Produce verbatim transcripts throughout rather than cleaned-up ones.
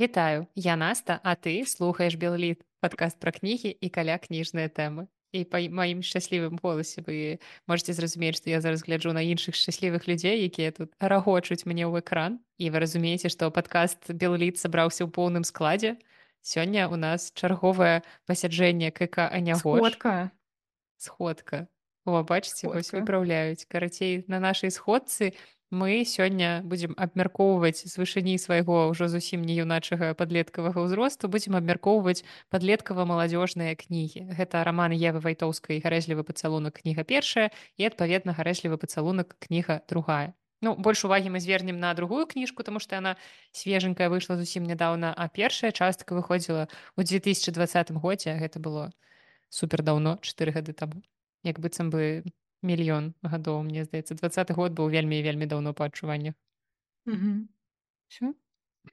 Вітаю, я Наста, а ты слухаеш Белліт, падкаст пра кнігі і каля кніжныя тэмы. І па маім шчаслівым голасе вы можете зразумець, што я зараз гляджу на іншых шчаслівых людзей, якія тут рагочуць мне ў экран. І вы разумееце, што падкаст Белліт сабраўся ў поўным складзе. Сёння у нас чарговае пасяджэнне КК Анягош. Сходка. Сходка. О, бачыце, вось Сходка. выпраўляюць. Карацей, на нашай сходцы мы сёння будзем абмяркоўваць з вышыні свайго ўжо зусім не юначага падлеткавага ўзросту, будзем абмяркоўваць падлеткава-маладзёжныя кнігі. Гэта раман Евы Вайтоўскай гарэзлівы пацалунак кніга першая і адпаведна гарэзлівы пацалунак кніга другая. Ну, больш увагі мы звернем на другую кніжку, таму што яна свеженькая выйшла зусім нядаўна, а першая частка выходзіла ў две тысячи двадцатым годзе, гэта было супер даўно, чатыры гады таму. Як быццам бы мільён гадоў, мне здаецца, двадцаты год быў вельмі і вельмі даўно па адчуваннях. Мгм. Всё?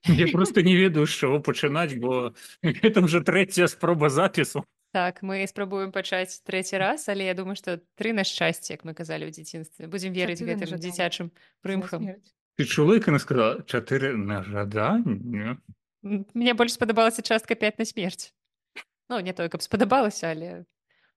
Я просто не ведаю, з чаго пачынаць, бо гэта ўжо трэцяя спроба запісу. Так, мы спрабуем пачаць трэці раз, але я думаю, што тры на шчасце, як мы казалі ў дзяцінстве. Будзем верыць Чатыры на гэтым жаданне. дзіцячым За прымхам. смерць. Ты чула, як яна сказала чатыры на жаданне? М, Мне больш спадабалася частка пяць на смерць. Ну, не тое, каб спадабалася, але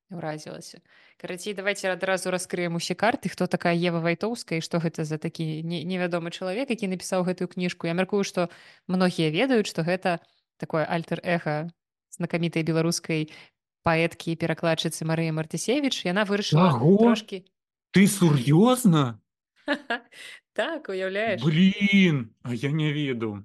ўразілася. Карацей, давайте адразу раскрыем усе карты, хто такая Ева Вайтоўская і што гэта за такі не- невядомы чалавек, які напісаў гэтую кніжку. Я мяркую, што многія ведаюць, што гэта такое альтер-эга знакамітай беларускай паэткі і перакладчыцы Марыі Мартысевіч. Яна вырашыла Каго? трошкі... Ты сур'ёзна? Так, уяўляеш? Блін, а я не ведаў.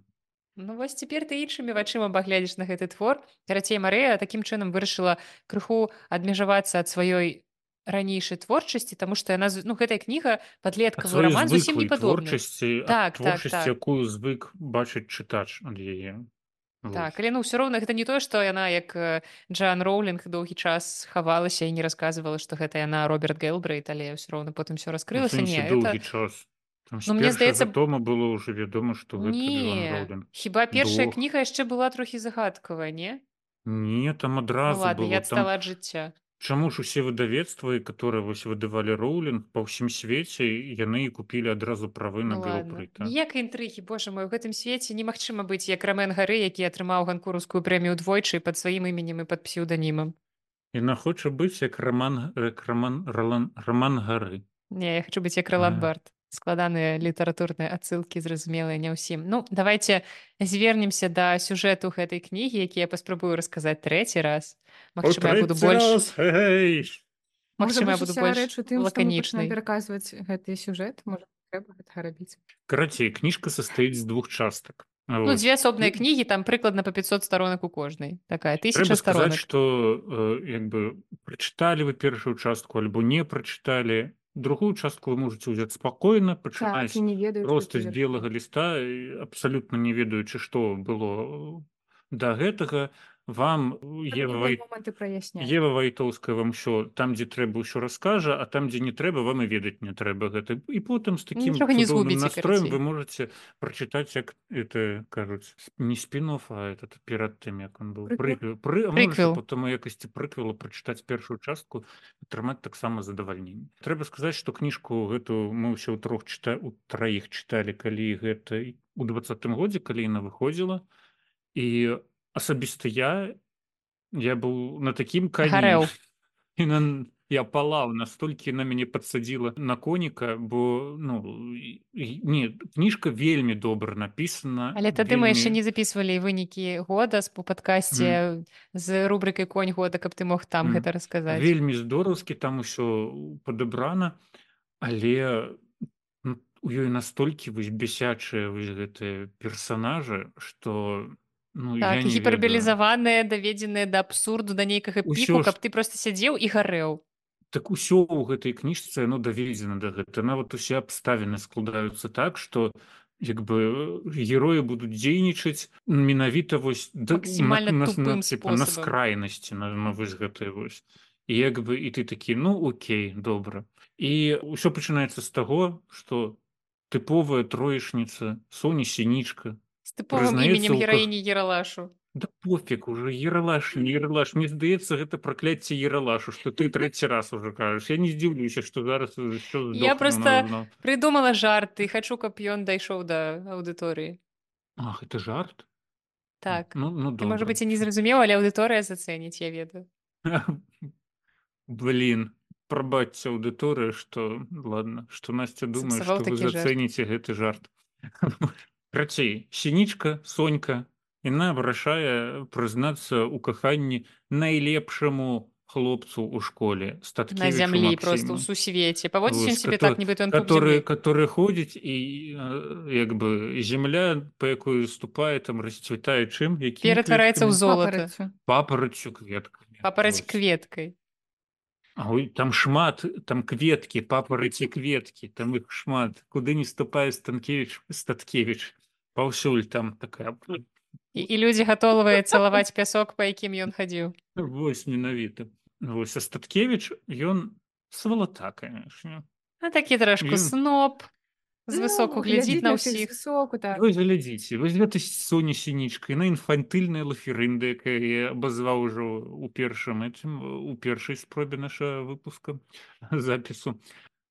Ну вось цяпер ты іншымі вачыма паглядзіш на гэты твор. Карацей, Марыя такім чынам вырашыла крыху адмежавацца ад сваёй ранейшай творчасці, таму што яна з- ну гэтая кніга Ад падлеткавы сваёй раман зусім не звыклай падобны. творчасці, ад Так, так, творчасці, так. якую звык бачыць чытач ад яе. Так, але ну ўсё роўна гэта не тое, што яна як э, Джоан Роўлінг доўгі час хавалася і не расказвала, што гэта яна Роберт Гэлбрейт, але ўсё роўна потым все У раскрылася. Не, сэнсе это... доўгі час. Там з Ну мне першага здаецца, тома было ўжо вядома, што гэта Джоан не, Роўлінг. хіба першая Дох. кніга яшчэ была трохі загадкавая, не? Не, там Ну адразу ладно, я было. Там адстала ад жыцця. чаму ж усе выдавецтвы, которые вось выдавалі Роўлінг па ўсім свеце, яны і купілі адразу правы на Ну ладно. Гэлбрейта. Ніякай інтрыгі, божа мой, у гэтым свеце немагчыма быць як Рамен Гары, які атрымаў ганкураўскую прэмію двойчы пад сваім іменем і пад псеўданімам. Яна хоча быць як раман, як раман, Ролан, раман Гары. Не, я хочу быць як Ролан А. Барт. Складаныя літаратурныя адсылкі, зразумелыя не ўсім. Ну, давайте звернемся да сюжэту гэтай кнігі, які я паспрабую расказаць трэці раз. Магчыма, я буду больш... Гэй! Можа Магчыма, я быць, буду уся больш рэч у тым, што мы пачнем лаканічнай. пераказваць гэты сюжэт. Можа, трэба гэтага рабіць. Карацей, кніжка састаіць з двух частак. Ну, Вось. дзве асобныя кнігі, там прыкладна па пятьсот сторонак у кожнай. Такая Трэба тысяча сказаць, сторонак. што э, як бы прачыталі вы першую частку альбо не прачыталі. Другую частку вы можете ўзяць спакойна, Так, пачынаць і не ведаю, проста з белага ліста, і абсалютна не ведаючы, што было да гэтага. Вам Ева, Вай... моманты праясняць. Ева Вайтоўская вам ўсё там, дзе трэба, ўсё раскажа, а там, дзе не трэба, вам і ведаць не трэба гэта. І потым з такім Нічога не цудоўным згубіце, настроем карацей. вы можете прачытаць, як это кажуць, не спін-офф, а этот перад тым, як он быў Прыквел. прыквел. Пры... А Прыквел. можете потым у якасці прыквела прачытаць першую частку, атрымаць таксама задавальненне. Трэба сказаць, што кніжку гэту мы ўсё ў трох чыта... у траіх чыталі, калі гэта у двадцатым годзе, калі яна выходзіла. І асабіста я я быў на такім кані. Гарэў. І на... я палаў, настолькі на мяне падсадзіла на коніка, бо ну, і- не, кніжка вельмі добра напісана. Але тады вельмі... мы яшчэ не записывалі вынікі года з- по падкасці з рубрыкай конь года, каб ты мог там Мгм. гэта расказаць. Вельмі здораўскі, там усё падабрана, але ну, у ёй настолькі вось бесячыя вось гэтыя персанажы, што ну, я Так, не ведаю. гіпербалізаваныя, даведзеныя да абсурду, да нейкага Усё піку, ж- каб ты просто сядзеў і гарэў. Так усё ў гэтай кніжцы яно даведзена да гэта. Нават усе абставіны складаюцца так, што як бы героі будуць дзейнічаць менавіта вось да- Максімальна на, на, тупым на, типа, на спосабам. скрайнасці на, на вось гэтыя вось. І як бы і ты такі, ну окей, добра. І ўсё пачынаецца з таго, што тыповая троечніца Соня Сінічка З тыповым прызнаецца іменем ў ках- гераіні Ералашу. Да пофиг уже, Ералаш, не Ералаш. Мне здаецца, гэта пракляцце Ералашу, што ты трэці раз уже кажаш. Я не здзіўлюся, што зараз що Я здохне просто зноў. придумала жарт і хачу, каб ён дайшоў да аўдыторыі. Ах, это жарт? Так. Ну, ну Ты, можа добра. быць, і не зразумеў, але аўдыторыя зацэніць, я ведаю. Блин, прабачце аўдыторыя, што ладно, што Насця думае, Сапсаваў што вы такі жарт. зацэніце гэты жарт. Карацей, сінічка, Сонька, яна вырашае прызнацца ў каханні найлепшаму хлопцу ў школе, На Статкевічу зямлі, проста ў Максіму. сусвеце. Паводзіць ён Вось, сябе като так, нібыта ён пуп который зямлі. который ходзіць і, э, як бы зямля, па якую ступае, там расцвітае чым? Якімі Ператвараецца ў кветкамі? золата. Папараццю. Папараццю, кветкамі. Папараць Вось. кветкай. А ой, там шмат, там кветкі, папараці кветкі, там іх шмат. Куды не ступае Станкевіч, Статкевіч. Паўсюль там такая. І, і людзі гатовыя цалаваць пясок, па якім ён хадзіў. Вось менавіта. Вось, а Статкевіч, ён свалата, канешне. А такі трошку Ён сноб, звысоку Ну, глядзіць глядзіць на на ўсіх ўсіх. звысоку, так. Вось глядзіце, вось гэта Соня Сінічка, яна інфантыльная лаферында, якая я абазваў ужо ў першым этим, у першай спробе нашага выпуска запісу.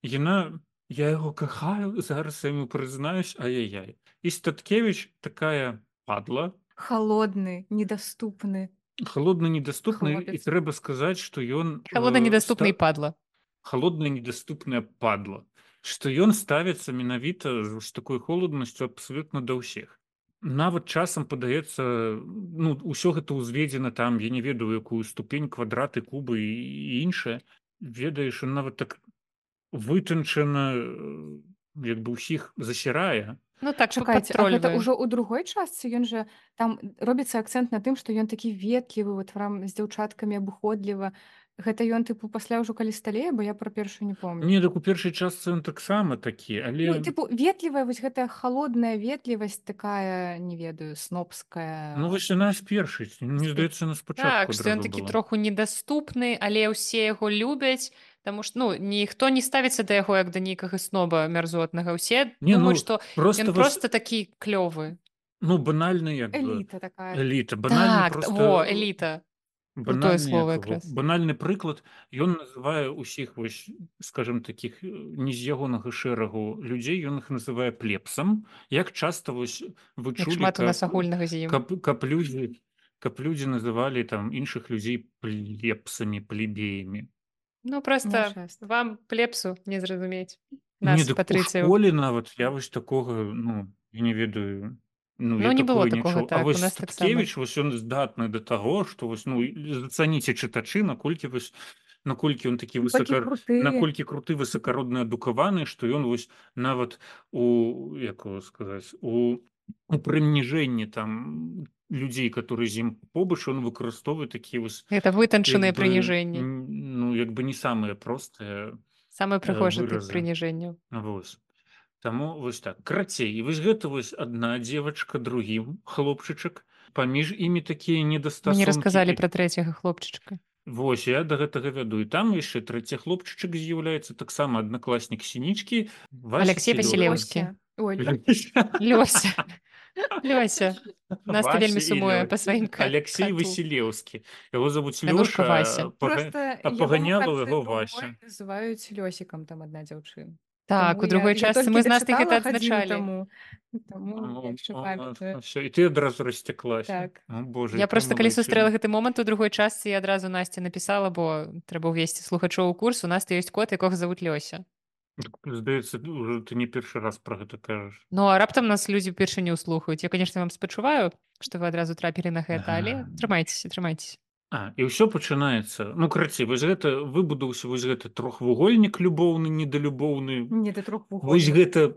Яна, я яго кахаю, зараз я яму прызнаюсь, ай-яй-яй. І Статкевіч такая падла, Халодны, недаступны. холодна недаступны, і Хлопец. трэба сказаць, што ён Халодна э, недаступны і ста... падла. холодная недаступная падла, што ён ставіцца менавіта з такой холоднасцю абсалютна да ўсіх. Нават часам падаецца, ну, ўсё гэта ўзведзена там, я не ведаю, якую ступень, квадраты, кубы і, і іншае. Ведаеш, ён нават так вытанчана, э, як бы ўсіх засірае. Ну так, Чакайце, а гэта падтрольвае. ўжо ў другой частцы ён жа там робіцца акцэнт на тым, што ён такі ветлівы, вот прям з дзяўчаткамі абыходліва. Гэта ён тыпу пасля ўжо калі сталее, бо я пра першую не помню. Не, так у першай частцы ён таксама такі, Ну, але тыпу ветлівая вось гэтая халодная ветлівасць такая, не ведаю, ну снобская. вось яна з першай, мне Спе- здаецца, на Так, спачатку што ён адразу такі была. троху недаступны, але ўсе яго любяць, таму што ну, ніхто не ставіцца да яго як да нейкага сноба мярзотнага. Усе Не, думаюць, ну што просто ён вось, проста такі клёвы. ну банальны як бы Эліта такая. эліта, банальны Так, просто во, эліта. Крутое банальны слово як его, якраз. банальны прыклад, ён называе ўсіх вось, скажем, такіх э, не з ягонага шэрагу людзей, ён іх называе плебсам. Як часта вось вы Як чулі, шмат у нас каб агульнага з ім. каб каб людзі каб людзі называлі там іншых людзей плебсамі, плебеямі. Ну Не проста часта. вам плебсу не зразумець. Не, Нас, дык у патрыцыяў. школе нават я вось такога, ну, я не ведаю, ну, Ну я не было такое не такога чуў. А так, у вось нас таксама. Статкевіч, вось ён здатны да таго, што вось, ну, і зацаніце чытачы, наколькі вось, наколькі ён такі Такі высока, круты. наколькі круты, высакародны, адукаваны, што ён вось нават у, як его сказаць, у, у прыніжэнні там людзей, которые з ім побач, ён выкарыстоўвае такія вось, Гэта вытанчаныя як бы, прыніжэнні. м, ну, як бы не самыя простыя Самы э, прыгожы тып выразы. прыніжэнняў. Вось. Таму вось так. Карацей, і вось гэта вось адна дзевачка, другі хлопчычак. Паміж імі такія Мы не недастасункі. расказалі І пра трэцяга хлопчычка. вось, я да гэтага вяду. І там яшчэ трэці хлопчычак з'яўляецца таксама аднакласнік Сінічкі, Алексей Вася Селёзкі. Васілеўскі. Лёся. Ой, Лёся. Лёся. Настя Вася вельмі і сумуе Лё- па сваім ка- Алексей кату. Васілеўскі. Яго завуць Вянушка Вася. Лёша, пага... Просто а яго паганяла ў канцы яго другой Вася. называюць Лёсікам там адна дзяўчына. Так, Таму у другой я, я частцы толькі мы з Настей дачытала гэта гадзіну адзначалі. таму. Таму Ну, яшчэ о, памятаю. всё, і ты адразу расцяклася. Так. О, Боже, Я якая просто калі малайчына. сустрэла гэты момант у другой частцы, я адразу Насці напісала, бо трэба ўвесці слухачоў у курс. У Насты ёсць кот, якога завуць Лёся. Здаецца, уже ты не першы раз про гэта кажаш. Ну а раптам нас людзі ўпершыню слухаюць. Я, конечно, вам спачуваю, што вы адразу трапілі на гэта, але трымайцеся, трымайцеся. А, і ўсё пачынаецца. Ну, карацей, вось гэта выбудаўся вось гэты трохвугольнік любоўны, недалюбоўны. Не, ты Вось трохвугольнік. гэта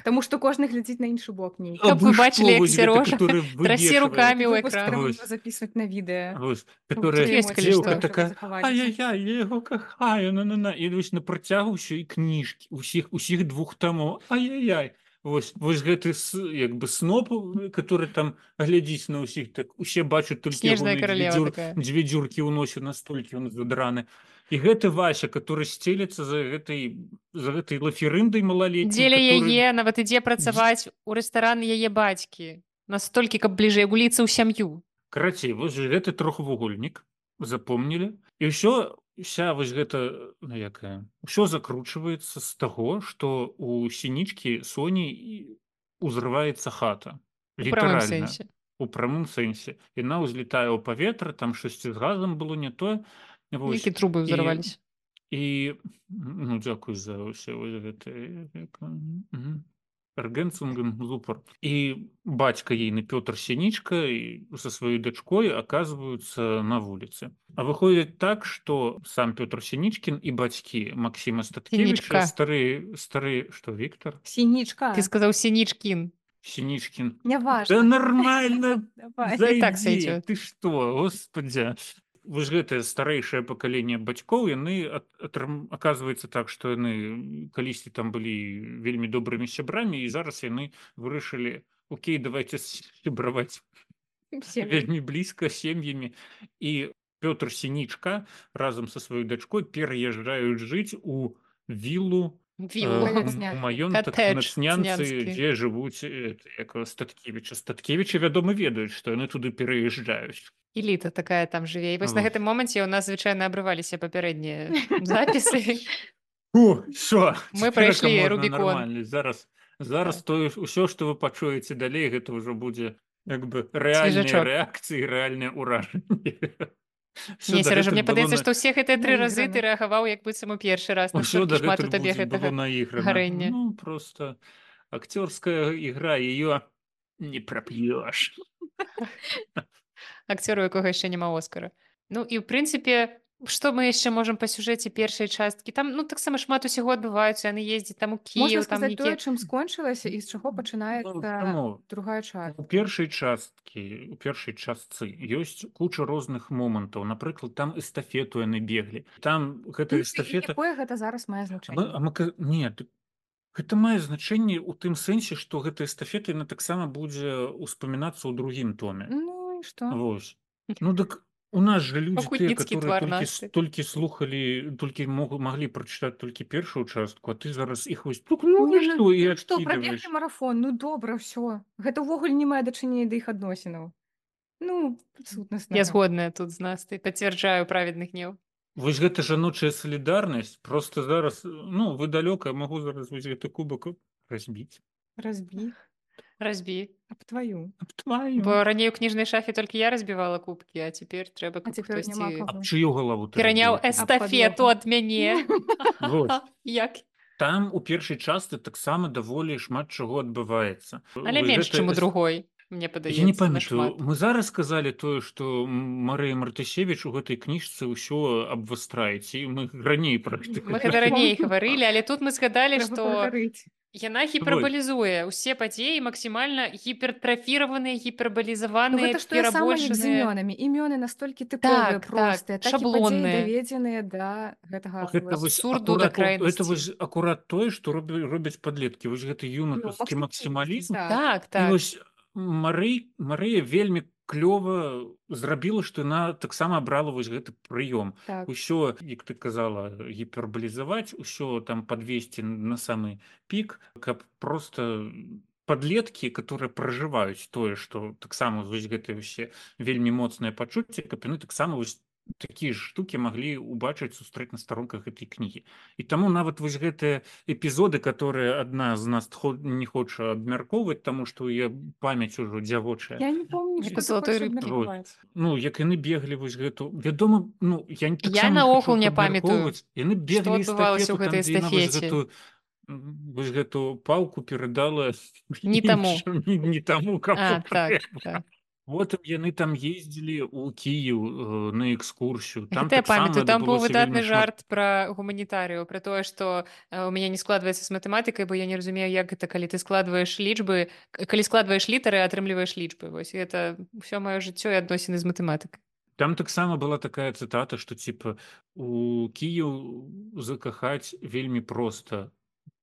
Таму што кожны глядзіць на іншы бок нейкі. Каб вы абы бачылі, што, як вось гэта, Серожа который трасе вывешивае. рукамі ў Выпуск экран. трэба Вось. было записывать на відэа. Вось, Тут которая ёсць, калі дзеўка што. такая, Захаваліся. ай-яй-яй, я яго кахаю, на-на-на. І вось на працягу ўсё і кніжкі, усіх, усіх двух тамоў, ай-яй-яй. Вось, вось гэты с, як бы сноп, который там глядзіць на ўсіх, так усе бачаць толькі Снежная ягоныя дзве, каралева дзюр, такая. дзве дзюркі ў носе, настолькі ён задраны. І гэты Вася, который сцелецца за гэтай, за гэтай лаферындай малалетняй, Дзеля который... яе нават ідзе працаваць у рэстаран яе бацькі. Настолькі, каб бліжэй гуліцца ў сям'ю. Карацей, вось жа гэты трохвугольнік, запомнілі. І ўсё, вся вось гэта, ну якая, ўсё закручваецца з таго, што у Сінічкі Соні і- узрываецца хата. У прамым Літаральна. сэнсе. у прамым сэнсе. Яна ўзлетае ў паветра, там штосьці з газам было не тое. Вось. Які трубы І, ўзарваліся. і ну, дзякуй за ўсе вось гэтыя мгм. Эргэнцунгем зупар. І бацька ейны Пётр Сінічка і са сваёй дачкой аказваюцца на вуліцы. А выходзіць так, што сам Пётр Сінічкін і бацькі Максіма Сінічка. Статкевіча стары стары што Віктор? Ты Сінічка. сказаў Сінічкін. Сінічкін. Да Няважна. нормально, Давай. І так зайдзі. сойдёт. Ты што, господзя. Вось гэтае старэйшае пакаленне бацькоў, яны ат- атрым- аказваецца так, што яны калісьці там былі вельмі добрымі сябрамі, і зараз яны вырашылі: окей, давайте сябраваць Сем'і. вельмі блізка сем'ямі. І Пётр Сінічка разам са сваёй дачкой пераязджаюць жыць у віллу, Віллу. э, Маёнтак. м- маёнтак Катэдж на Цнянцы, цнянскі. дзе жывуць э, як его, Статкевіча. Статкевічы, вядома, ведаюць, што яны туды пераязджаюць. Эліта такая там жыве. І вось на Вот. гэтым моманце ў нас звычайна абрываліся папярэднія запісы. Фу, всё, Мы цяперака прайшлі можна Рубікон. нармальна. Зараз зараз Так. тое ўсё, што вы пачуеце далей, гэта ўжо будзе як бы рэальныя Свежачок. рэакцыі, рэальныя ўражанні. Всё Не, Сережа, дагэтуль мне было падаецца, на- што ўсе гэтыя тры разы ты Наіграна. рэагаваў як быццам у першы раз. Усё Настолькі шмат у дагэтуль табе будзе было гэтага наіграна. гарэння. Ну, просто акцёрская ігра, её не прап'ёш. Акцёр, у якога яшчэ няма Оскара. Ну і ў прынцыпе, што мы яшчэ можам па сюжэце першай часткі? Там ну таксама шмат усяго адбываецца, яны ездзяць там у Можна Кіеў, там сказаць тое, нейкія чым скончылася і з чаго Ну, пачынаецца чаму? другая У частка. першай часткі, у першай частцы ёсць куча розных момантаў. Напрыклад, там эстафету яны беглі. Там гэта Ну, і эстафета. якое гэта зараз мае А мы, значэнне? а мы, ка- не, ты- гэта мае значэнне ў тым сэнсе, што гэта эстафета яна таксама будзе ўспамінацца ў другім томе. Ну і што? Вось. Ну дык у нас же людзі тыя, пакутніцкі которые твар толькі, Насты. с- толькі слухалі, толькі мог, маглі прачытаць толькі першую частку, а ты зараз іх вось тук, ну Не, і ну, што, і ну што, прабеглі адкідываеш. марафон, ну добра, ўсё. Гэта ўвогуле не мае дачынення да іх адносінаў. Ну, Я сутнаснага. згодная тут з Настай, пацвярджаю праведны гнеў. Вось гэта жаночая салідарнасць, просто зараз, ну, вы далёка, я магу зараз вось гэты кубак разбіць. Разбі. Разбі. Аб тваю. Аб тваю. Бо раней у кніжнай шафе толькі я разбівала кубкі, а цяпер трэба, А каб цяпер няма хтосьці Аб каго. чыю галаву ты пераняў разбіла кубак? эстафету падлогу. ад мяне. Вот. Як? Там у першай частцы таксама даволі шмат чаго адбываецца. Але Вось менш, гэта чым у эс- другой, мне Я не падаецца, памятаю, нашмат. мы зараз сказалі тое, што Марыя Мартысевіч у гэтай кніжцы ўсё абвастрае, ці мы раней пра гэта Мы гэта раней гаварылі, але тут мы згадалі, Трэба што пагаварыць. яна гіпербалізуе ўсе падзеі максімальна гіпертрафіраваныя, Ну, гіпербалізаваныя, гэта ж тое самае, як з перабольшаныя. імёнамі. Імёны настолькі тыповыя, Так, так, простыя, так і падзеі шаблонныя. даведзеныя да гэтага Гэта вось Абсурду да акурат, гэта крайнасці. вось акурат тое, што робі, робяць падлеткі. Вось гэты юнатаўскі Ну, максімалізм. так. Так, І так. вось Марый, Марыя вельмі клёва зрабіла, што яна таксама абрала вось гэты прыём. Так. Усё, як ты казала, гіпербалізаваць, усё там падвесці на самы пік, каб просто падлеткі, которые пражываюць тое, што таксама вось гэтыя ўсе вельмі моцныя пачуцці, каб яны таксама вось такія ж штукі маглі убачыць, сустрэць на старонках гэтай кнігі. І таму нават вось гэтыя эпізоды, которые адна з нас хо- не хоча абмяркоўваць, таму што яе памяць ужо дзявочая. Я не помню, Як што у ты «Залатой хочаш рыбкі». абмеркаваць. Ну, як яны беглі вось гэту, вядома, ну, я не- Я таксама не наогул хачу не іх памятаю, абмяркоўваць. Яны што беглі адбывалася ў эстафету, гэтай там, дзе яна вось эстафеце. гэту, м, вось гэту палку перадала Не таму. іншым, не, не таму, кому А, так, трэба. так. Потым яны там ездзілі ў Кіеў э, на экскурсію. Там Гэта я таксама памятаю, там быў адбылося выдатны вельмі шмат. жарт пра гуманітарыяў, пра тое, што э, у мяне не складваецца з матэматыкай, бо я не разумею, як гэта, калі ты складваеш лічбы, к- калі складваеш літары, а атрымліваеш лічбы. Вось гэта ўсё маё жыццё і адносіны з матэматыкай. Там таксама была такая цытата, што типа у Кіеў закахаць вельмі проста.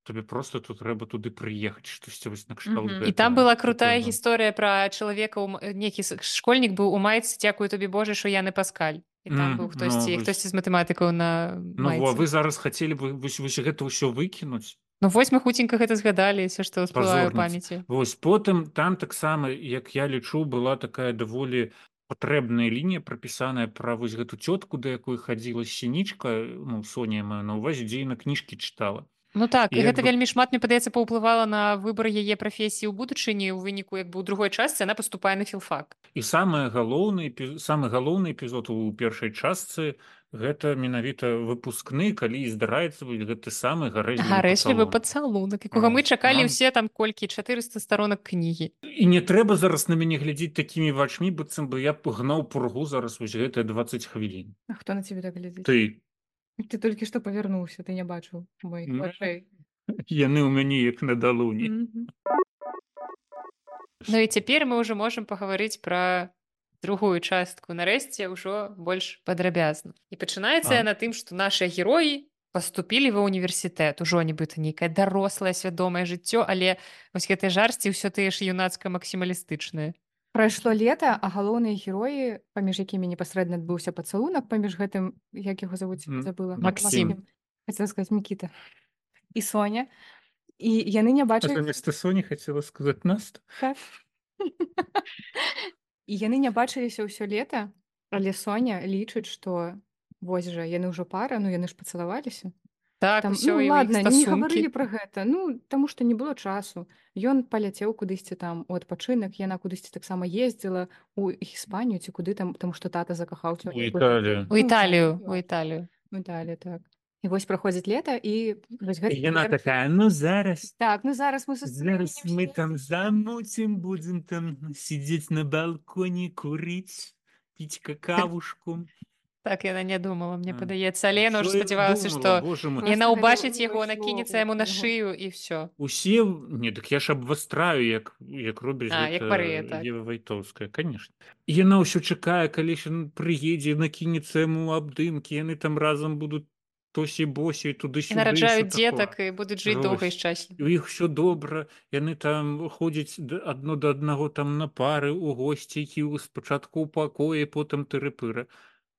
Табе просто тут трэба туды прыехаць, штосьці вось накшталт Мгм. І там гэтага. была крутая Такое, гісторыя пра чалавека, ў м- нейкі с- школьнік быў у майцы, дзякую тобі Божа, што я не Паскаль. І там М, быў ну, хтосьці, вось. хтосьці з матэматыкаў на Ну, во, а майцы. вы зараз хацелі бы вось, вось гэта ўсё выкінуць? Ну вось мы хуценька гэта згадаліся, што ўсплывае ў Пазорніца. памяці. Вось потым там таксама, як я лічу, была такая даволі патрэбная лінія прапісаная пра вось гэту цётку, да якой хадзіла Сінічка, ну, Соня я маю на ўвазе, дзе яна кніжкі чытала. Ну так, І і як гэта бы вельмі шмат, мне падаецца, паўплывала на выбар яе прафесіі ў будучыні ў выніку як бы ў другой частцы яна паступае на філфак. і самае галоўны эпі- самы галоўны эпізод у першай частцы гэта менавіта выпускны, калі і здараецца вось гэты самы гарэзлівы Гарэзлівы пацалунак. пацалунак, якога мы О, чакалі нам ўсе там колькі чатырыста старонак кнігі. і не трэба зараз на мяне глядзець такімі вачмі, быццам бы я пагнаў пургу зараз вось гэтыя дваццаць хвілін. А хто на цябе так глядзіць? Ты Ты толькі што павярнуўся, ты не бачыў моих М, вачэй. яны ў мяне як на далоні. Мгм. Ну і цяпер мы ўжо можам пагаварыць пра другую частку, нарэшце ўжо больш падрабязна. І пачынаецца А, яна тым, што нашыя героі паступілі ва ўніверсітэт, ужо нібыта нейкае дарослае свядомае жыццё, але вось гэтыя жарсці ўсё тыя ж юнацка-максімалістычныя. Прайшло лета, а галоўныя героі, паміж якімі непасрэдна адбыўся пацалунак, паміж гэтым, як яго завуць, м, забыла. Максім. Хацела сказаць Мікіта. І Соня. І яны не а бачаць замест Соні хацела сказаць Наста. так. І яны не бачыліся ўсё лета, але Соня лічыць, што вось жа яны ўжо пара, ну яны ж пацалаваліся. Так, Там, усё, ну і ў іх ладна, не стасункі. гаварылі пра гэта. Ну, таму што не было часу. Ён паляцеў кудысьці там у адпачынак, яна кудысьці таксама ездзіла у Іспанію ці куды там, таму што тата закахаўся У ў яе. Італію. У Італію, у Італію. У Італію, так. І вось праходзіць лета, і вось І гэта яна цяпер- такая, ну зараз Так, ну зараз мы зараз сустрэнемся. мы там замуцім, будзем там сидзець на балконе, курыць, піць какавушку. Так яна не думала, мне А, падаецца, але яна Що ўжо я спадзявалася, думала, што боже мой. Просто яна гэта ўбачыць не яго, ўвайшло накінецца ў яму на яго. шыю і ўсё. Усе, не, так я ж абвастраю, як, як робіць А, як Марыя, гэта так. Ева Вайтоўская, конечно. І яна ўсё чакае, калі ж ён прыедзе, накінецца яму абдымкі, яны там разам будуць тосі-босі, І туды-сюды, нараджаюць ўсё такое. дзетак і будуць жыць доўга і Вось. шчасліва. У іх все добра, яны там ходзяць д- адно да аднаго там на пары у госці, які спачатку ў пакоі, потым тыры-пыры.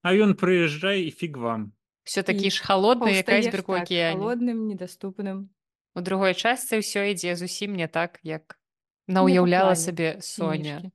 А ён прыязджае і фіг вам. Усё такі І ж халодны, як Паўстаеш айсберг у так, акіяне. халодным, недаступным. У другой частцы ўсё ідзе зусім не так, як Не па наўяўляла плане сабе Соня. кніжкі.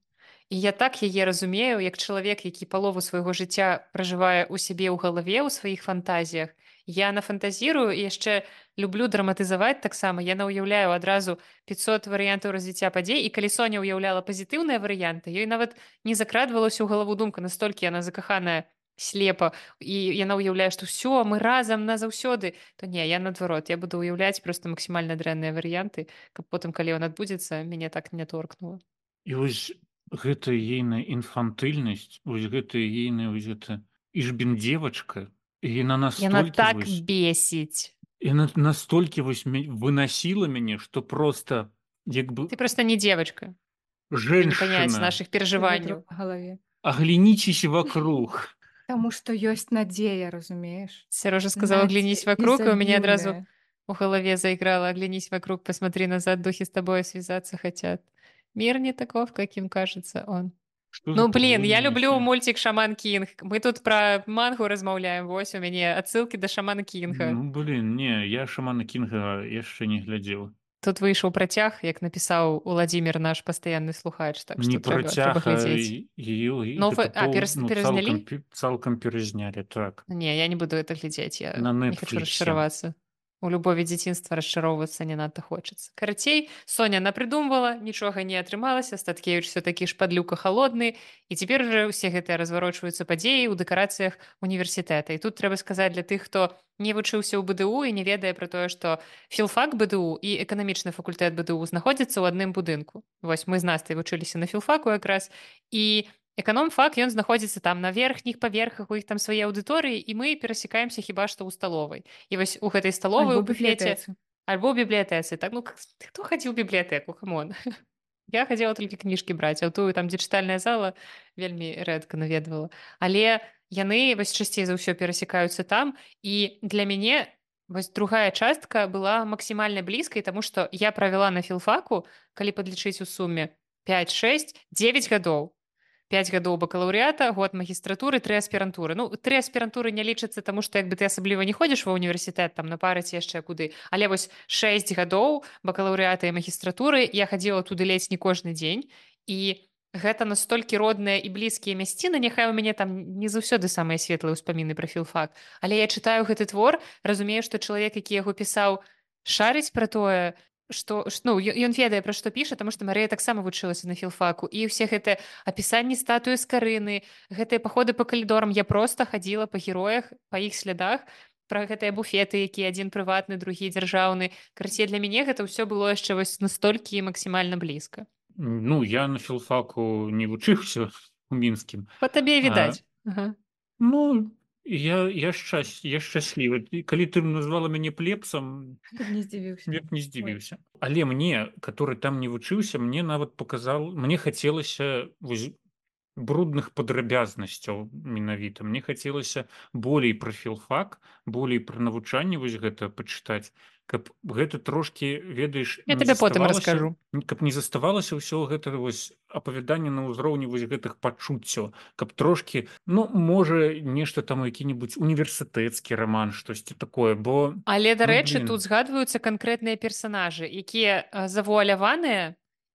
І я так яе разумею, як чалавек, які палову свайго жыцця пражывае ў сябе ў галаве, ў сваіх фантазіях. Я нафантазірую і яшчэ люблю драматызаваць таксама. Я наўяўляю адразу пятьсот варыянтаў развіцця падзей, і калі Соня ўяўляла пазітыўныя варыянты, ёй нават не закрадвалася ў галаву думка, настолькі яна закаханая слепа, і яна ўяўляе, што ўсё, мы разам назаўсёды, то не, я наадварот, я буду ўяўляць проста максімальна дрэнныя варыянты, каб потым, калі ён адбудзецца, мяне так не торкнула. І вось гэта ейная інфантыльнасць, вось гэта ейная вось гэта ішбін девачка, яна Яна настолькі так вось, бесіць. яна настолькі вось мя- вынасіла мяне, што просто як бы Ты просто не девочка. Тебе не понять женщина, наших переживаний. Ветру па галаве. оглянитесь вокруг. Таму што ёсць надзея, разумееш? Сережа сказал, оглянись вокруг, и у меня одразу Изобильная. у голове заиграла, оглянись вокруг, посмотри назад, духи с тобой связаться хотят. Мир не таков, каким кажется он. Что Ну, за блин, я погоня люблю несёт? мультик «Шаман Кинг». Мы тут про мангу размаўляем, вось у мяне отсылки до Шамана Кинга. Ну, блин, не, я Шамана Кінга яшчэ не глядзеў. Тут выйшаў працяг, як напісаў Уладзімир, наш пастаянны слухач, так Не што трэба, трэба працяг, а глядзець. ее Ну, фа- а, перас- ну, перазнялі? цалкам, пе- цалкам перазнялі, так. Не, я не буду это глядзець, я На не хочу Netflixе. расчаравацца. У любові дзяцінства расчароўвацца не надта хочацца. Карацей, Соня напрыдумвала, нічога не атрымалася, Статкевіч все-такі ж падлюка халодны, і цяпер уже ўсе гэтыя разварочваюцца падзеі ў дэкарацыях універсітэта. І тут трэба сказаць для тых, хто не вучыўся ў БДУ і не ведае пра тое, што філфак БДУ і эканамічны факультэт БДУ знаходзяцца ў адным будынку. Вось мы з Настай вучыліся на філфаку якраз, і эканом-фак, ён знаходзіцца там на верхніх паверхах, у іх там свае аўдыторыі, і мы перасекаемся хіба што ў сталовай. І вось у гэтай сталовай у Альбо буфеце бібліятэцы. альбо ў бібліятэцы. Так, ну к- хто хадзіў у бібліятэку, камон. Я хадзіла толькі кніжкі браць, а ў тую там, дзе чытальная зала, вельмі рэдка наведвала. Але яны вось часцей за ўсё перасекаюцца там, і для мяне вось другая частка была максімальна блізкай, таму што я правяла на філфаку, калі падлічыць у суме пять шесть девять гадоў. пять гадоў бакалаўрыята, год магістратуры, тры аспірантуры. Ну, тры аспірантуры не лічацца, таму што як бы ты асабліва не ходзіш ва ўніверсітэт, там на пары ці яшчэ куды. Але вось шэсць гадоў бакалаўрыята і магістратуры я хадзіла туды ледзь не кожны дзень. І гэта настолькі родныя і блізкія мясціны, няхай у мяне там не заўсёды самыя светлыя ўспаміны пра філфак. Але я чытаю гэты твор, разумею, што чалавек, які яго пісаў, шарыць пра тое, што ш- ну ё- ён ведае, пра што піша, таму што Марыя таксама вучылася на філфаку, і ўсе гэтыя апісанні статуі з карыны, гэтыя паходы па калідорам, я проста хадзіла па героях, па іх слядах, пра гэтыя буфеты, які адзін прыватны, другі дзяржаўны. Карацей, для мяне гэта ўсё было яшчэ вось настолькі максімальна блізка. Ну, я на філфаку не вучыўся у мінскім. Па табе А, відаць. Ага. ну, я, я, шчас... я шчаслівы. І калі ты назвала мяне плебсам, Ты б не здзівіўся. я б не Ой. здзівіўся. Але мне, который там не вучыўся, мне нават паказал, мне хацелася вось брудных падрабязнасцяў менавіта. Мне хацелася болей пра філфак, болей пра навучанне вось гэта пачытаць, каб гэта трошкі, ведаеш, Я не табе потым заставалася, раскажу. каб не заставалася ўсё гэта вось апавяданне на ўзроўні вось гэтых пачуццяў, каб трошкі, ну, можа, нешта там які-небудзь універсітэцкі раман, штосьці такое, бо Але, ну, дарэчы, блін. тут згадваюцца канкрэтныя персанажы, якія а, завуаляваныя,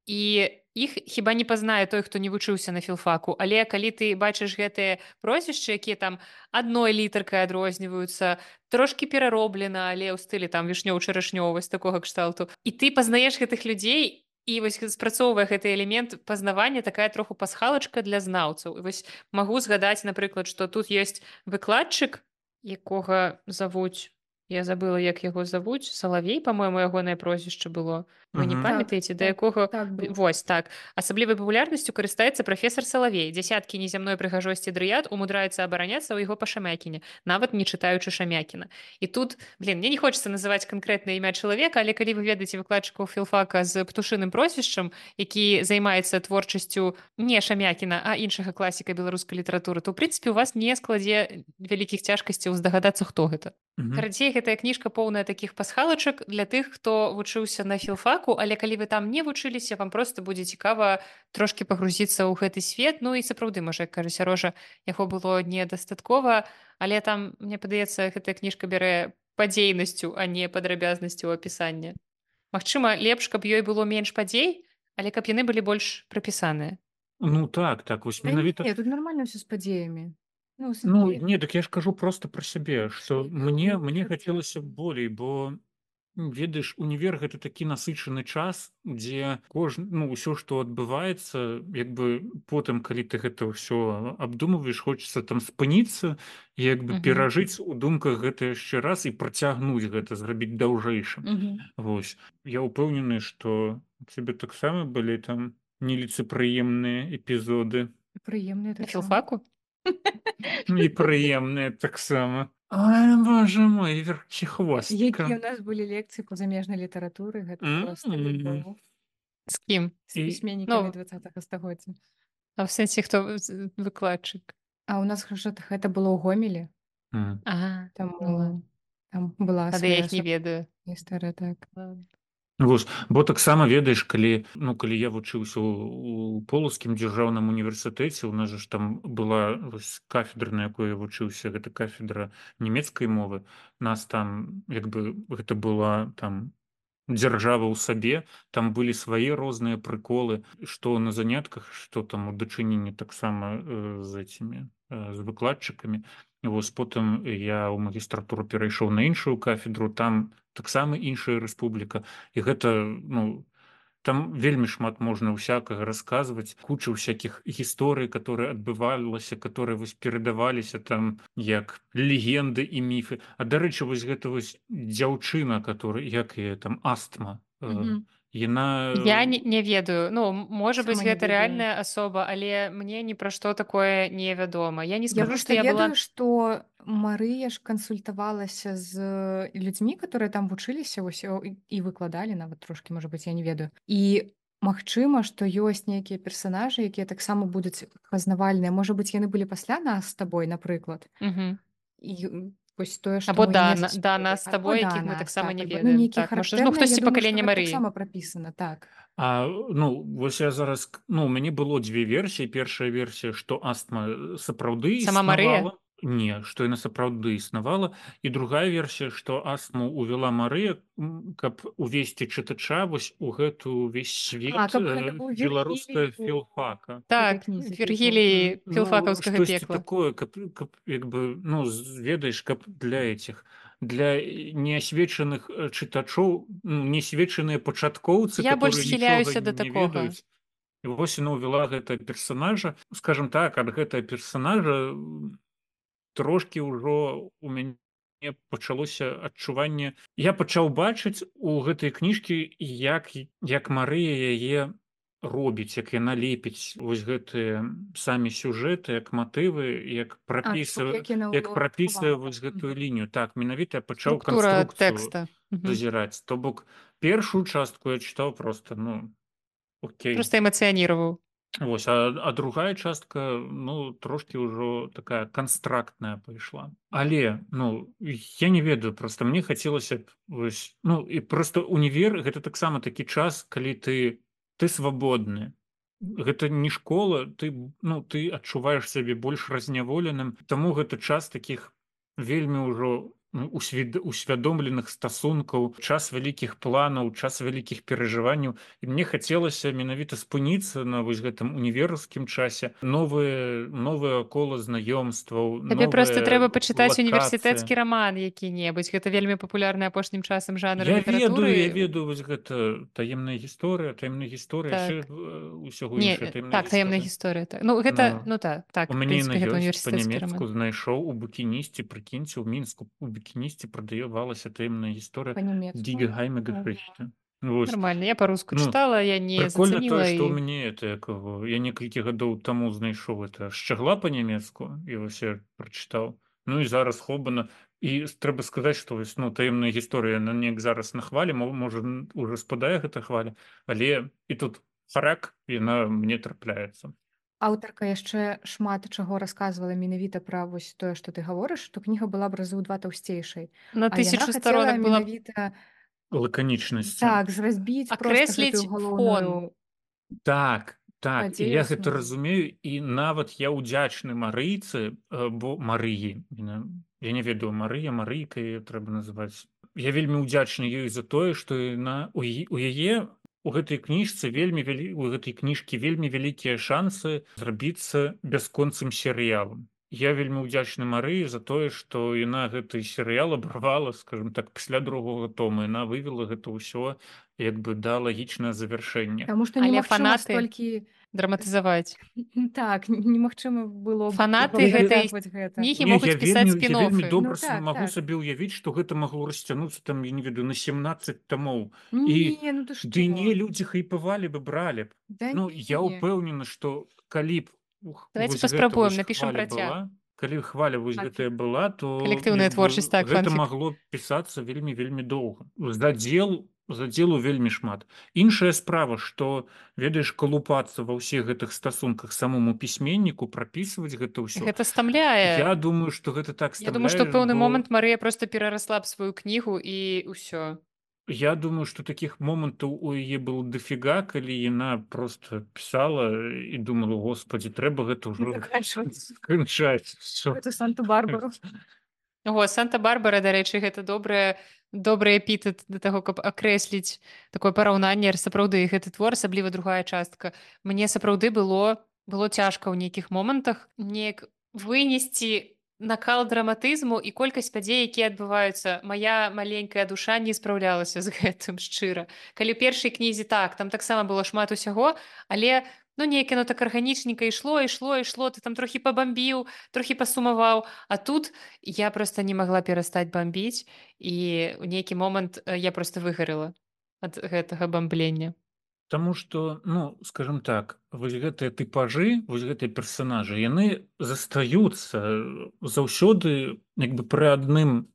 і іх хіба не пазнае той, хто не вучыўся на філфаку. Але калі ты бачыш гэтыя прозвішчы, якія там адной літаркай адрозніваюцца, трошкі перароблена, але ў стылі там вішнёў-чарашнёў, вось такога кшталту. І ты пазнаеш гэтых людзей, і вось спрацоўвае гэты элемент пазнавання, такая троху пасхалачка для знаўцаў. І вось магу згадаць, напрыклад, што тут ёсць выкладчык, якога завуць, я забыла, як яго завуць, Салавей, па-мойму, ягонае прозвішча было. Вы не Мгм. Так, памятаеце, да так, якога так было. вось так. Асаблівай папулярнасцю карыстаецца прафесар Салавей. Дзясяткі незямной прыгажосці дрыяд умудраюцца абараняцца ў яго па Шамякіне, нават не чытаючы Шамякіна. І тут, блин, мне не хочацца называць канкрэтнае імя чалавека, але калі вы ведаеце выкладчыкаў філфака з птушыным прозвішчам, які займаецца творчасцю не Шамякіна, а іншага класіка беларускай літаратуры, то ў прынцыпе у вас не складзе вялікіх цяжкасцяў здагадацца, хто гэта. Мгм. Карацей, гэтая кніжка поўная такіх пасхалачак для тых, хто вучыўся на філфаку, але калі вы там не вучыліся, вам проста будзе цікава трошкі пагрузіцца ў гэты свет. Ну і сапраўды, можа, як кажа Сярожа, яго было недастаткова, але там, мне падаецца, гэтая кніжка бярэ падзейнасцю, а не падрабязнасцю апісання. Магчыма, лепш, каб ёй было менш падзей, але каб яны былі больш прапісаныя. Ну так, так, вось Да менавіта. не, тут нормально все с падзеямі. Ну, в Ну, сэнсе, не, так я ж кажу просто про сябе, што мне, ну, мне гэта- хацелася болей, бо м, ведаеш, універ гэта такі насычаны час, дзе кожн, ну, ўсё, што адбываецца, як бы потым, калі ты гэта ўсё абдумваеш, хочацца там спыніцца, і як бы Мгм. перажыць у думках гэта яшчэ раз і працягнуць гэта, зрабіць даўжэйшым. Мгм. Вось. Я ўпэўнены, што у цябе таксама былі там неліцепрыемныя эпізоды. Прыемныя На таксама. філфаку? І прыемныя таксама. Ай, боже мой, верхівхвостка. Якія ў нас былі лекцыі па замежнай літаратуры, гэта проста М. любоў. З кім? З І- пісьменнікамі ну, двадцатага стагоддзя. А ў сэнсе, хто з- выкладчык? А ў нас ж гэта было ў Гомелі, М. Ага, ну ладно. таму там была Тады я свая іх не ведаю. гісторыя, так. Ладно. Вось, бо таксама ведаеш, калі, ну, калі я вучыўся ў, у Полацкім дзяржаўным універсітэце, у нас же ж там была вось кафедра, на якой я вучыўся, гэта кафедра нямецкай мовы. Нас там, як бы, гэта была там дзяржава ў сабе, там былі свае розныя прыколы, што на занятках, што там у дачыненні таксама э, з этими э, з выкладчыкамі. Вось потым я ў магістратуру перайшоў на іншую кафедру, там таксама іншая рэспубліка, і гэта, ну, там вельмі шмат можна ўсякага расказваць, куча ўсякіх гісторый, которые адбывалася, которые вось перадаваліся там як легенды і міфы. А дарэчы, вось гэта вось дзяўчына, который, як яе там, астма, э, Мгм. яна Я не, не ведаю. Ну, м- можа быць, Сама не гэта ведаю. рэальная асоба, але мне ні пра што такое не вядома. Я не Я скажу, просто што я ведаю, была... што Марыя ж кансультавалася з людзьмі, которые там вучыліся вось, о, і і выкладалі нават трошкі, можа быць, я не ведаю. І магчыма, што ёсць нейкія персанажы, якія таксама будуць пазнавальныя. Можа быць, яны былі пасля нас з табой, напрыклад. Мгм. І м, вось тое, што Або мы да, не на- да зацікавілі. нас з Або табой, да якіх мы нас, таксама так, не альбо, ну, ведаем. нейкія Так, можа, ну, характэрныя, хтосьці я думаю, што пакалення гэта Марыі. таксама прапісана, так. А, ну, вось я зараз, к- ну, у мяне было дзве версіі. Першая версія, што астма э, сапраўды Сама Марыя? існавала. Не, што яна сапраўды існавала. І другая версія, што астму увяла Марыя, м, каб увесці чытача вось у гэту ўвесь свет А, каб э, гэта быў беларуская Вергілій у філфака. гэтай Так, кнізе, тыпу. Вергілій Ну, філфакаўскага штосьці пекла. такое, каб, каб як бы, ну, з- ведаеш, каб для этих для неасвечаных э, чытачоў, ну, несвечаныя пачаткоўцы, Я больш которые нічога схіляюся да не такога. ведаюць. І вось яна ўвяла гэта персанажа, скажем так, ад гэтага персанажа м, трошкі ўжо у мяне пачалося адчуванне. Я пачаў бачыць у гэтай кніжкі, як як Марыя яе робіць, як яна лепіць вось гэтыя самі сюжэты, як матывы, як А, то бок, прапісвае як яна як прапісвае ўлаштавала. вось гэтую Мгм. лінію. Так, менавіта я пачаў Структура канструкцыю тэкста. Мгм. зазіраць. То бок першую частку я чытаў просто, ну, окей. Просто эмацыяніраваў. Вось, а, а другая частка, ну, трошки ўжо такая канстрактная пайшла. Але, ну, я не ведаю, просто мне хацелася б вось, ну, і просто універ гэта таксама такі час, калі ты ты свабодны. Гэта не школа, ты, ну, ты адчуваеш сябе больш разняволеным, таму гэта час такіх вельмі ўжо ну, усвед- усвядомленых стасункаў, час вялікіх планаў, час вялікіх перажыванняў. І мне хацелася менавіта спыніцца на вось гэтым універскім часе. Новыя новае кола знаёмстваў, Табе проста новая трэба пачытаць лакацыя. універсітэцкі раман які-небудзь. Гэта вельмі папулярны апошнім часам жанр Я ведаю, я літаратуры. ведаю вось гэта таемная гісторыя, таемная гісторыя, яшчэ Так. э, усяго Не, іншая таемная так, таемная гісторыя. гісторыя. Так. Ну, гэта, Ну, ну так, так, у в мяне яна прынцыпе, гэта ёсць універсітэцкі па-нямецку раман. знайшоў у букінісце, прыкіньце, ў Мінску у букінісце прадавалася таемная гісторыя Па-нямецку? Die geheime Ага. Geschichte. Вось. Нормально. Я па-руску Ну, чытала, я не прикольно тое, зацаніла што ў і... мяне это як яго, я некалькі гадоў таму знайшоў это шчагла па-нямецку і вось я прачытаў. Ну і зараз хобана. І трэба сказаць, што вось, ну, таемная гісторыя на неяк зараз на хвалі, мо- можа н- уже спадае гэта хваля, але і тут харак яна мне трапляецца. Аўтарка яшчэ шмат чаго расказвала менавіта пра вось тое, што ты гаворыш, што кніга была б разы ў два таўсцейшай. На А яна тысячу хацела сторонак была б менавіта Лаканічнасці. так, зразбіць проста гэтую акрэсліць фон. галоўную Так, так, і падзею я гэта аснову. разумею, і нават я ўдзячны Марыйцы, э, бо Марыі, яна- я не ведаю, Марыя, Марыйка яе трэба называць. Я вельмі ўдзячны ёй за тое, што яна у яе- у яе у гэтай кніжцы вельмі вялі у гэтай кніжкі вельмі вялікія шансы зрабіцца бясконцым серыялам. Я вельмі ўдзячны Марыі за тое, што яна гэты серыял абарвала, скажем так, пасля другога тома. Яна вывела гэта ўсё як бы да лагічнае завяршэнне. Таму што Але немагчыма фанаты столькі драматызаваць. так, н- немагчыма было б Фанаты Я- гэтай працягваць гэта. кнігі Не, могуць я пісаць вельмі, я вельмі спін-оффы. добра Ну, с- так, магу так. сабе ўявіць, што гэта магло расцянуцца там, я не ведаю, на семнадцать томоў. І Не, ну ты што? ды не, людзі хайпавалі бы, бралі б. Да Ну, я не. ўпэўнены, што калі б ух, Давайте вось гэта паспрабуем, вось напішам хваля працяг. была, калі хваля вось Фанфік. гэтая была, то Калектыўная як бы творчасць, так, гэта фанфік. магло пісацца вельмі вельмі доўга. Задзел задзелу вельмі шмат. Іншая справа, што ведаеш, калупацца ва ўсіх гэтых стасунках самому пісьменніку, прапісваць гэта ўсё. Гэта стамляе. Я думаю, што гэта так Я думаю, што ў стамляе, пэўны бо момант Марыя проста перарасла б сваю кнігу і ўсё. я думаю, што такіх момантаў у яе было дафіга, калі яна просто пісала і думала, господі, трэба гэта ўжо Заканчваць. сканчаць. Всё. Гэту Санту-Барбару. Ого, Санта-Барбара, дарэчы, гэта добрая добры эпітэт да таго, каб акрэсліць такое параўнанне. Сапраўды гэты твор, асабліва другая частка. Мне сапраўды было было цяжка ў нейкіх момантах неяк вынесці накал драматызму і колькасць падзей, якія адбываюцца. Мая маленькая душа не спраўлялася з гэтым шчыра. Калі ў першай кнізе так, там таксама было шмат усяго, але ну неяк яно так арганічненька ішло, ішло, ішло, ты там трохі пабамбіў, трохі пасумаваў, а тут я проста не магла перастаць бамбіць і ў нейкі момант э, я проста выгарыла ад гэтага бамблення. Таму што, ну, скажем так, вось гэтыя тыпажы, вось гэтыя персанажы, яны застаюцца э, заўсёды як бы пры адным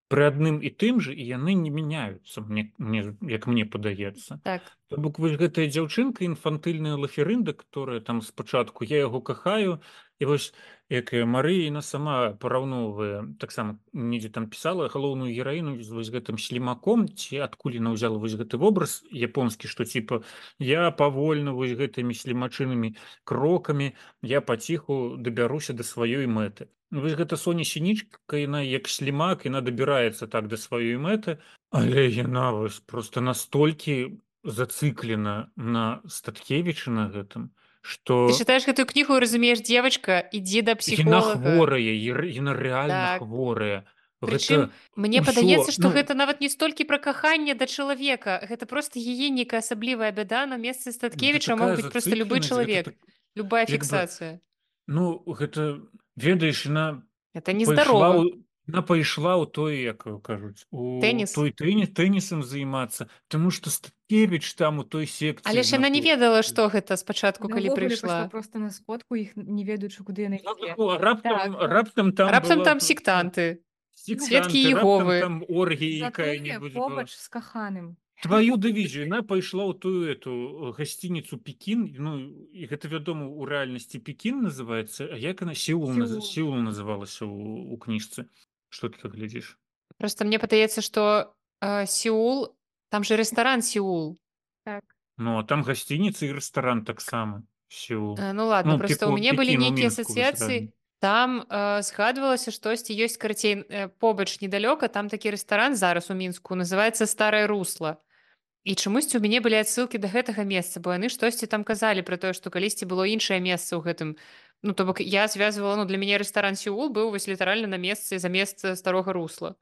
пры адным і тым жа, і яны не мяняюцца, мне, мне, як мне падаецца. Так. То бок вось гэтая дзяўчынка інфантыльная лаферында, которая там спачатку я яго кахаю, і вось якая Марыя яна сама параўноўвае, таксама недзе там пісала галоўную гераіну з вось гэтым слімаком, ці адкуль яна ўзяла вось гэты вобраз японскі, што типа я павольна вось гэтымі слімачынымі крокамі я паціху дабяруся да сваёй мэты. Вось гэта Соня Сінічка, яна як слімак, яна дабіраецца так да сваёй мэты, але яна вось просто настолькі зациклена на Статкевича на гэтым, што Ты чытаеш гэтую кнігу і разумееш, дзевачка, ідзі да яна псіхолага. хворая, яна рэальна Так. хворая. Прычым Гэта мне ўсё, падаецца, што ну, гэта нават не столькі пра каханне да чалавека. Гэта проста яе нейкая асаблівая бяда на месцы гэта Статкевіча мог такая быць проста любы зацыкленасць, гэта чалавек, так, любая як бы, фіксацыя. ну, гэта, ведаеш, яна Это пайшла нездарова. ў яна пайшла ў той, як его кажуць, у Тэніс. той тэніс тэнісам займацца, таму што Статкевіч там у той Але секцыі ж яна не знаходзіцца. ведала, што гэта спачатку, Яна калі ўвогуле пайшла прыйшла. проста на сходку, іх не ведаючы, куды яны Ну, ідзе. тако, раптам, Так, так. раптам там Раптам была там б, ну, сектанты, сведкі сектанты, раптам Іеговы. там оргія Затое якая-небудзь была. побач з каханым. Твою дывізію, яна пайшла ў тую эту э, гасцініцу Пекін, ну, і гэта, вядома, у рэальнасці Пекін называецца, а як яна? Сеул, наз... Сеул. Сеул называлася ў, у кніжцы. Што ты так глядзіш? Проста мне падаецца, што э, Сеул, там же рэстаран Сеул. Так. Ну, а там гасцініца і рэстаран таксама. Сеул. Э, Ну ладно, Ну, проста ў Пеку, мяне былі Пекін у нейкія Мінску, вось асацыяцыі. рэальна. Там э, згадвалася, штосьці ёсць, карацей, э, побач недалёка, там такі рэстаран зараз у Мінску, называецца Старае Русла. І чамусьці ў мяне былі адсылкі да гэтага месца, бо яны штосьці там казалі пра тое, што калісьці было іншае месца ў гэтым. Ну, то бок я звязвала, ну, для мяне рэстаран Сеул быў вось літаральна на месцы за месца Старога Русла.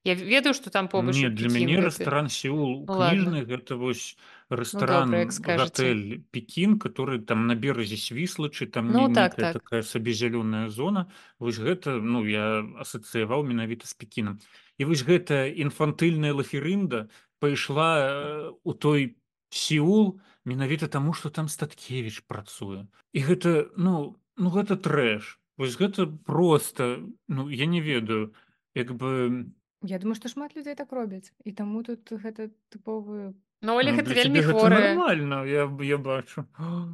Я ведаю, што там побач Не, і для Пекін мяне гэты. рэстаран Сеул Ну ладно. кніжны гэта вось Ну добра, як рэстаран скажаце. гатэль Пекін, который там на беразе Свіслачы, там Ну не так, нейкая так. такая сабе зялёная зона. Вось гэта, ну, я асацыяваў менавіта з Пекінам. І вось гэта інфантыльная лаферында пайшла э, у той Сеул менавіта таму, што там Статкевіч працуе. І гэта, ну, ну гэта трэш. Вось гэта проста, ну, я не ведаю, як бы. Я думаю, што шмат людзей так робяць. І таму тут гэта тыповы... Ну, Олег, Ну, гэта для вельмі цябе гэта хворае. нармальна, я, я бачу.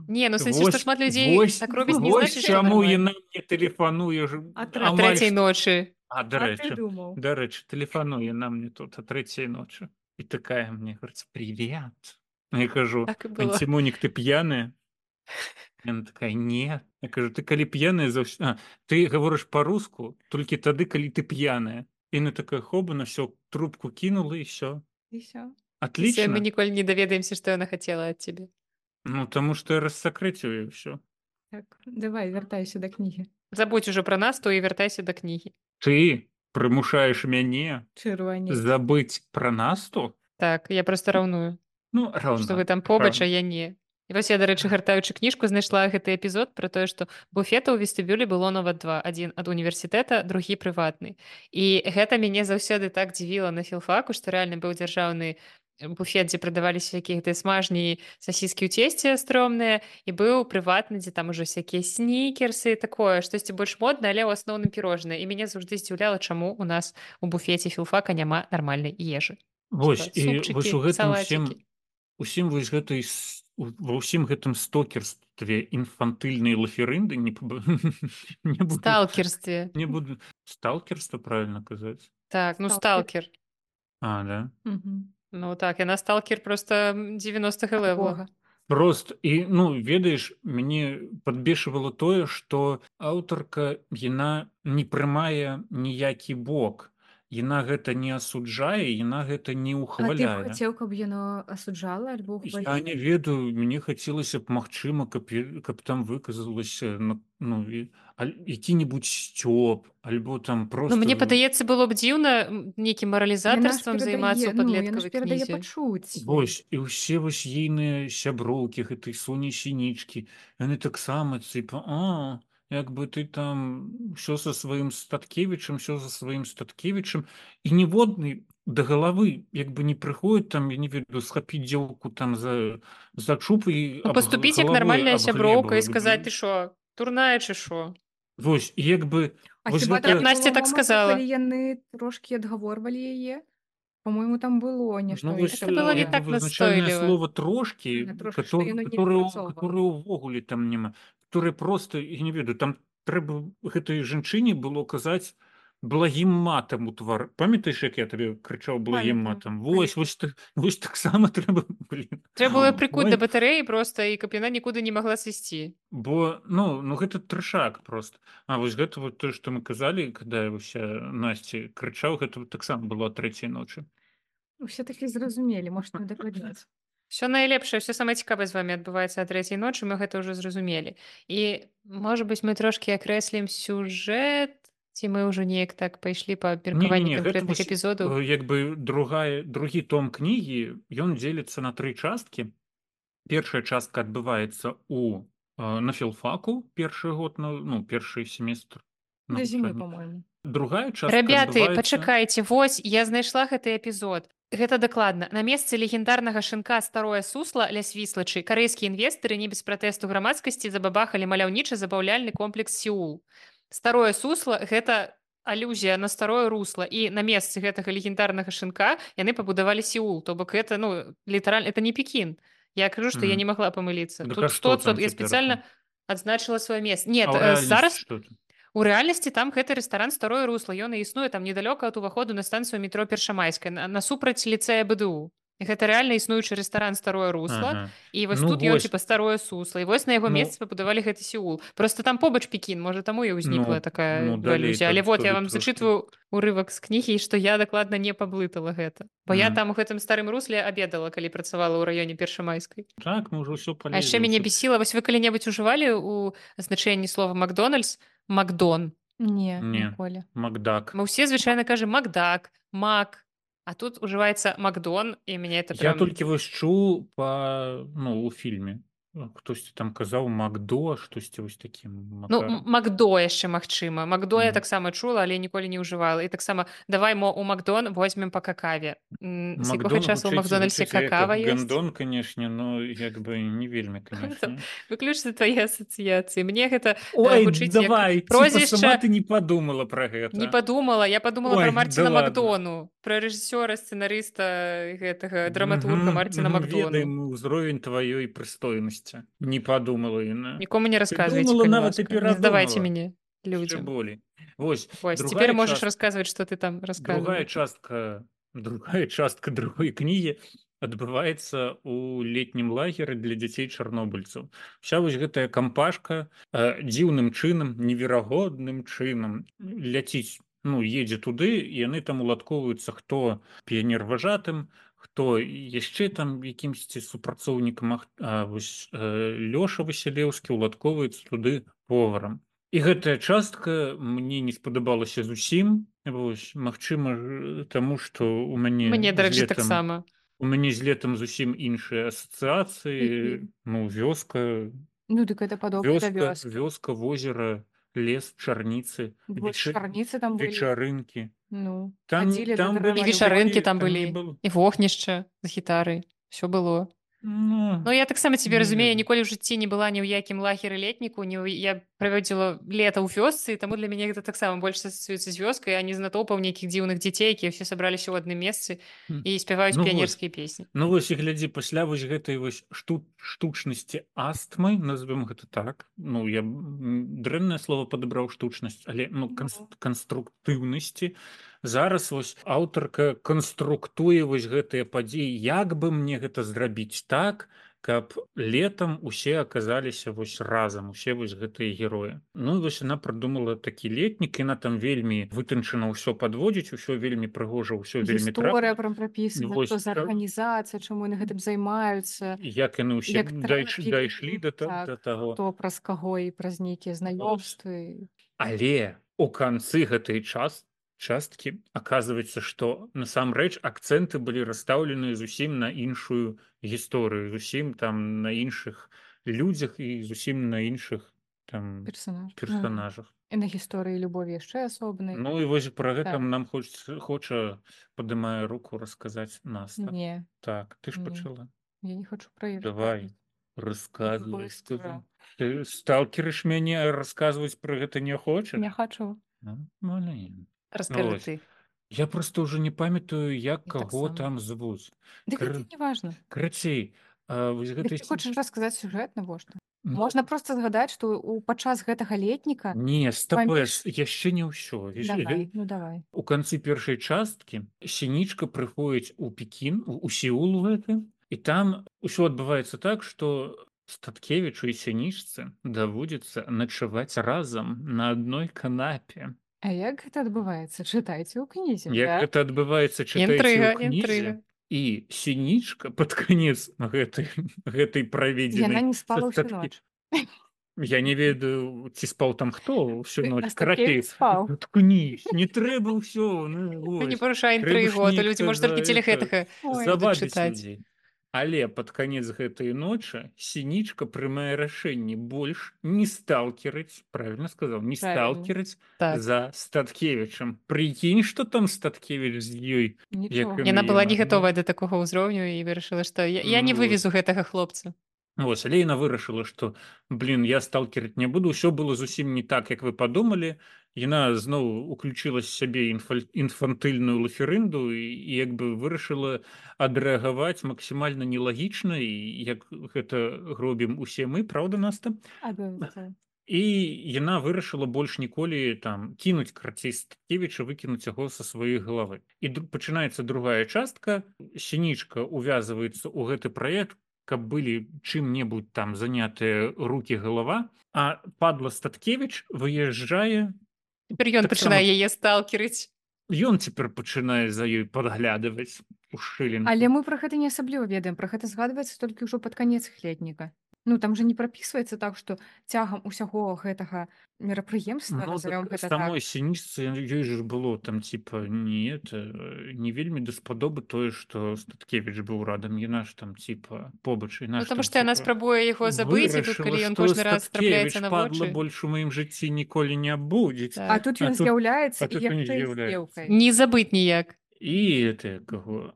Не, ну, в сэнсе, што Вось, шмат людзей вось, так робяць, не вось значыць, што чаму нармальна. яна мне тэлефануе ж А трэ- А амаль трэцяй што. ночы. А, А ты дарэчы, думаў? дарэчы, тэлефануе на мне тут а трэцяй ночы. І такая мне говорит, привет. Я кажу, Так і было. Антимонік, ты п'яная? Яна такая, не. Я кажу, ты калі п'яная заўсёды... А, ты гаворыш па-руску, толькі тады, калі ты п'яная. І яна такая, хобана, всё, трубку кинула і всё. І всё. І все, мы Отлично. ніколі не даведаемся, што яна хацела ад цябе. Ну, таму што я рассакрэціў і ўсё. Так, давай, вяртайся да кнігі. Забудь ужо пра нас, то і вяртайся да кнігі. Ты прымушаеш мяне Чырванець. забыць пра насту? Так, я проста раўную. Ну, Што вы раўна. там побач, а раўна. я не. І вось я, дарэчы, гартаючы кніжку, знайшла гэты эпізод пра тое, што буфета ў вестыбюлі было нават два. Адзін ад універсітэта, другі прыватны. І гэта мяне заўсёды так дзівіла на філфаку, што рэальна быў дзяржаўны буфет, дзе прадаваліся всякія гэтыя смажні сасіскі ў цесце стрёмныя, і быў прыватны, дзе там ужо всякія снікерсы, такое, штосьці больш моднае, але ў асноўным пірожнае. І мяне заўжды здзіўляла, чаму у нас у буфеце філфака няма нармальнай ежы. Вось, Типа і вось супчыкі, у гэтым усім, салацікі. усім вось гэтай, с- у- ва ўсім гэтым стокерстве інфантыльнай лаферынды, не, паб- не буду, Сталкерстве. не буду, сталкерства правильно казаць? Так, ну Сталкер. сталкер. А, да? Мгм. Ну так, яна сталкер просто м, девяностых Ад левела. Бога. Прост і ну ведаеш, мяне падбешвала тое, што аўтарка яна не прымае ніякі бок. Яна гэта не асуджае, яна гэта не А ты б ўхваляе. хацеў, каб яно асуджала альбо Я ухваляла? не ведаю, мне хацелася б магчыма, каб, я- каб там выказалася на- ну, і- аль- які-небудзь сцёб, альбо там Ну, просто мне падаецца, было б дзіўна м, нейкім Яна ж маралізатарствам займацца перадае, ў ну, яна ж падлеткавай перадае кнізе. пачуцці. вось і ўсе вось ейныя сяброўкі гэтай Соні Сінічкі, яны таксама цыпа, а як бы ты там ўсё са сваім Статкевічам, ўсё за сваім Статкевічам, і ніводны да галавы як бы не прыходзіць там, я не ведаю, схапіць дзелку там за, за чуб і Ну, аб г- паступіць як галавой нармальная аб сяброўка і глебу. сказаць, ты що, турная чи що? Вось, і як бы А вось хіба Я там б гэта, не Насці было так моманту, сказала. калі яны трошкі адгаворвалі яе? По-мойму, там было нешта. ну вось Гэта э, было не як бы так вызначальнае настойліва. слово А, трошкі, трошки, што которое, яно не которое, адпрацоўвала. которое ўвогуле там няма, которое просто, я не ведаю, там трэба гэтай жанчыне было казаць благім матам у твар. Памятаеш, як я табе крычаў благім Памятаю, матам? Вось, вось, так, вось таксама трэба, блин. Трэба было прыкуць Ой, да батарэі проста, і каб яна нікуды не магла сысці. бо, ну, ну гэта трэшак просто. А вось гэта вот тое, што мы казалі, когда я вось э, Насці крычаў, гэта таксама было о трэцяй ночы. Усе такі зразумелі, можна не дакладняць. Все найлепшае, все самае цікавае з вами адбываецца а трэцяй ночы, мы гэта ўжо зразумелі. І, можа быць, мы трошкі акрэслім сюжэт, Ці мы ўжо неяк так пайшлі па абмеркаванні Не-не-не, гэта канкрэтных вось, эпізодаў? э, як бы другая другі том кнігі, ён дзеліцца на тры часткі. Першая частка адбываецца у э, на філфаку, першы год, на, ну, першы семестр До зімы, навучання. по-моему. Другая частка Рабяты, адбываецца... пачакайце, вось я знайшла гэты эпізод. Гэта дакладна. На месцы легендарнага шынка старое сусла ля свіслачы карэйскія інвестары не без пратэсту грамадскасці забабахалі маляўнічы забаўляльны комплекс Сеул. Старое сусла гэта алюзія на старое русло, і на месцы гэтага легендарнага шынка яны пабудавалі Сеул, то бок гэта, ну, літаральна, это не Пекін. Я кажу, што я не Мгм. магла памыліцца. Так а Тут што сто там процентов я цяпер спецыяльна там? адзначыла сваё месца. Нет, А ў э, рэальнасці зараз што там? у рэальнасці там гэты рэстаран старое русло, ён і існуе там недалёка ад уваходу на станцыю метро Першамайская, на- насупраць ліцэя БДУ. І гэта рэальна існуючы рэстаран старое русло, Ага. і вось Ну тут ён вось, типа старое сусло, і вось на яго ну, месцы пабудавалі гэты Сеул. Просто там побач Пекін, можа таму і ўзнікла ну, такая ну далей алюзія. Але там вот я туды вам трошки. зачытваю урывак з кнігі, што я дакладна не паблытала гэта. Бо я Мгм. там у гэтым старым русле абедала, калі працавала ў раёне Першамайскай. Так, мы ўжо ўсё А яшчэ палезлі мяне ўсё. бесіла, вось вы калі-небудзь ужывалі ў значэнні слова Макдональдс Макдон. Не, Не, ніколі. Макдак. Мы ўсе звычайна кажам Макдак, Мак, а тут ужываецца Макдон, і мяне это Я прям... толькі вось чуў па, ну, у фільме. Ну, хтосьці там казаў Макдо, штосьці вось такім Ну, м- макарам. Макдо яшчэ магчыма. Макдо я Мгм. таксама чула, але ніколі не ўжывала. І таксама давай мо у Макдон возьмем па какаве. М, З якога Макдон часу ў гучыць, Макдональдсе гучыць як какава ёсць? гандон, канешне, но як бы не вельмі, Там канешне. выключна твае асацыяцыі. Мне гэта э, Ой, гучыць як давай, типа сама прозвішча... ты не подумала про Не гэта. подумала, я подумала Ой, про да Марціна ладно. Макдону, про рэжысёра, сцэнарыста гэтага драматурга Мгм. Марціна Мы Макдону. ведаем ўзровень тваёй прыстойнасці. Не подумала яна. Нікому не Ты расказвайце, думала, калі нават і ласка. Не здавайце перадумала. мяне Яшчэ людзям. болей. Вось, Вось, другая цяпер можаш частка. расказваць, што ты там Другая расказваў. частка, другая частка другой кнігі адбываецца ў летнім лагеры для дзяцей чарнобыльцаў. Вся вось гэтая кампашка э, дзіўным чынам, неверагодным чынам ляціць, ну, едзе туды, і яны там уладкоўваюцца, хто піянер-важатым, хто яшчэ там якімсьці супрацоўнікам, а вось э, Лёша Васілеўскі уладкоўваецца туды поварам. І гэтая частка мне не спадабалася зусім. Вось, магчыма, ж, таму што у мяне Мне, з дарэчы, летам таксама. у мяне з летам зусім іншыя асацыяцыі. Мгм. Ну, вёска, Ну, дык гэта падобна да вёска, вёскі. вёска, возера, лес, чарніцы, Вот веча- чарніцы там былі. вечарынкі. Ну, Там, хадзілі да там І былі дрэва вечарынкі чувакі, там там не былі, было. і вогнішча з гітарай. Усё было. Ну, Ну, я таксама цябе не разумею, ведаю. ніколі ў жыцці не была ні ў якім лагеры летніку, ні ў... я праводзіла лета ў вёсцы, таму для мяне гэта таксама больш асацыюецца з вёскай, а не з натоўпам нейкіх дзіўных дзяцей, якія ўсе сабраліся ў адным месцы М. і спяваюць Ну вось, піянерскія песні. ну вось і глядзі, пасля вось гэтай вось шту, штучнасці астмы, назовем гэта так, ну я м, дрэннае слово падабраў штучнасць, але ну, канс, Ну. канструктыўнасці. Зараз вось аўтарка канструктуе вось гэтыя падзеі, як бы мне гэта зрабіць так, каб летам усе аказаліся вось разам, усе вось гэтыя героі. Ну і вось яна прыдумала такі летнік, яна там вельмі вытанчана ўсё падводзіць, усё вельмі прыгожа, ўсё вельмі Гісторыя трапна. прям прапісана, Вось, што за так. арганізацыя, чаму яны гэтым займаюцца, Як яны ўсе як дайш, трэкі, дайшлі да, та- так, да таго. хто праз каго і праз нейкія знаёмствы. Але у канцы гэтай час, часткі аказваецца, што насамрэч акцэнты былі расстаўлены зусім на іншую гісторыю, зусім там на іншых людзях і зусім на іншых там Персонаж. персонажах. І на гісторыі любові яшчэ асобнай. Ну і вось пра гэта Так. нам хоча, хоча падымае руку расказаць Наста. Не, Так, ты ж Не. пачала. я не хочу про іх. Давай, расказвай. Быстро. Ты сталкерыш мяне, расказваць пра гэта не хочаш? Не хочу. Ну, маленька. Раскажы Вось. ты. Я просто уже не памятаю, як Я каго таксама. там звуць. Дык Кр- гэта не важна. Карацей, а, вось Дык гэтай ты хочаш расказаць сюжэт навошта? Ну, Можна проста згадаць, што ў падчас гэтага летніка Не, стапэш, паміж- яшчэ не ўсё. Яшчэ- давай, ну давай. У канцы першай часткі сінічка прыходзіць у Пекін, у у Сеул гэты, і там усё адбываецца так, што Статкевічу і сінічцы даводзіцца начаваць разам на адной канапе. А як гэта адбываецца? Чытайце ў кнізе. Як Да. гэта адбываецца, чытайце Інтрыга, ў кнізе. інтрыга. І сінічка пад канец гэтай, гэтай Яна праведзенай не спала са ўсю Статке- ноч. Я не ведаю, ці спаў там хто ўсю Ты- ноч. а Карацей, Статкевич спаў? ткнись, не трэба ўсё, ну Ну, не вось. парушай Трэба ж інтрыгу, а то людзі, неяк можа, за толькі это телегетага Ой. будуць завабіць чытаць. людзей. Але пад канец гэтай ночы Сінічка прымае рашэнне больш не сталкерыць, правільна сказаў, не Правильно. сталкерыць Так. за Статкевічам. Прыкінь, што там Статкевіч з ёй, Нічога. як Яна была не Ну, гатовая да такога ўзроўню і вырашыла, што я, я не Ну, вывезу гэтага хлопца. Вось, але яна вырашыла, што блин, я сталкерыць не буду, ўсё было зусім не так, як вы падумалі. Яна зноў уключила з сябе інфаль- інфантыльную лаферынду і, і як бы вырашыла адрэагаваць максімальна нелагічна, і як гэта робім усе мы, праўда, Наста? Абавязкова. І яна вырашыла больш ніколі там кінуць карацей Статкевіча, выкінуць яго са сваёй галавы. І дру- пачынаецца другая частка. Сінічка увязваецца ў гэты праект, каб былі чым-небудзь там занятыя рукі, галава, а падла Статкевіч выязджае. Цяпер ён Таксама- пачынае яе сталкерыць. Ён цяпер пачынае за ёй падглядываць у шылінку. Але мы пра гэта не асабліва ведаем, пра гэта згадваецца толькі ўжо пад канец летніка. Ну там же не прапісваецца так, што цягам усяго гэтага мерапрыемства, Ну, назовём так, гэта самой так. Сінічцы ёй ж было там типа не это не вельмі даспадобы тое, што Статкевіч быў радам. Яна ж там типа побач, Ну, яна ж таму там, што яна типа, спрабуе яго забыць, і тут, вырашыла, калі ён што кожны раз трапляецца Статкевіч, на падла, вочы. больш у маім жыцці ніколі не будзе. Так. А тут ён з'яўляецца а і тут ён яшчэ і з з'яўляецца. дзеўкай. Не забыць ніяк. І это каго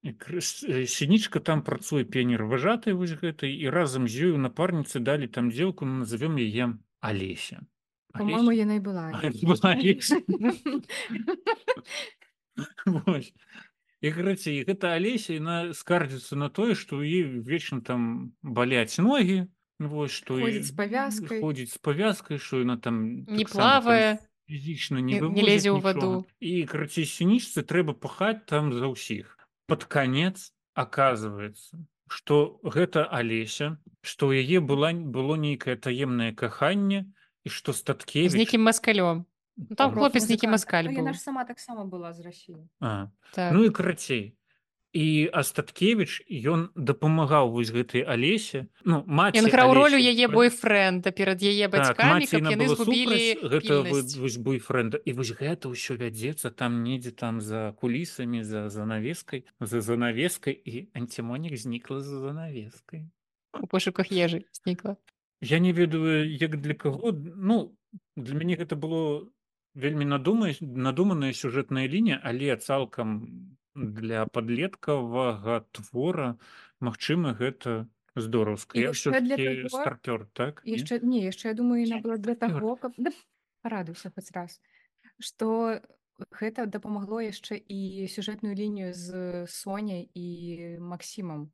І крыс- э, Сінічка там працуе піянер-важатай вось гэтай, і разам з ёю напарніцы далі там дзеўку, ну, назовём яе Алеся. Па-мойму, Алеся? яна і была. А, была Алеся. Вось. І карацей, гэта Алеся, яна скардзіцца на тое, што ў ёй вечна там баляць ногі, вось, што Ходзіць і- з павязкай. ходзіць з павязкай, што яна там Не таксама там плавае, фізічна не- не не вывозіць лезе ў нічога. ваду. І карацей, Сінічцы трэба пахаць там за ўсіх. Пад канец аказваецца, што гэта Алеся, што ў яе была было нейкае таемнае каханне, і што З Статкевіч нейкім маскалём. Ну, там хлопец нейкі маскаль Ну, быў. яна ж сама таксама была з Расіі. А, Так. ну і карацей. І Астаткевіч ён дапамагаў вось гэтай Алесе, ну маці Ён граў ролю Алесі, яе пра- бойфрэнда перад яе Так, бацькамі, маці каб яна яны была згубілі супраць гэта вы- пільнасць. вось бойфрэнда. І вось гэта ўсё вядзецца там недзе там за кулісамі, за занавескай, за занавескай, і Антімонік знікла за занавескай. У пошуках ежы знікла. Я не ведаю, як для каго. Ну, для мяне гэта было вельмі надумай- надуманая сюжэтная лінія, але цалкам для падлеткавага твора, магчыма, гэта здораўска. І Я яшчэ для ўсё-такі таго- старпёр, так? Не? Яшчэ не, яшчэ я думаю, яна была для Стартёр. таго, каб да, парадуйся хоць раз, што гэта дапамагло яшчэ і сюжэтную лінію з Соняй і Максімам.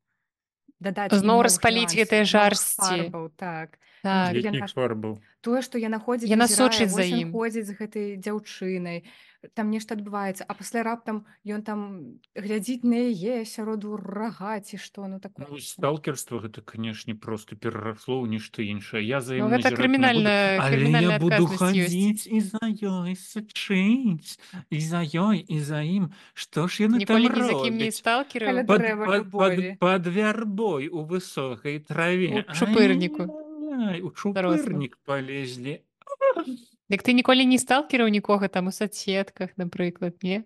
Дадаць ім Зноў новых распаліць нюансаў, гэтыя новых жарсці. фарбаў, так. Так. Яна Якіх ж- фарбаў? Тое, што яна ходзіць, Яна назірае, сочыць за вось ён ім. ходзіць з гэтай дзяўчынай, там нешта адбываецца, а пасля раптам ён там глядзіць на яе сяроду рага ці што, ну такое. Ну, сталкерства гэта, канешне, проста перарасло ў нешта іншае. Я за Ну, ім гэта назіраць не буду, крымінальная- але крымінальная я буду адказнасць ёсць. хадзіць і за ёй сачыць, і за ёй, і за ім. Што ж яны там Ніколі ні за кім не робяць? сталкерыў. Каля Пад, дрэва пад, пад, любові. пад вярбой у высокай траве. У чупырніку. Ай-яй-яй, у чупырнік полезлі. Дык ты ніколі не сталкераў нікога там у соцсетках, напрыклад, не?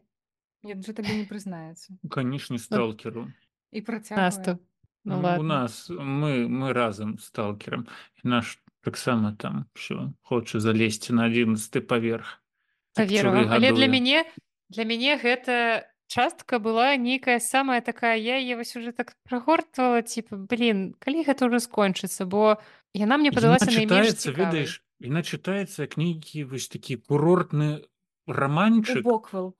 Ён жа табе не прызнаецца. Канешне, сталкеру. І працягвае. Насту. Ну, У ладно. нас мы, мы разам з сталкерам. І наш таксама там все хоча залезці на адзінаццаты паверх. Паверу вам. Але для мяне для мяне гэта частка была нейкая самая такая, я яе вось уже так прагортвала, типа, блин, калі гэта ўжо скончыцца, бо яна мне падалася найменш цікавай. ведаеш, яна чытаецца як нейкі вось такі курортны раманчык. Боквел.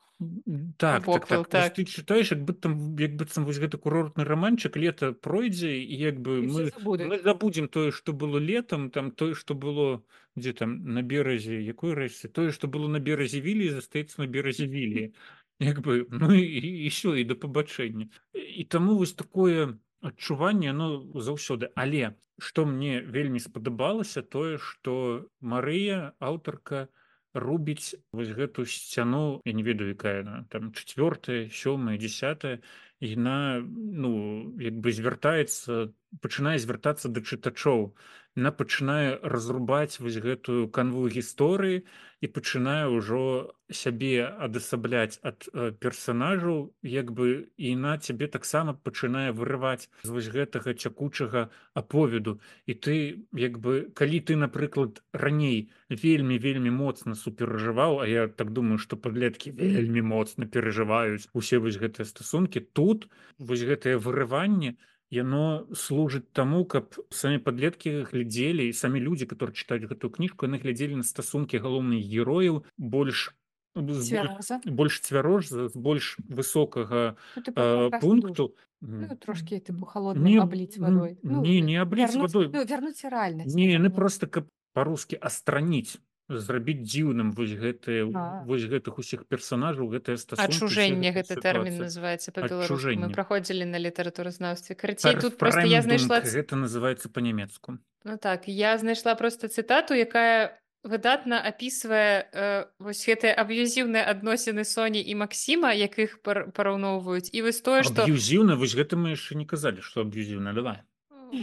Так, так, Боквел, так. Вось так. ты чытаеш, як быццам, як быццам вось гэты курортны раманчык, лета пройдзе, і як бы І мы, ўсе забудуць. мы забудзем тое, што было летам, там тое, што было дзе там на беразе, якой рэчцы, тое, што было на беразе Вілі, застаецца на беразе Вілі. Як бы, ну і, і ўсё, і да пабачэння. І таму вось такое адчуванне, оно заўсёды. Але што мне вельмі спадабалася, тое, што Марыя, аўтарка, рубіць вось гэту сцяну, я не ведаю, якая яна, там чацвёртая, сёмая, дзясятая, яна, ну, як бы звяртаецца пачынае звяртацца да чытачоў. Яна пачынае разрубаць вось гэтую канву гісторыі і пачынае ўжо сябе адасабляць ад э, персанажаў, як бы і яна цябе таксама пачынае вырываць з вось гэтага цякучага аповеду. І ты як бы калі ты, напрыклад, раней вельмі вельмі моцна суперажываў, а я так думаю, што падлеткі вельмі моцна перажываюць усе вось гэтыя стасункі, тут вось гэтае вырыванне яно служыць таму, каб самі падлеткі глядзелі і самі людзі, которые чытаюць гэтую кніжку, яны глядзелі на стасункі галоўных герояў больш з боль- Цвяроза. больш цвярож з з больш высокага Ну, типу, э, контрастний душ. пункту. Ну, М, трошки, типу, холодним не, облить м, водой. Ну, не, не облить вернуть, водой. ну, вернуться реальность. Не, яны вернуть. просто каб па-рускі астраніць, зрабіць дзіўным вось гэтыя А. вось гэтых усіх персанажаў, гэтыя стасункі, усе Адчужэнне гэтыя гэты тэрмін сітуацыі. называецца па-беларуску. Мы Адчужэнне. праходзілі на літаратуразнаўстве. Карацей, тут проста я Перфрэмдунг, знайшла ц- гэта называецца па-нямецку. Ну так, я знайшла проста цытату, якая выдатна апісвае э, вось гэтыя аб'юзіўныя адносіны Соні і Максіма, як іх пар- параўноўваюць. І вось тое, што Аб'юзіўна, вось гэта мы яшчэ не казалі, што аб'юзіўна, давай.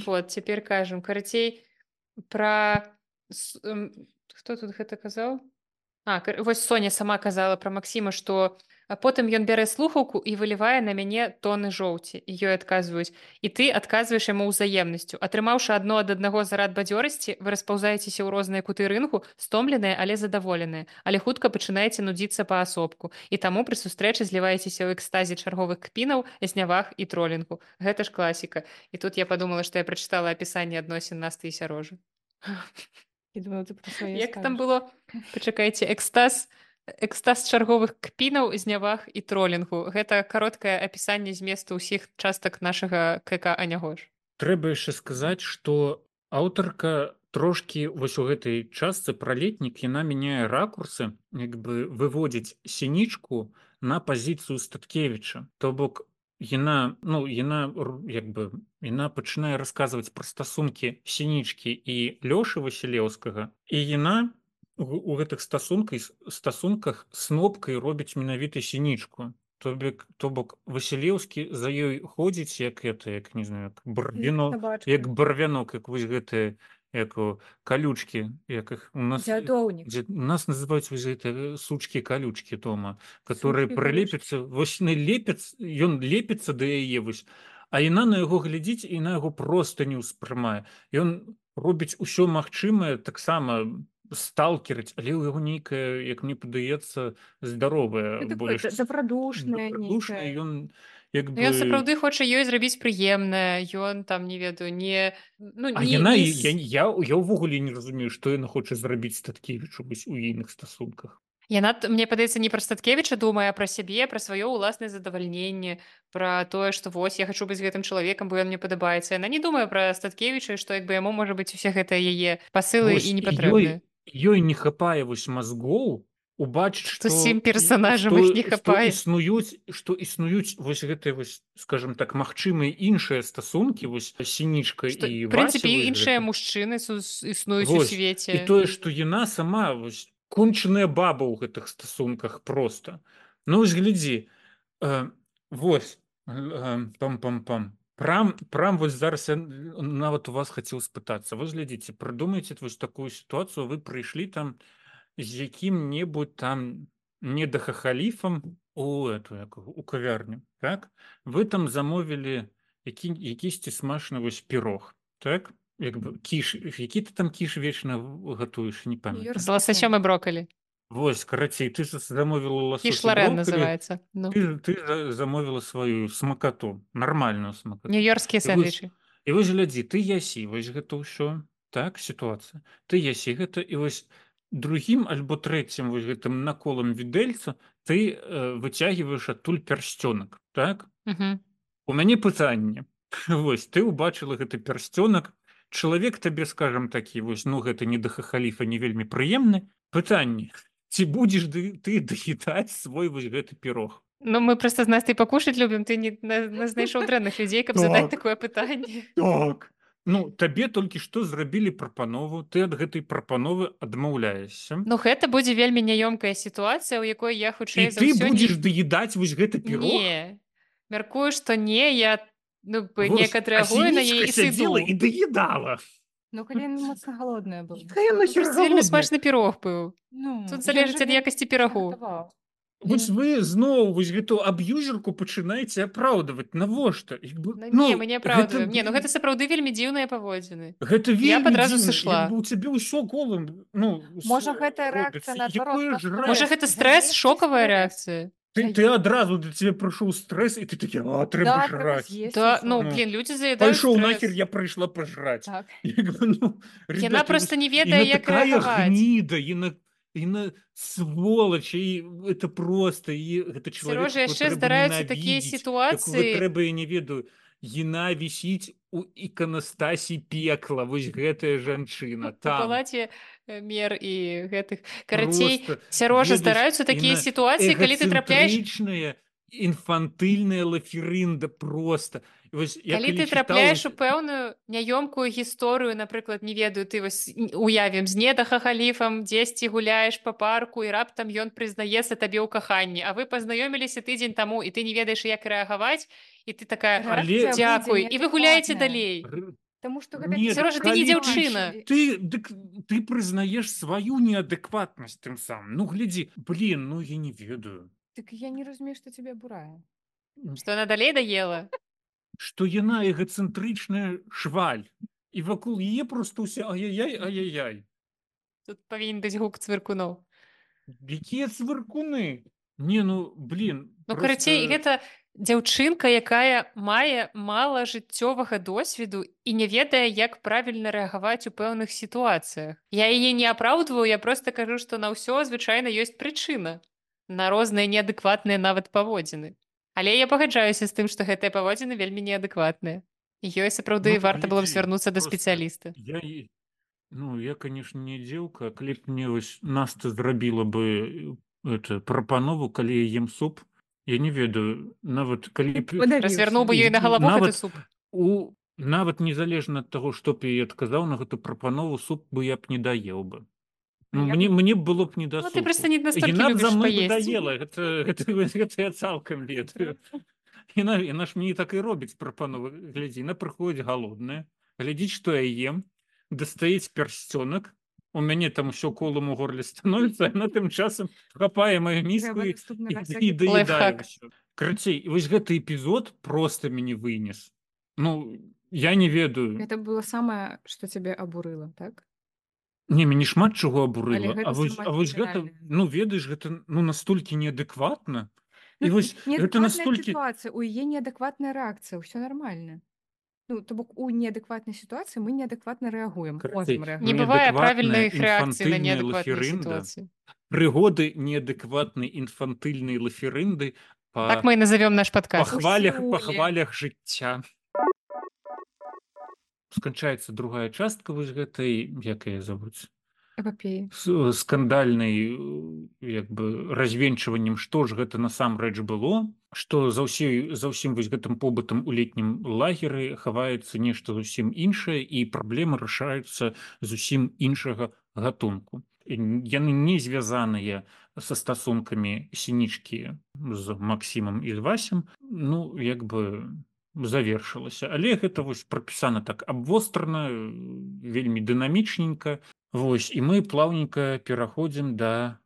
вот цяпер кажам. Карацей, пра с- эм, хто тут гэта казаў? А, кар- вось Соня сама казала пра Максіма, што а потым ён бярэ слухаўку і вылівае на мяне тоны жоўці. І ёй адказваюць. І ты адказваеш яму ўзаемнасцю. Атрымаўшы адно ад аднаго зарад бадзёрасці, вы распаўзаецеся ў розныя куты рынгу, стомленыя, але задаволеныя. Але хутка пачынаеце нудзіцца паасобку. І таму пры сустрэчы зліваецеся ў экстазе чарговых кпінаў, зняваг і тролінгу. Гэта ж класіка. І тут я подумала, што я прачытала апісанне адносін Насты і Сярожы. Я думала, ты про своє Як там скажеш. было? Пачакайце, экстаз экстаз чарговых кпінаў, зняваг і тролінгу. Гэта кароткае апісанне зместу ўсіх частак нашага КК Анягош. Трэба яшчэ сказаць, што аўтарка трошкі вось у гэтай частцы пра летнік яна мяняе ракурсы, як бы выводзіць сінічку на пазіцыю Статкевіча. То бок яна, ну, яна р- як бы яна пачынае расказваць пра стасункі сінічкі і Лёшы Васілеўскага, і яна у, у гэтых стасунках стасунках снопкай робіць менавіта сінічку. То бок, то бок Васілеўскі за ёй ходзіць, як это, як не знаю, як барвіно, Собачка. як барвянок, як вось гэтыя як о, калючкі, як іх у нас Дзядоўнік. дзе- у нас называюць вось гэтыя сучкі калючкі дома, которые Сучкі, прылепяцца, вось не лепяць, ён лепіцца да яе вось, а яна на яго глядзіць і на яго проста не ўспрымае. Ён робіць усё магчымае, таксама сталкерыць, але ў яго нейкая, як мне падаецца, здаровая Ну, такое больш добродушнае добрадушны, нейкае. ён як бы Ён сапраўды хоча ёй зрабіць прыемнае. Ён там, не ведаю, не... Ну, А не, яна не... і- с- я, я, я ўвогуле не разумею, што яна хоча зрабіць Статкевічу вось у іншых стасунках. Яна, т- мне падаецца, не пра Статкевіча думае, а пра сябе, пра сваё ўласнае задавальненне, пра тое, што вось я хачу быць гэтым чалавекам, бо ён мне падабаецца. Яна не думае пра Статкевіча, што як бы яму можа быць усе гэтыя яе пасылы Вось і і непатрэбныя. ёй, ёй не хапае вось мазгоў убачыць, Што што усім і- персанажам што- іх не што хапае. існуюць, што існуюць вось гэтыя вось, скажем так, магчымыя іншыя стасункі, вось сінічка Што, і в прынцыпе, Вася, вось іншыя гэта. мужчыны сус- існуюць у Вось. свеце. І тое, што яна сама вось кончаная баба ў гэтых стасунках проста. Ну вось глядзі, э, вось э, пам-пам-пам. Прам, прам вось зараз я нават у вас хацеў спытацца. Вось глядзіце, прыдумайце вось такую сітуацыю, вы прыйшлі там з якім-небудзь там недахахаліфам у эту як, яго, у кавярню, так? Вы там замовілі які, якісьці смачны вось пірог, так? Як бы кіш, які ты там кіш вечна в- гатуеш, не памятаю. З ласасём і брокалі. Вось, карацей, ты за- замовіла ласось Кіш і Лорен брокколі, называецца. Ну. ты, ты за- замовіла сваю смакату, нармальную смакату. Нью-Йоркскія І вось, сэндвічы. і вось глядзі, ты ясі вось гэта ўсё, так, сітуацыя. Ты ясі гэта, і вось другім альбо трэцім вось гэтым наколам відэльца ты э, выцягваеш адтуль пярсцёнак, так? Угу. У мяне пытанне. Вось, ты ўбачыла гэты пярсцёнак, чалавек табе, скажам такі, вось, ну, гэта не да хахаліфа не вельмі прыемны. Пытанне, ці будзеш ды, ты даедаць свой вось гэты пірог? Ну, мы проста з Настай пакушаць любім, ты не на, на знайшоў дрэнных людзей, каб задаць Так. такое пытанне. Так. Ну, табе толькі што зрабілі прапанову, ты ад гэтай прапановы адмаўляешся. Ну, гэта будзе вельмі няёмкая сітуацыя, у якой я І хутчэй за ты ўсё будзеш не... даедаць вось гэты пірог? Не. Мяркую, што не, я Ну, б неяк Вось, а адрэагуе на сінічка яе і сядзела і сыду. даедала. Ну, калі яна моцна галодная была. Якая Ну, нахер просто вельмі голодная? смачны пірог быў. Ну, Тут ён залежыць жа ад вельмі якасці смачна пірагу. гатаваў. Вось Ён вы зноў вось гэту аб'юзерку пачынаеце апраўдаваць. Навошта? Як бы, Ну, не, мы ну, не гэта, апраўдваем. Не, ну гэта блін, сапраўды вельмі дзіўныя паводзіны. гэта Я б вельмі адразу дзіўна. Як сышла. бы у цябе ўсё голым, ну, Можа, с- гэта робіцца. рэакцыя наадварот Якое на жраць? Можа, стрэс. гэта стрэс, З'есці шокавая стрэс. рэакцыя? Ты, ты З'есці. адразу да цябе прыйшоў стрэс, і ты такі, а, трэба Да, трэба жраць. з'есці Да, ўсё. ну, Ну, блін, людзі заядаюць пайшоў нахер, стрэс. я прыйшла пажраць. Так. Як бы, ну, Яна ребята, проста вось не ведае, яна як такая рэагаваць. гніда, яна, яна сволач, і это просто, і гэта чалавек, Сярожа, якого яшчэ трэба здараюцца такія ненавідзець, якога сітуацыі. трэба, я не ведаю, яна вісіць у іканастасі пекла, вось гэтая жанчына, У там. палаце э, мер і гэтых. Карацей, Просто, Сярожа, ведаеш, здараюцца такія яна сітуацыі, калі ты трапляеш эгацэнтрычная, інфантыльная лаферында просто. І вось я Калі калі ты чытаў трапляеш у вось- пэўную няёмкую гісторыю, напрыклад, не ведаю, ты вось н- уявім з недахахаліфам, дзесьці гуляеш па парку і раптам ён прызнаецца табе ў каханні, а вы пазнаёміліся тыдзень таму і ты не ведаеш, як рэагаваць, і ты такая Але- Рэакцыя дзякуй, будзе і вы гуляеце неадэкватная. далей. Р- Таму што Не, гэта Сярожа, ты не калі дзяўчына. Ты, дык, ты прызнаеш сваю неадэкватнасць тым самым. Ну, глядзі, блин, ну я не ведаю. Так я не разумею, што цябе абурае. Што яна далей даела? Што яна эгацэнтрычная шваль. І вакол яе просто ўсе ай-яй-яй, ай-яй-яй. Тут павінен быць гук цвыркуноў. Якія цвыркуны? Не, ну, блин, Ну, просто... карацей, гэта дзяўчынка, якая мае мала жыццёвага досведу і не ведае, як правільна рэагаваць у пэўных сітуацыях. Я яе не апраўдваю, я проста кажу, што на ўсё звычайна ёсць прычына. На розныя неадэкватныя нават паводзіны. Але я пагаджаюся з тым, што гэтыя паводзіны вельмі неадэкватныя. І ёй сапраўды Ну, варта было б глядзі, звярнуцца да просто спецыяліста. Я, і- ну, я, конечно, не дзеўка, калі б мне вось Наста зрабіла бы э, это, прапанову, калі я ем суп, я не ведаю, нават калі б... Развярнуў бы ёй на І галаву гэты нават суп. У, нават незалежна ад таго, што б я ёй адказаў на гэту прапанову, суп бы я б не даеў бы. Ну, Я б- мне, мне б было б не да Ну, супу. ты проста не настолькі Яна б за любіш мной бы паесці. даела, гэта, гэта, гэта я цалкам ведаю. Яна, яна ж мне так і робіць прапановы. Глядзі, яна прыходзіць галодная, глядзіць, што я ем, дастаіць пярсцёнак, у мяне там усё колам у горле становіцца, яна тым часам хапае маю міску і, наступны і, раз і даедае Лайфхак. ўсё. Карацей, вось гэты эпізод проста мяне вынес. Ну, я не ведаю. Гэта было самае, што цябе абурыла, так? Не, мяне шмат чаго абурыла. Але гэта А вось, самае а вось гэта, крытычнае. ну, ведаеш, гэта ну, настолькі неадэкватна. І Ну, вось гэта неадэкватная настолькі... сітуацыя, у яе неадэкватная рэакцыя, ўсё нармальна. Ну, то бок у неадэкватнай сітуацыі мы неадэкватна рэагуем. Карацей, Можам Не рэагаваць. бывае Неадэкватная правільных рэакцый на інфантыльная неадэкватныя лаферында. сітуацыі. Прыгоды неадэкватнай інфантыльнай лаферынды па, Так мы і назовём наш па падкаст. хвалях, па Усюлі. хвалях жыцця. Сканчаецца другая частка вось гэтай, як яе завуць? Эпапеі. С- скандальнай э, як бы развенчваннем, што ж гэта насамрэч было, што за ўсёй за ўсім вось гэтым побытам у летнім лагеры хаваецца нешта зусім іншае і праблемы рашаюцца зусім іншага гатунку. І н- яны не звязаныя са стасункамі сінічкі з Максімам і з Васем, ну як бы завершылася, але гэта вось прапісана так абвострана, э, вельмі дынамічненька. Вось, і мы плаўненька пераходзім да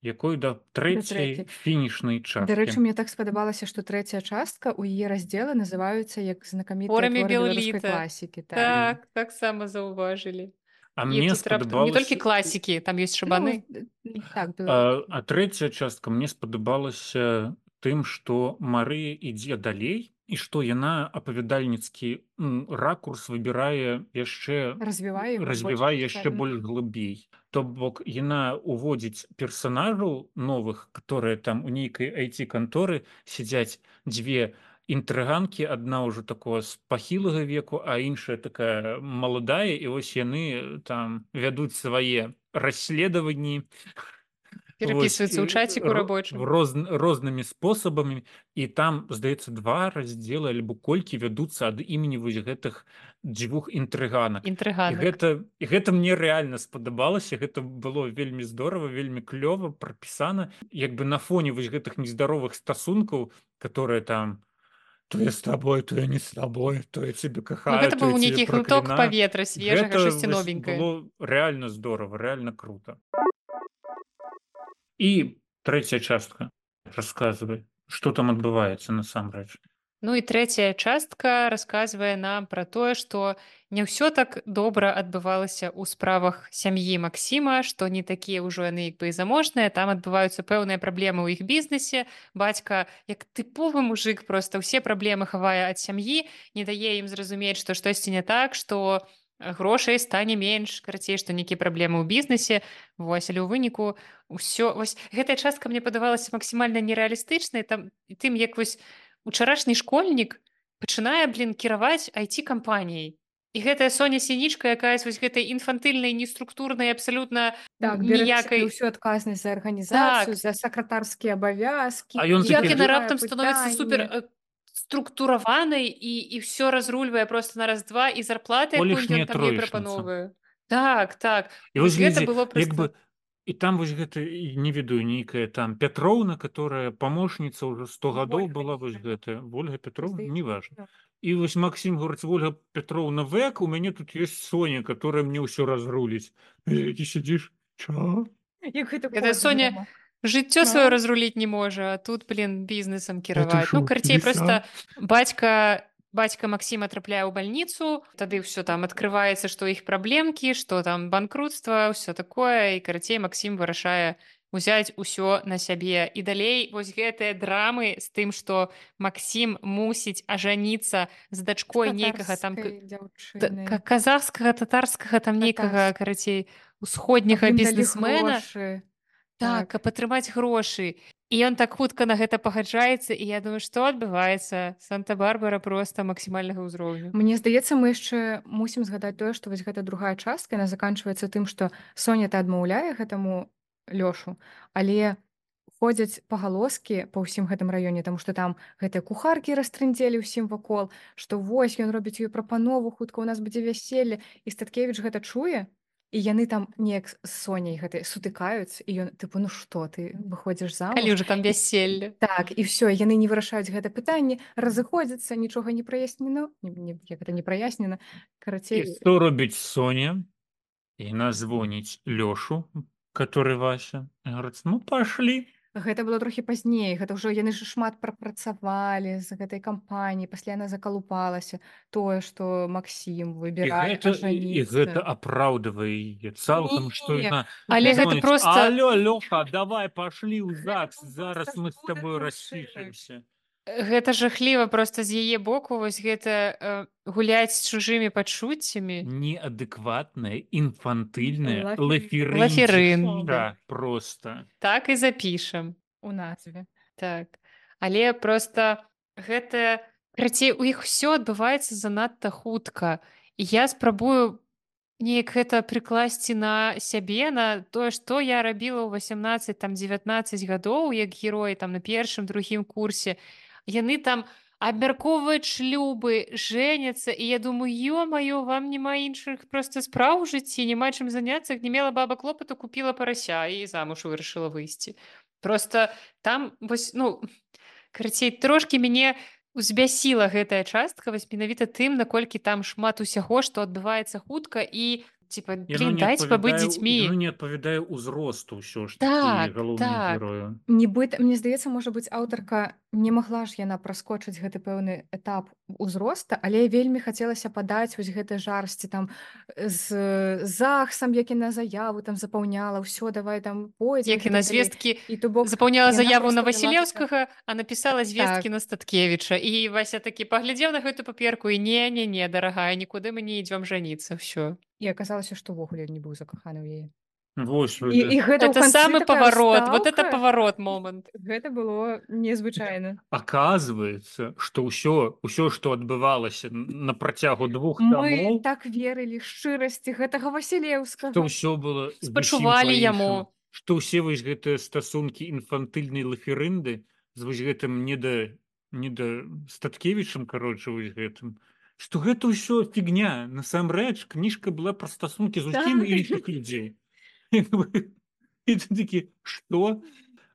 якой да трэцяй трэцяй. фінішнай Дарэчы, часткі. мне так спадабалася, што трэцяя частка ў яе раздзелы называюцца як знакамітыя Творамі творы беларускай Біл-Літа. класікі. Так. Так, таксама заўважылі. А І мне тут раптам не толькі спадабалася класікі, там ёсць шабаны. Ну, э, так, а, беларускай. а трэцяя частка мне спадабалася тым, што Марыя ідзе далей і што яна апавядальніцкі м, ракурс выбірае яшчэ Развівае яго развівае больш яшчэ дэтальна. больш глыбей. То бок яна уводзіць персанажаў новых, которые там у нейкай ай ти-канторы сядзяць дзве інтрыганкі, адна ўжо такого з пахілага веку, а іншая такая маладая, і вось яны там вядуць свае расследаванні, Перапісваюцца ў чаціку рабочым. роз, рознымі спосабамі, і там здаецца два раздзелы альбо колькі вядуцца ад імені вось гэтых дзвюх інтрыганак. І Інтрыганак. гэта, і гэта мне рэальна спадабалася, гэта было вельмі здорава, вельмі клёва прапісана, як бы на фоне вось гэтых нездаровых стасункаў, которые там то я з табой, то я не з табой, то я цябе Ну кахаю, гэта то я быў цябе нейкі глыток праклінаю. паветра свежага, Гэта штосьці вось новенькае. было рэальна здорава, рэальна крута. І трэцяя частка. Расказвай, што там адбываецца насамрэч. Ну і трэцяя частка расказвае нам пра тое, што не ўсё так добра адбывалася ў справах сям'і Максіма, што не такія ўжо яны як бы і заможныя, там адбываюцца пэўныя праблемы ў іх бізнесе. Бацька, як тыповы мужык, проста ўсе праблемы хавае ад сям'і, не дае ім зразумець, што штосьці не так, што грошай стане менш, карацей, што нейкія праблемы ў бізнесе. Вось, але ў выніку ўсё вось гэтая частка мне падавалася максімальна нерэалістычнай, там і тым як вось учарашні школьнік пачынае, блін, кіраваць ай ти-кампаніяй. І гэтая Соня Сінічка, якая з вось гэтай інфантыльнай, неструктурнай, абсалютна Так, бярэ на сябе ніякай... ўсю адказнасць за арганізацыю, Так, за сакратарскія абавязкі, А ён як такі- яна вырашае раптам становіцца супер пытанні. э, структураванай і, і ўсё разрульвае просто на раз-два, і зарплаты, якую Колішняя ён там ей троечніца. прапановвае. Так, так. І вось гэта глядзі, было як просто... бы і там вось гэта і не ведаю нейкая там Пятроўна, которая памочніца ўжо сто гадоў Ольга была вось нейкая. гэтая Ольга Пятроўна, Здаецца, неважна. так. І вось Максім говорыць: Ольга Пятроўна век, у мяне тут ёсць Соня, которая мне ўсё разруліць. І ты сидзіш, чё? Як гэта Гэта кот Соня дома. жыццё Ну. сваё разруліць не можа, а тут, блін, бізнесам Это кіраваць. Ну, шо, карацей, ліса? просто бацька бацька Максіма трапляе ў бальніцу, тады ўсё там адкрываецца, што іх праблемкі, што там банкрутства, ўсё такое, і карацей Максім вырашае узяць усё на сябе. І далей вось гэтыя драмы з тым, што Максім мусіць ажаніцца з дачкой нейкага там к- Татарскай т- дзяўчынай. ка- казахскага, татарскага там нейкага, Татарскага. карацей, Каб усходняга ім далі бізнесмена. грошы. Так, Так. каб атрымаць грошы. І ён так хутка на гэта пагаджаецца, і я думаю, што адбываецца? Санта-Барбара проста максімальнага ўзроўню. Мне здаецца, мы яшчэ мусім згадаць тое, што вось гэта другая частка, яна заканчваецца тым, што Соня-то адмаўляе гэтаму Лёшу, але ходзяць пагалоскі па ўсім гэтым раёне, таму што там гэтыя кухаркі растрындзелі ўсім вакол, што вось ён робіць ёй прапанову, хутка ў нас будзе вяселле, і Статкевіч гэта чуе, і яны там неяк з Соняй гэтай сутыкаюцца, і ён тыпу: ну што, ты выходзіш замуж? Калі ўжо там вяселле. Так, і ўсё, яны не вырашаюць гэта пытанне, разыходзяцца, нічога не праяснена, не, не, як гэта не праяснена. І Карацей, што робіць Соня? Яна звоніць Лёшу, который Вася. І говорить: ну, пошли. гэта было трохі пазней, гэта ўжо яны ж шмат прапрацавалі з гэтай кампаніі, пасля яна закалупалася, тое, што І Максім выбірае гэта, і, і гэта ажаніцца. апраўдвае яе цалкам, што Не, яна Але гэта звоніць: проста... алло, Лёха, давай пошли ў ЗАГС, зараз проста мы з жудасна табою ўчынак. распішемся. Гэта жахліва проста з яе боку, вось гэта э, гуляць з чужымі пачуццямі. Неадэкватная, інфантыльная, Лаферын. лаферынчыша просто. Так і запішам. У назве. Так. Але проста гэта... Карацей, у іх усё адбываецца занадта хутка. І я спрабую неяк гэта прыкласці на сябе, на тое, што я рабіла ў васямнаццаць там дзевятнаццаць гадоў, як герой там на першым, другім курсе. Яны там абмяркоўваюць шлюбы, жэняцца, і я думаю, ё-маё, вам няма іншых проста спраў у жыцці, няма чым заняцца, не мела баба клопату, купіла парася і замуж вырашыла выйсці. Проста там вось, ну, карацей, трошкі мяне узбясіла гэтая частка вось менавіта тым, наколькі там шмат усяго, што адбываецца хутка, і типа, блин, дайце пабыць дзецьмі. Яно не адпавядае ўзросту ўсё ж Так, такі галоўнаму так. герою. Нібыта, мне здаецца, можа быць, аўтарка не магла ж яна праскочыць гэты пэўны этап узроста, але вельмі хацелася падаць вось гэтай жарсці там з ЗАГСам, як яна заяву там запаўняла, ўсё, давай там пойдзем. Як яна звесткі І то бок запаўняла яна заяву на проста вела Васілеўскага, а напісала звесткі Так. на Статкевіча. І Вася такі паглядзеў на гэту паперку і не-не-не, дарагая, нікуды мы не ідзём жаніцца, ўсё. І аказалася, што ўвогуле не быў закаханы ў яе. Вось, І, і гэта ў Это канцы самы такая паварот, вот это ўстаўка. паварот момант. Гэта было незвычайна. Аказваецца, што ўсё, ўсё, што адбывалася на працягу двух Мы тамоў, так верылі шчырасці гэтага Васілеўскага. што ўсё было зусім Спачувалі па-іншаму. яму. Што ўсе вось гэтыя стасункі інфантыльнай лаферынды з вось гэтым не да, не да Статкевічам, кароче, вось гэтым, што гэта ўсё фігня. Насамрэч, кніжка была пра стасункі зусім Так. іншых людзей. І ты такі, што?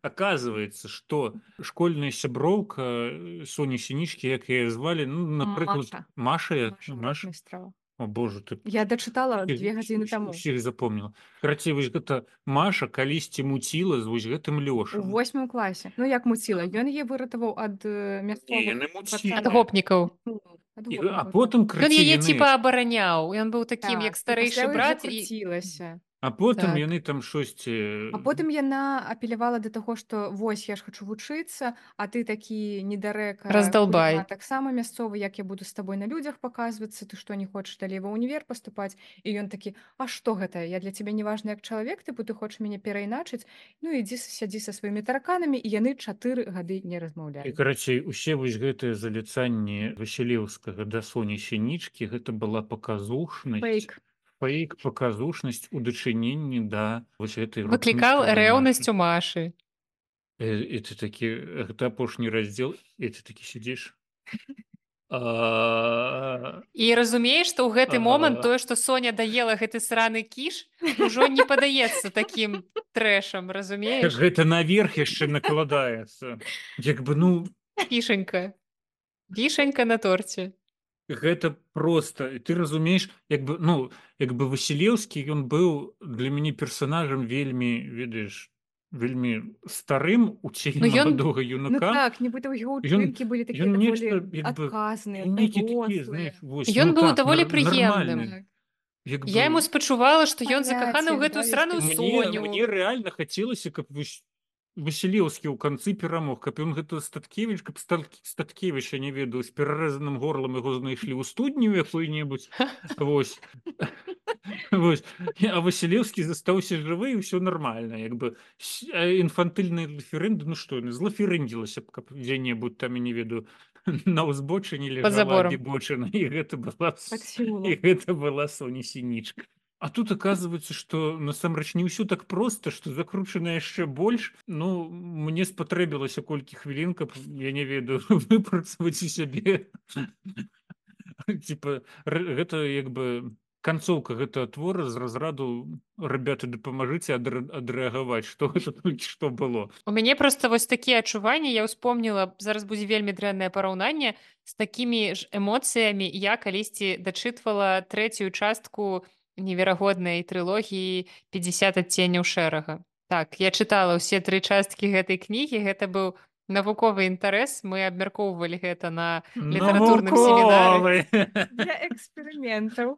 Оказывается, что школьная сяброўка э, Соні Сінічкі, як яе звалі, ну, напрыклад, Маша. Маша, я- Маша Маша, Ротмістрова. о боже, ты Я дачытала всіх, две гадзіны всіх, таму. всіх запомніла. Карацей, вось гэта Маша калісьці муціла з вось гэтым У Лёшам. восьмым класе. Ну, як муціла. Ён яе выратаваў ад э, Не, мясцовых яны муцілі. ад пацаноў. гопнікаў. Ну, ад І, а гопнікаў, так. потым Ён крыці яе яны, типа абараняў. Ён быў такім, як Так, і старэйшы пасля ўжо брат, і круцілася. а потым так. яны там штосьці... А потым яна апелявала да таго, што вось я ж хачу вучыцца, а ты такі недарэка Раздалбай. хуліган таксама мясцовы, як я буду з табой на людзях паказвацца, ты што не хочаш далей ва ўнівер паступаць? І ён такі: а што гэта? Я для цябе не важны як чалавек, тыпу ты хочаш мяне перайначыць? Ну ідзі с- сядзі са сваімі тараканамі, і яны чатыры гады не І, размаўлялі. карацей, усе вось гэтыя заліцанні Васілеўскага да Соні Сінічкі, гэта была паказушнасць, Фэйк. фэйк, паказушнасць у дачыненні да вось гэтай Выклікаў ротмістровай рэўнасць Машы. у Машы. Э, І ты такі, гэта апошні раздзел, і ты такі сидзіш. А, І разумееш, што ў гэты момант а, тое, што Соня даела гэты сраны кіш, ужо не падаецца такім трэшам, разумееш? Гэта наверх яшчэ накладаецца. Як бы, ну, Вішенька. Вішенька на торце. гэта просто, і ты разумееш, як бы, ну, як бы Васілеўскі, ён быў для мяне персонажам вельмі, ведаеш, вельмі старым у цені Ну, ён- маладога Ну юнака. так, нібыта ў яго Ён- ўчынкі былі такія ён даволі нечто, як бы, адказныя, Ён нейкі такі, дарослыя. знаеш, вось, Ён ну быў так, даволі нар- прыемным. нармальны. Як Я бы, яму спачувала, што ён Паняцце, закаханы ў гэтую да, сраную ёсць мне, Соню. мне рэальна хацелася, каб вось Васілеўскі ў канцы перамог, каб ён гэта Статкевіч, каб Стат- Статкевіча, не ведаю, з перарэзаным горлам яго знайшлі ў студню якой-небудзь. Вось. Вось. А Васілеўскі застаўся жывы, і ўсё нармальна. Як бы с- а інфантыльны рэферэнды, ну што, злаферындзілася б, каб дзе-небудзь там, я не ведаю, на ўзбочыне Пад лежала забором. дебочына, і гэта была, Так с- сілу. і гэта была Соня Сінічка. А тут оказывается, что насамрэч не ўсё так просто, что закручана яшчэ больш. Ну, мне спатрэбілася колькі хвілін, каб, я не ведаю, выпрацаваць у сябе. Типа, р- гэта як бы канцоўка гэтага твора з разраду «Ребята, дапамажыце адр- адрэагаваць, што гэта толькі што было». У мяне проста вось такія адчуванні, я ўспомніла, зараз будзе вельмі дрэннае параўнанне з такімі ж эмоцыямі. Я калісьці дачытвала трэцюю частку неверагоднай трылогіі пятьдесят адценняў шэрага. Так, я чытала ўсе тры часткі гэтай кнігі, гэта быў навуковы інтарэс, мы абмяркоўвалі гэта на літаратурным семінары. Навуковы! Для эксперыментаў.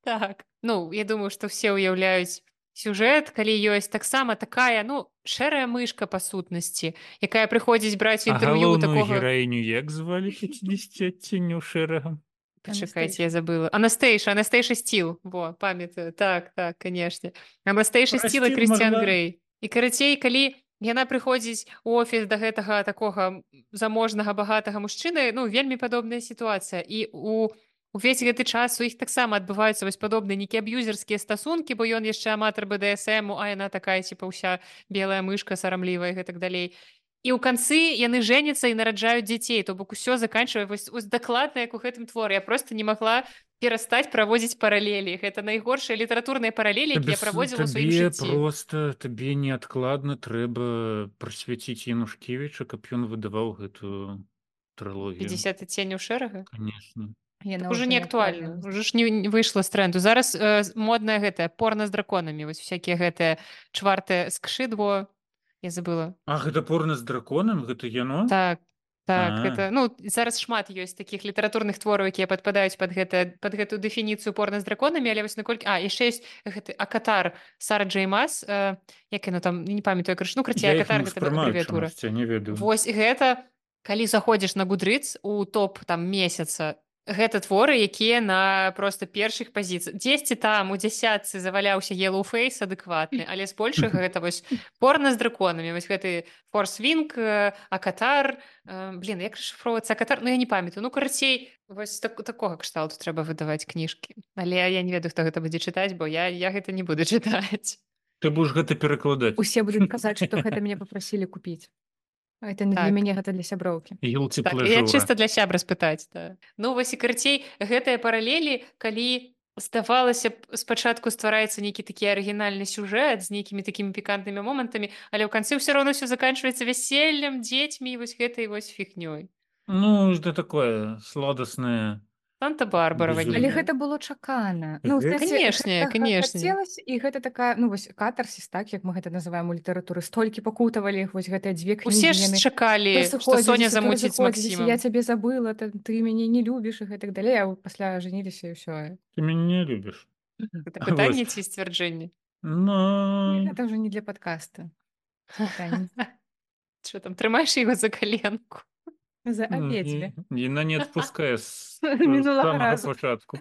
Так, ну, я думаю, што все ўяўляюць сюжэт, калі ёсць таксама такая, ну, шэрая мышка па сутнасці, якая прыходзіць браць А інтэрв'ю галоўную такога... гераіню як звалі пятьдесят адценняў шэрага? Пачакайце, я забыла. Анастейша, Анастейша Стіл. Во, памятаю. Так, так, канешне. Анастейша Пра Стіл і Стіл Крысціан магла- Грэй. І карацей, калі яна прыходзіць у офіс да гэтага такога заможнага багатага мужчыны, ну, вельмі падобная сітуацыя. І у увесь гэты час у іх таксама адбываюцца вось падобныя нейкія аб'юзерскія стасункі, бо ён яшчэ аматар бэ дэ эс эму, а яна такая, типа, ўся белая мышка сарамлівая і гэтак далей. І ў канцы яны жэняцца і нараджаюць дзяцей, то бок усё заканчвае вось, вось дакладна, як у гэтым творы. Я просто не магла перастаць праводзіць паралелі. Гэта найгоршыя літаратурныя паралелі, Табе якія я с- праводзіла ў сваім табе жыцці. просто табе неадкладна трэба прасвяціць Янушкевіча, каб ён выдаваў гэтую трылогію. пятьдесят адценняў шэрага? Конечно. Яна Так уже ўжо не актуальна. актуальна. Уже ж не, не выйшла з тренду. Зараз э, модная гэтая порно з драконамі. Вось всякія гэтыя чвартыя скшыдво. Я забыла. А гэта порно з драконам, гэта яно? Так, так, А. гэта, ну, зараз шмат ёсць такіх літаратурных твораў, якія падпадаюць пад гэта, пад гэтую дэфініцыю порна з драконамі, але вось наколькі... А, яшчэ ёсць гэты Акатар Сара Джей Мас, э, як яно там, не памятаю, крыш, ну, краце, Я іх Акатар не гэта ўспрымаю абрэвіатура. чамусьці, я не ведаю. Вось гэта, калі заходзіш на Goodreads у топ там месяца, гэта творы, якія на проста першых пазіцыях. Дзесьці там у дзясятцы заваляўся Yellowface адэкватны, але збольшага гэта вось порна з драконамі. Вось гэты Force Wing, э, Акатар, э, блін, як расшыфроўваецца Акатар? Ну, я не памятаю. Ну, карацей, вось так, такога кшталту трэба выдаваць кніжкі. Але я не ведаю, хто гэта будзе чытаць, бо я, я гэта не буду чытаць. Ты будзеш гэта перакладаць. Усе будуць казаць, што гэта мяне папрасілі купіць. А это не для Так. мяне, гэта для сяброўкі. Так, я чыста для сябра спытаць. Да. Ну, вось і карацей, гэтыя паралелі, калі здавалася б, спачатку ствараецца нейкі такі арыгінальны сюжэт з нейкімі такімі пікантнымі момантамі, але ў канцы ўсё роўно ўсё заканчваецца вяселлем, дзецьмі і вось гэтай вось фігнёй. Ну, это такое сладостное Санта-Барбара Але безумие. ванільная. гэта было чакана. Ну, Гэ- кстати, Канешне, гэта ха- канешне. хацелася, і гэта такая, ну, вось катарсіс, так, як мы гэта называем у літаратуры, столькі пакутавалі вось гэтыя дзве Усе кнігі, ж яны то чакалі, што сыходзіліся, Соня то замуціць з разыходзіліся, я Максімам. цябе забыла, та- ты мяне не любіш і гэтак далей, а пасля жаніліся і ўсё. Ты меня не любишь. Гэта Вот. пытанне ці сцвярджэнне? Ну, Гэта ўжо не для подкаста. Пытанне. Що там, трымаеш яго за каленку? За ну, абедзве. і- Яна не адпускае з Мінулага самага разу. пачатку.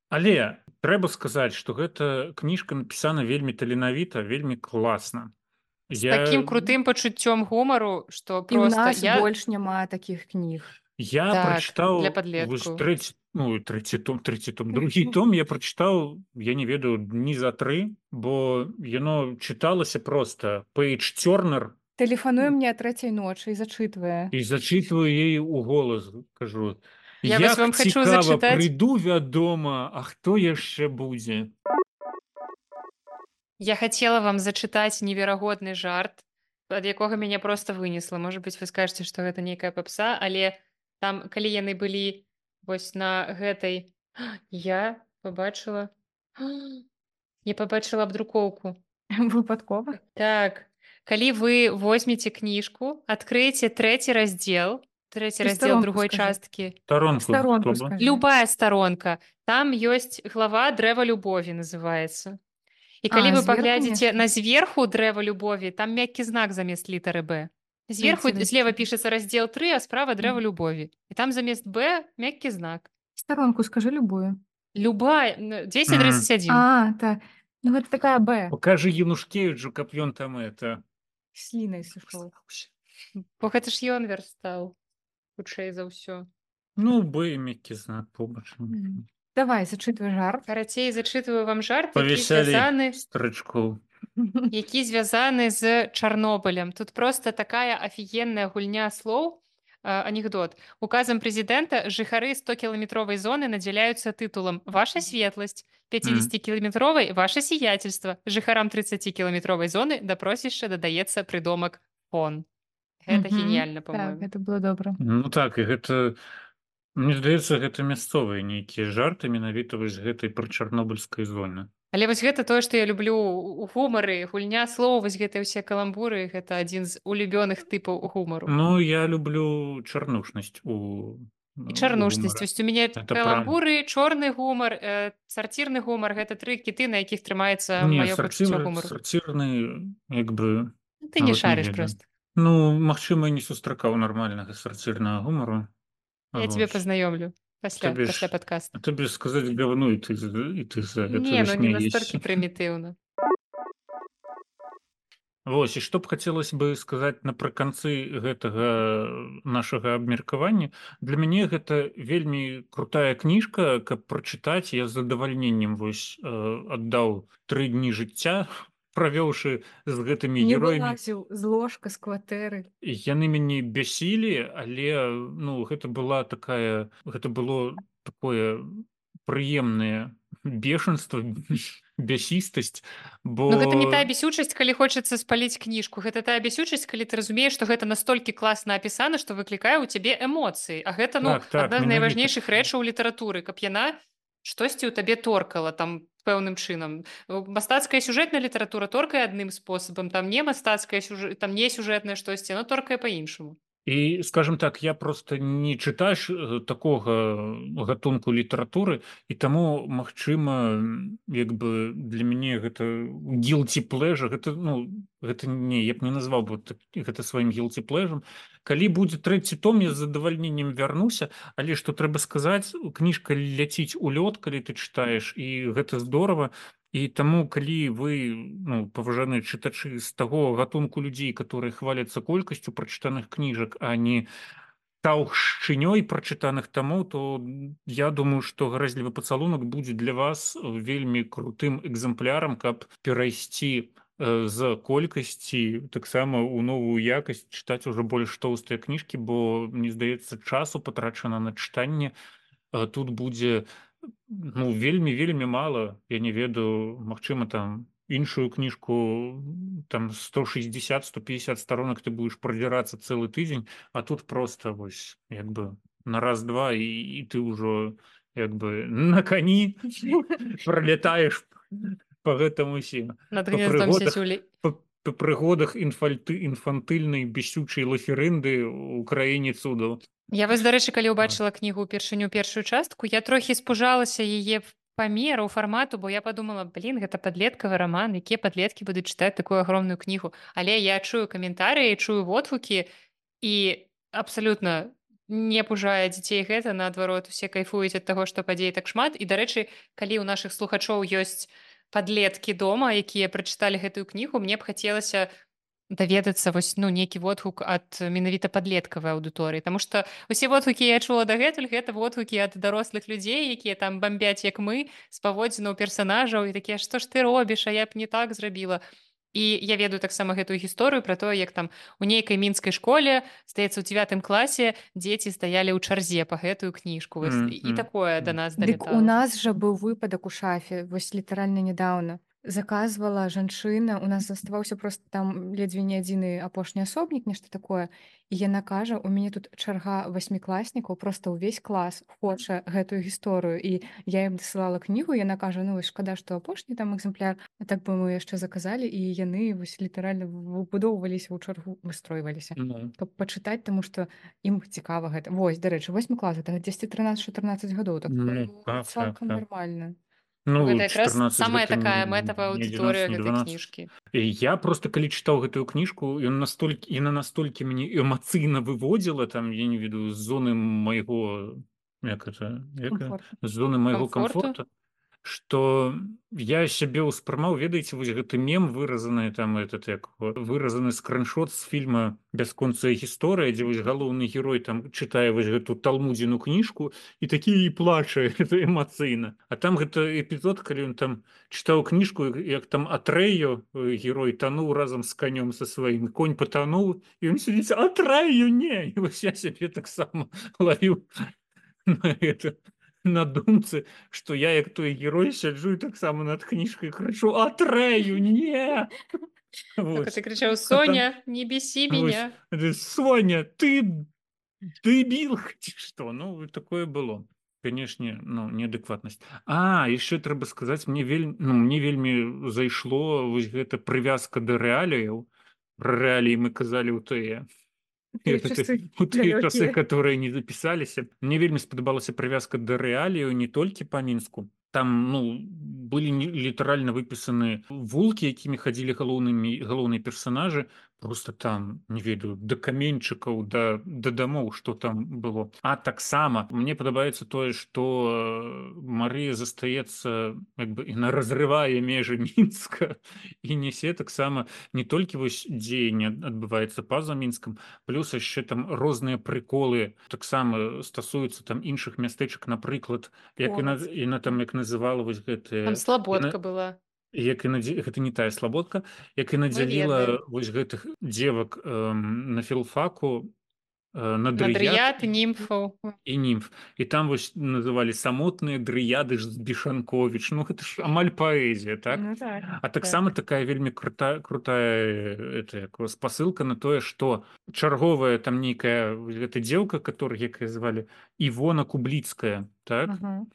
Але трэба сказаць, што гэта кніжка напісана вельмі таленавіта, вельмі класна. З такім крутым пачуццём гумару, што І ў проста нас я... больш няма такіх кніг. Я Так, прачытаў для вось падлеткаў. трэці, ну, трэці том, трэці том, другі том я прачытаў, я не ведаю, дні за тры, бо яно чыталася проста Пейдж Тёрнер, Тэлефануе мне а трэцяй ночы і зачытвае. і зачитываю ей у голас, кажу, Я вось як вам хачу цікава, зачытаць. прыйду, вядома, а хто яшчэ будзе? Я хацела вам зачытаць неверагодны жарт, ад якога мяне проста вынесла. Можа быць, вы скажаце, што гэта нейкая папса, але там, калі яны былі вось на гэтай... Я пабачыла... Я пабачыла абдрукоўку. Выпадкова. Так, калі вы возьмеце кніжку, адкрыеце трэці раздзел, трэці Ты раздзел старонку другой скажы. часткі, Таронку, Старонку хто б? скажы. любая старонка, там ёсць глава дрэва любові называецца. І калі А, вы зверху паглядзіце нешта? на зверху дрэва любові, там мяккі знак замест літары Б. Зверху Трэці злева раздзел. пішацца раздзел тры, а справа дрэва любові. І там замест Б мяккі знак. Старонку скажы любую. Любая ну, дзесяць тридцать один. А, так. Ну, гэта такая Б. Покажи Янушкевичу, каб ён там это... Слінай сышоў. Бо гэта ж ён верстаў хутчэй за ўсё. Ну, Б, мяккі знак побач. Мгм. Давай, зачытвай жарт. Карацей, зачытваю вам жарт, які Павесялей звязаны, старычкоў. які звязаны з Чарнобылем. Тут просто такая офігенная гульня слоў, а, анекдот. Указом президента жыхары сто-километровой зоны наделяются титулом «Ваша светлость», пятидесятикилометровой «Ваше сиятельство», жыхарам тридцатикилометровой зоны да просішча дадаецца прыдомак «фон». Гэта Мгм. гениально, Так, по-моему. гэта было добра. Ну так, і гэта... Мне здаецца, гэта мясцовыя нейкія жарты менавіта вось гэтай пра чарнобыльскай зоны. Але вось гэта тое, што я люблю у гумары, гульня слоў, вось гэтыя ўсе каламбуры, гэта адзін з улюбёных тыпаў гумару. Ну, я люблю чарнушнасць у... І чарнушнасць. Вось у мяне Это каламбуры, чорны гумар, э, сарцірны гумар, гэта тры кіты, на якіх трымаецца Не, маё пачуццё сарцір, гумару. сарцірны, як бы... Ты не нават шарыш ведаю. проста. Ну, магчыма, не сустракаў нармальнага сарцірнага гумару. Я тебе пазнаёмлю пасля, Табе ж- пасля падкаста. А табе сказаць говно, і ты, з- і ты за гэта Не, ну не смяешся. настолькі прымітыўна. Вось, і што б хацелася бы сказаць напрыканцы гэтага нашага абмеркавання. Для мяне гэта вельмі крутая кніжка, каб прачытаць. Я з задавальненнем вось э, аддаў тры дні жыцця, правёўшы з гэтымі Не героямі. вылазіў з ложка, з кватэры. Яны мяне бясілі, але ну гэта была такая, гэта было такое прыемнае бешенство, бясістасць, бо Ну гэта не тая бясючасць, калі хочацца спаліць кніжку. Гэта тая бясючасць, калі ты разумееш, што гэта настолькі класна апісана, што выклікае ў цябе эмоцыі. А гэта ну Так, так, адна з менавіта. найважнейшых рэчаў літаратуры, каб яна штосьці ў табе торкала там пэўным чынам. Мастацкая сюжэтная літаратура торкае адным спосабам, там не мастацкая сюжэт, там не сюжэтнае штосьці, яно торкае па-іншаму. І скажем так, я просто не чытаеш э, такога гатунку літаратуры, і таму магчыма, як бы для мяне гэта guilty pleasure, гэта ну гэта не, я б не назваў бы так- гэта сваім guilty pleasure. Калі будзе трэці том, я з задавальненнем вярнуся, але што трэба сказаць, кніжка ляціць у лёд, калі ты чытаеш, і гэта здорава. І таму, калі вы, ну, паважаныя чытачы з таго гатунку людзей, которые хваляцца колькасцю прачытаных кніжак, а не таўшчынёй прачытаных тамоў, то я думаю, што гарэзлівы пацалунак будзе для вас вельмі крутым экземплярам, каб перайсці э, з колькасці таксама ў новую якасць, чытаць ужо больш тоўстыя кніжкі, бо, мне здаецца, часу патрачана на чытанне э, тут будзе Ну, вельмі вельмі мала. Я не ведаю, магчыма, там іншую кніжку м, там сто шестьдесят сто пятьдесят сторонок ты будешь продзірацца цэлы тыдзень, а тут просто вось як бы на раз-два і, і ты ўжо як бы на кані пролетаешь по гэтаму усім Над по гнездом прыгодах сісюлі. по, по прыгодах інфальты інфантыльнай бесючай лаферынды ў краіне цудаў. Я вось, дарэчы, калі А. ўбачыла кнігу ўпершыню першую частку, я трохі спужалася яе памеру фармату, бо я подумала, блин, гэта падлеткавы раман, якія падлеткі будуць чытаць такую агромную кнігу. Але я чую каментарыі, чую водгукі і абсалютна не пужае дзяцей гэта, наадварот, усе кайфуюць ад таго, што падзей так шмат. І, дарэчы, калі ў нашых слухачоў ёсць падлеткі дома, якія прачыталі гэтую кнігу, мне б хацелася даведацца вось ну нейкі водгук ад менавіта падлеткавай аўдыторыі, Таму што усе водгукі я чула дагэтуль гэта водгукі ад дарослых людзей, якія там бамбяць як мы з паводзінаў персанажаў і такія што ж ты робіш, а я б не так зрабіла. І я ведаю таксама гэтую гісторыю пра тое, як там у нейкай мінскай школе здаецца ў дзевятым класе дзеці стаялі ў чарзе па гэтую кніжку вось, і Мгм. такое да нас Дык у далетала. нас жа быў выпадак у шафе, вось літаральна нядаўна. Заказвала жанчына, у нас заставаўся проста там ледзьве не адзіны апошні асобнік, нешта такое. І яна кажа, у мяне тут чарга васьмікласнікаў, проста ўвесь клас хоча гэтую гісторыю. І я ім дасылала кнігу, яна кажа, ну вось шкада, што апошні там экземпляр, а так бы мы яшчэ заказалі, і яны вось літаральна выбудоўваліся ў чаргу, выстройваліся, Ну, каб пачытаць, таму што ім цікава гэта. Вось, дарэчы, восьмы клас, гэта дзесьці трынаццаць чатырнаццаць гадоў, так ну, ну, так, так, цалкам так. нармальна. Ну, Ну, гэта якраз чатырнаццаць самая гэта такая не, мэтавая не аўдыторыя адзінаццаць, не гэтай дванаццаць. кніжкі. І я просто калі чытаў гэтую кніжку, ён настолькі яна настолькі мяне эмацыйна выводзіла там, я не ведаю, з зоны майго як это, як, Комфорт. з зоны майго Камфорту? камфорта, што я сябе ўспрымаў, ведаеце, вось гэты мем выразаны там этот як его, выразаны скриншот з фільма бясконцая гісторыя, дзе вось галоўны герой там чытае вось гэту талмудзіну кніжку і такі і плача это эмацыйна. А там гэта эпізод, калі ён там чытаў кніжку, як там Атрэю герой тануў разам з канём са сваім, конь патануў і ён сидзіць Атрэю не, і вось я сябе таксама лавіў на это на думцы, што я як той герой сяджу і таксама над кніжкай крычу Атрэю не. Так, а Вось. ты крычаў, А там Соня, не бесі вось меня. это, Соня, ты дэбіл ці што? Ну такое было. Канешне, ну неадэкватнасць. А яшчэ трэба сказаць, мне вельмі ну, мне вельмі зайшло вось гэта прывязка да рэаліяў. Пра рэаліі мы казалі ў тыя Тыя гэта часы у тыя часы, далёкія. которые не запісаліся. Мне вельмі спадабалася прывязка да рэалію не толькі па мінску. Там ну былі не- літаральна выпісаны вулкі, якімі хадзілі галоўнымі галоўныя персанажы, просто там не ведаю да каменьчыкаў да да дамоў, што там было. А таксама мне падабаецца тое, што Марыя застаецца як бы яна разрывае межы мінска і нясе таксама не толькі вось дзеянне адбываецца па-за мінскам, плюс яшчэ там розныя прыколы таксама стасуюцца там іншых мястэчак, напрыклад, як яна Полацк. яна там як называла вось Там гэтыя слабодка яна была. як і надзе... гэта не тая слабодка, як і Мы надзяліла ведаем. вось гэтых дзевак эм, на філфаку э, на Надрыят, дрыяд німфаў. і німф. І там вось называлі самотныя дрыяды ж з Бішанковіч. Ну гэта ж амаль паэзія, так? Ну так. А таксама такая вельмі крута, крутая это, як, спасылка на тое, што чарговая там нейкая гэта дзеўка, которая якая звалі Івона Кубліцкая, так? Ага.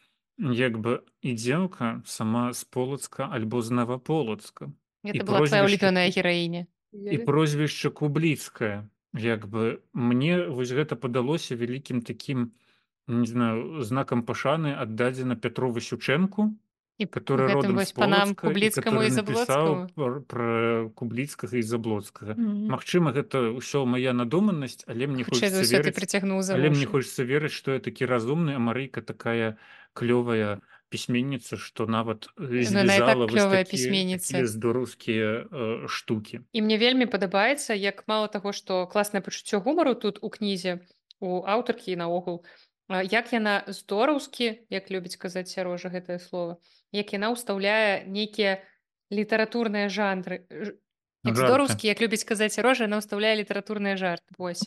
Як бы і дзеўка сама з Полацка альбо з Наваполацка. І Гэта была твоя прозвішча улюбёная Ку- гераіня. і прозвішча Кубліцкая. Як бы мне вось гэта падалося вялікім такім не знаю, знакам пашаны аддадзена Пятру Васючэнку, І который гэтым родом вось з панам Полацка і Кубліцкаму і который напісаў Заблоцкаму. пр- пра Кубліцкага і Заблоцкага. Мгм. Магчыма, гэта ўсё мая надуманасць, але мне Хутчэй за хочется ўсё ты верыць, прыцягнуў за але мне вушы. хочется верыць, што я такі разумны, а Марыйка такая клёвая пісьменніца, што нават э, Ну, яна і так звязала вось клёвая такія, пісьменніца. такія здораўскія э, штукі. І мне вельмі падабаецца, як мала таго, што класнае пачуццё гумару тут у кнізе, у аўтаркі і наогул, а, як яна здораўскі, як любіць казаць Сярожа гэтае слово, як яна ўстаўляе нейкія літаратурныя жанры. Ж- Як Жарты. здораўскі, як любіць казаць Сярожа, яна ўстаўляе літаратурныя жарты. Вось.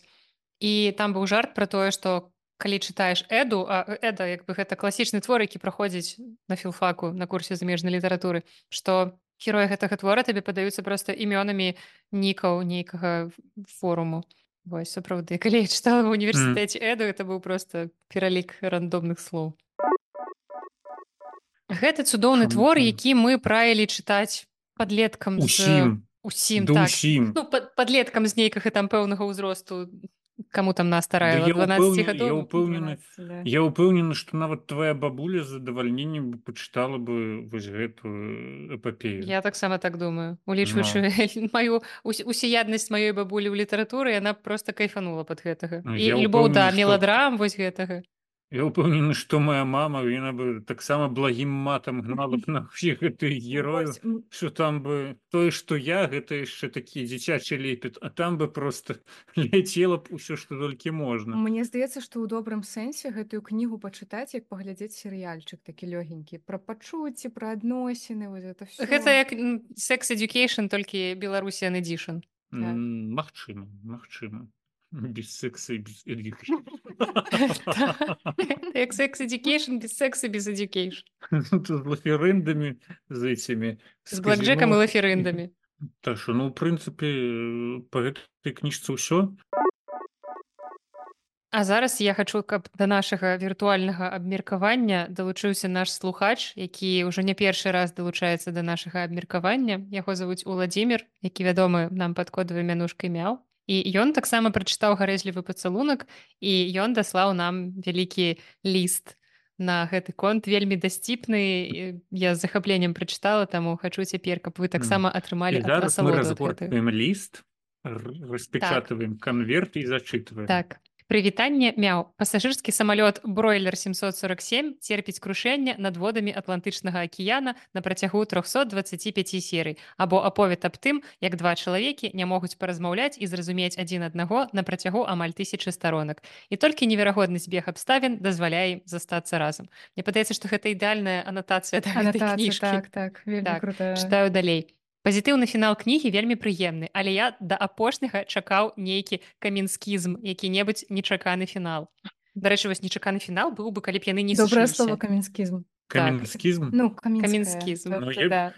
І там быў жарт пра тое, што калі чытаеш эду, а эда як бы гэта класічны твор, які праходзіць на філфаку на курсе замежнай літаратуры, што героі гэтага твора табе падаюцца проста імёнамі нікаў нейкага форуму. Вось сапраўды, калі я чытала ва М. ўніверсітэце эду, это быў проста пералік рандомных слоў. Гэта цудоўны твор, Шумахай. які мы правілі чытаць падлеткам з Усім. усім Да так. ўсім. Ну, пад- падлеткам з нейкага там пэўнага ўзросту, каму там нас Да старае, я дванаццаці ўпэўнены, я гадоў. ўпэўнены, дванадцать, да. я ўпэўнены, што нават твая бабуля з задавальненнем бы пачытала бы вось гэтую эпапею. Я таксама так думаю. Ну, Улічваючы маю ус- усіяднасць маёй бабулі ў літаратуры, яна проста кайфанула пад гэтага. ну, І я любоў да ўпэўнены, што меладрам вось гэтага. я ўпэўнены, што моя мама, яна бы таксама благім матам гнала б на ўсіх гэтых герояў, Вось, м, што там бы тое, што я, гэта яшчэ такі дзіцячы лепет, а там бы проста ляцела б усё, што толькі можна. Мне здаецца, што ў добрым сэнсе гэтую кнігу пачытаць, як паглядзець серыяльчык такі лёгенькі пра пачуцці, пра адносіны, вось гэта Гэта ўсё. як м, Sex Education, толькі Беларусіан Edition. Так. М, Магчыма, магчыма. Без секса і без education. Як Sex Education, без секса, без Education. Тут з лаферындамі, з этими, З з блэкджэкам і казино. лаферындамі. Так що, ну, в прынцыпе, э, па гэтай кніжцы ўсё. А зараз я хачу, каб да нашага віртуальнага абмеркавання далучыўся наш слухач, які ўжо не першы раз далучаецца да нашага абмеркавання. Яго завуць Уладзімір, які вядомы нам пад кодавай мянушкай мяў. І ён таксама прачытаў гарэзлівы пацалунак, і ён даслаў нам вялікі ліст на гэты конт, вельмі дасціпны. і Я з захапленнем прачытала, таму хачу цяпер, каб вы таксама атрымалі І зараз мы асалоду ад гэтага. разгортваем ліст, р- распечатываем конверт і зачитываем. Так. Прывітанне мяў. Пасажырскі самалёт Бройлер семьсот сорок семь церпіць крушэнне над водамі Атлантычнага акіяна на працягу трохсот дваццаці пяці серый, або аповед аб тым, як два чалавекі не могуць паразмаўляць і зразумець адзін аднаго на працягу амаль тысячы старонак. І толькі неверагодны збег абставін дазваляе ім застацца разам. Мне падаецца, што гэта ідэальная анатацыя да гэтай Анатацыя, кніжкі. так, так, вельмі Так, крутая. чытаю далей. Пазітыўны фінал кнігі вельмі прыемны, але я да апошняга чакаў нейкі каменскізм, які-небудзь нечаканы фінал. Дарэчы, вось нечаканы фінал быў бы, калі б яны не Добрае слово сышліся. каменскізм. Каменскізм? Ну, камінская. Каменскізм. То- Ну, то я- да.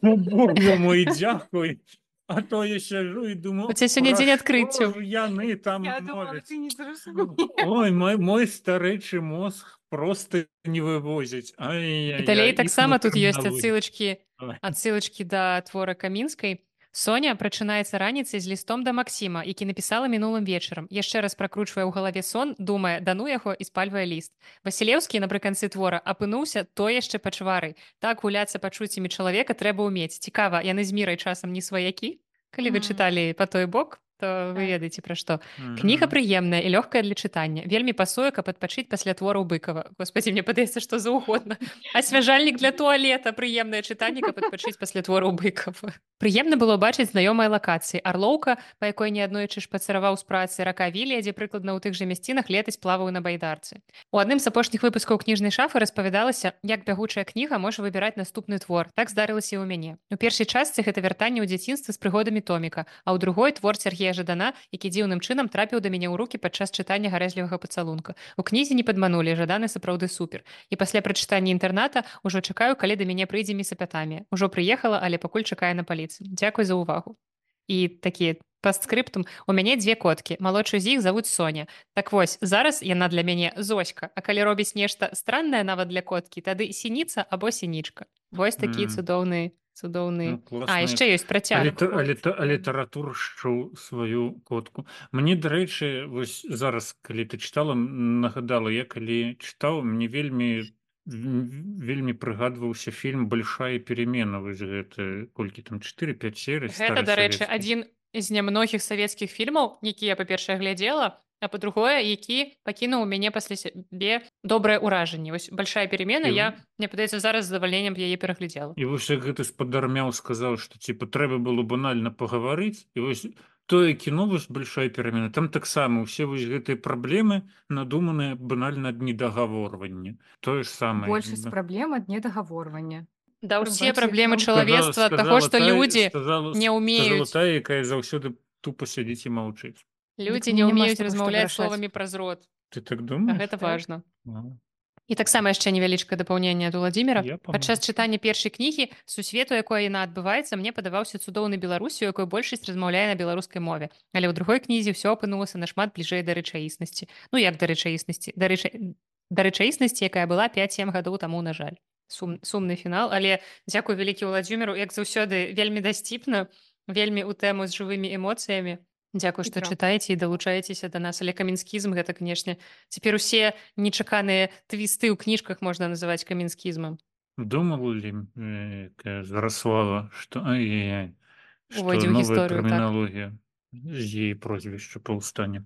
О, Боже мой, дзякуй. А то я сяджу і думаю, У цябе сёння пра дзень што адкрыццяў. ж яны там Я думала, мовяць. ты не зразумееш. Ой, мой, мой старэчы мозг просто не вывозіць. Ай-яй-яй. І далей іх таксама тут ёсць крыміналогія. адсылачкі Ой. адсылачкі да твора Камінскай. Соня прачынаецца раніцай з лістом да Максіма, які напісала мінулым вечарам. Яшчэ раз пракручвае ў галаве сон, думае, дану яго і спальвае ліст. Васілеўскі напрыканцы твора апынуўся то яшчэ пачварай. Так гуляцца пачуццямі чалавека трэба ўмець. Цікава, яны з мірай часам не сваякі? Калі вы Мгм. чыталі па той бок, то вы Так. ведаеце пра што. Мгм. Кніга прыемная і лёгкая для чытання. Вельмі пасуе, каб адпачыць пасля твораў Быкава. Господі, мне падаецца, што заўгодна. Асвяжальнік для туалета, прыемнае чытанне, каб адпачыць пасля твораў Быкава. Прыемна было бачыць знаёмыя лакацыі. Арлоўка, па якой неаднойчы шпацыраваў з працы, рака Вілія, дзе прыкладна ў тых жа мясцінах летась плаваў на байдарцы. У адным з апошніх выпускаў кніжнай шафы распавядалася, як бягучая кніга можа выбіраць наступны твор. Так здарылася і ў мяне. У першай частцы гэта вяртанне ў дзяцінства з прыгодамі Томіка, а ў другой твор Сергея Жадана, які дзіўным чынам трапіў да мяне ў рукі падчас чытання гарэзлівага пацалунка. У кнізе не падманулі, Жаданы сапраўды супер. І пасля прачытання інтэрната ўжо чакаю, калі да мяне прыйдзе місапятамія. Ужо прыехала, але пакуль чакае на паліцы. Дзякуй за ўвагу. І такі пастскрыптум. У мяне дзве коткі. Малодшую з іх завуць Соня. Так вось, зараз яна для мяне Зоська, а калі робіць нешта страннае нават для коткі, тады сініца або сінічка. Вось такі М. цудоўны цудоўны. Ну, класна. А яшчэ ёсць працяг. Аліта, аліта, алітаратуршчыў сваю котку. Мне, дарэчы, вось зараз, калі ты чытала, м, нагадала, я калі чытаў, мне вельмі м, вельмі прыгадваўся фільм «Большая перемена». Вось гэта, колькі там, чатыры-пяць серый, Гэта, стары дарэчы, савецкі. адзін з нямногіх савецкіх фільмаў, які я, па-першае, глядзела, а па-другое, які пакінуў у мяне пасля сябе добрае ўражанне. Вось «Большая перемена», І- я, мне падаецца, зараз з задавальненнем яе пераглядзела. І вось як гэты спадармяў сказаў, што типа трэба было банальна пагаварыць, і вось тое кіно вось «Большая перемена», там таксама ўсе вось гэтыя праблемы надуманыя банальна ад недагаворвання. Тое ж самае. Большасць праблем ад недагаворвання. Да ўсе Прабачце, праблемы ну. чалавецтва ад таго, што тая- людзі сказала- не сказала ўмеюць. тая, якая заўсёды тупа сядзіць і маўчыць. Людзі Дык не няма ўмеюць з таго, што размаўляць вырашаць. словамі праз рот. Ты так А думаешь? гэта Так. важна. А, І таксама яшчэ невялічкае дапаўненне ад Уладзіміра. Я Падчас памылся. чытання першай кнігі сусвету, якой яна адбываецца, мне падаваўся цудоўны Беларусі, у якой большасць размаўляе на беларускай мове. Але ў другой кнізе ўсё апынулася нашмат бліжэй да рэчаіснасці. Ну як да рэчаіснасці, да, рэча... да рэчаіснасці, якая была пяць-сем гадоў таму, на жаль. Сум... Сумны фінал, але дзякуй вялікі Уладзіміру, як заўсёды вельмі дасціпна, вельмі ў тэму з жывымі эмоцыямі. Дзякуй, І што правда. чытаеце і далучаецеся да нас, але каменскізм гэта, канешне, цяпер усе нечаканыя твісты ў кніжках можна называць каменскізмам. Думал ли э, такая Зарослава, что ай-яй-яй, что Увойдзе ў новая гісторыю, так. терминология з її прозвища паўстане.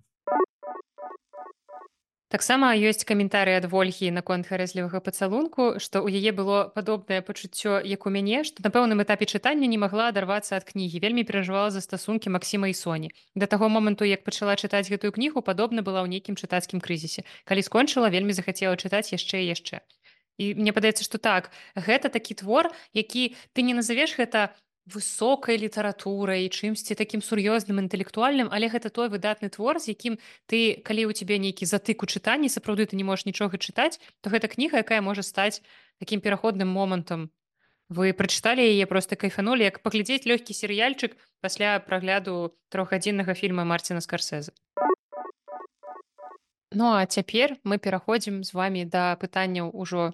Таксама ёсць каментарый ад Вольгі наконт гарэзлівага пацалунку, што ў яе было падобнае пачуццё, як у мяне, што на пэўным этапе чытання не магла адарвацца ад кнігі, вельмі перажывала за стасункі Максіма і Соні. Да таго моманту, як пачала чытаць гэтую кнігу, падобна была ў нейкім чытацкім крызісе. Калі скончыла, вельмі захацела чытаць яшчэ і яшчэ. І мне падаецца, што так, гэта такі твор, які ты не назавеш гэта высокай літаратурай, чымсьці такім сур'ёзным інтэлектуальным, але гэта той выдатны твор, з якім ты, калі ў цябе нейкі затык у чытанні, сапраўды ты не можаш нічога чытаць, то гэта кніга, якая можа стаць такім пераходным момантам. Вы прачыталі яе, проста кайфанулі, як паглядзець лёгкі серыяльчык пасля прагляду трохгадзіннага фільма Марціна Скарсэза. Ну а цяпер мы пераходзім з вамі да пытанняў ужо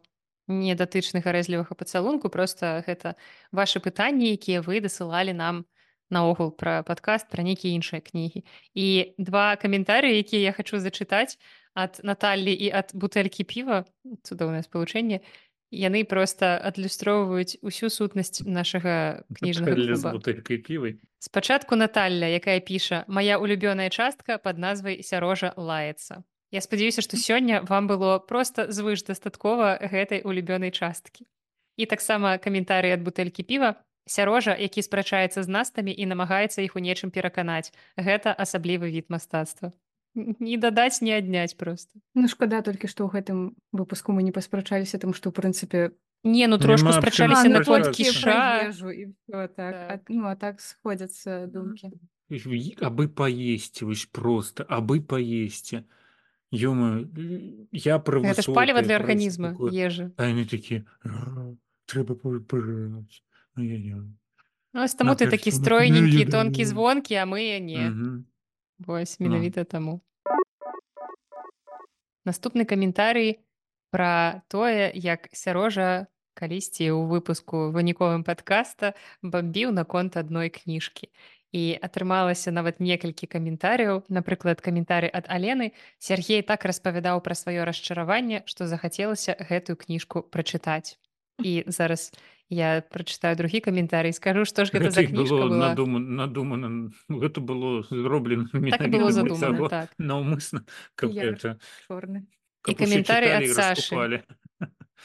не датычных гарэзлівага пацалунку, проста гэта вашы пытанні, якія вы дасылалі нам наогул пра падкаст, пра нейкія іншыя кнігі. І два каментары, якія я хачу зачытаць ад Наталлі і ад бутэлькі піва, цудоўнае спалучэнне, яны проста адлюстроўваюць усю сутнасць нашага кніжнага Наталья з клуба. бутэлькай півай. Спачатку Наталля, якая піша: «Мая улюбёная частка пад назвай «Сярожа лаецца». Я спадзяюся, што сёння вам было проста звыш дастаткова гэтай улюбёнай часткі. І таксама каментарый ад бутэлькі піва: «Сярожа, які спрачаецца з настамі і намагаецца іх у нечым пераканаць. Гэта асаблівы від мастацтва». Не дадаць, не адняць проста. Ну, шкада толькі, што ў гэтым выпуску мы не паспрачаліся, таму што, ў прынцыпе, Не, ну трошку Няма аб чым спрачаліся А, ну, наконт спрачацца. толькі пра кіша. ежу і ўсё так. А, Так. ну, а так сходзяцца думкі. И- Абы поесть, вось просто, абы поесть. Ё-моё, я про Гэта ж паліва высокое, для про арганізма, такое. ежа. А яны такія: «А, трэба пож- пожраць. Ай-яй-яй». Ну, ось таму На, ты кажется, такі ну, стройненькі, ну, тонкі, ну. звонкі, а мы не. Мгм. Вось, Ну. менавіта таму. Наступны каментарый пра тое, як Сярожа калісьці ў выпуску выніковым падкаста бамбіў наконт адной кніжкі. І атрымалася нават некалькі каментарыяў. Напрыклад, каментары ад Алены. Сяргей так распавядаў пра сваё расчараванне, што захацелася гэтую кніжку прачытаць. І зараз я прачытаю другі каментарый, скажу, што ж гэта за Гэта і кніжка было была. надумана, надумана. Гэта было зроблена Так і было менавіта для задумана, таго, так. наўмысна, каб Піяр гэта, чорны. І каб усе каментары чыталі ад і Сашы. раскупалі.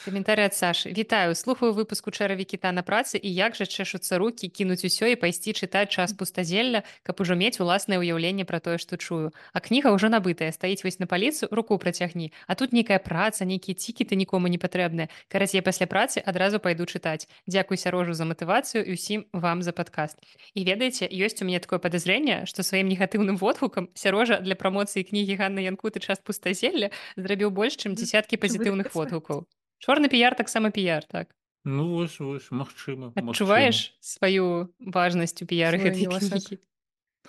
Каментары ад Сашы. Вітаю, слухаю выпуску «Чэраві кіта на працы» і як жа чэшуцца рукі кінуць усё і пайсці чытаць «Час пустазелля», каб ужо мець уласнае ўяўленне пра тое, што чую. А кніга ўжо набытая, стаіць вось на паліцу, руку працягні. А тут нейкая праца, нейкія цікеты нікому не патрэбныя. Карацей, пасля працы адразу пайду чытаць. Дзякуй Сярожу за матывацыю і ўсім вам за падкаст. І ведаеце, ёсць у мяне такое падазрэнне, што сваім негатыўным водгукам Сярожа для прамоцыі кнігі Ганны Янкуты «Час пустазелля» зрабіў больш, чым дзесяткі пазітыўных водгукаў. Чорны піяр таксама піяр, так. Ну, вось, вось, магчыма, магчыма. Адчуваеш сваю важнасць у піяры Свой гэтай унёсак. кнігі?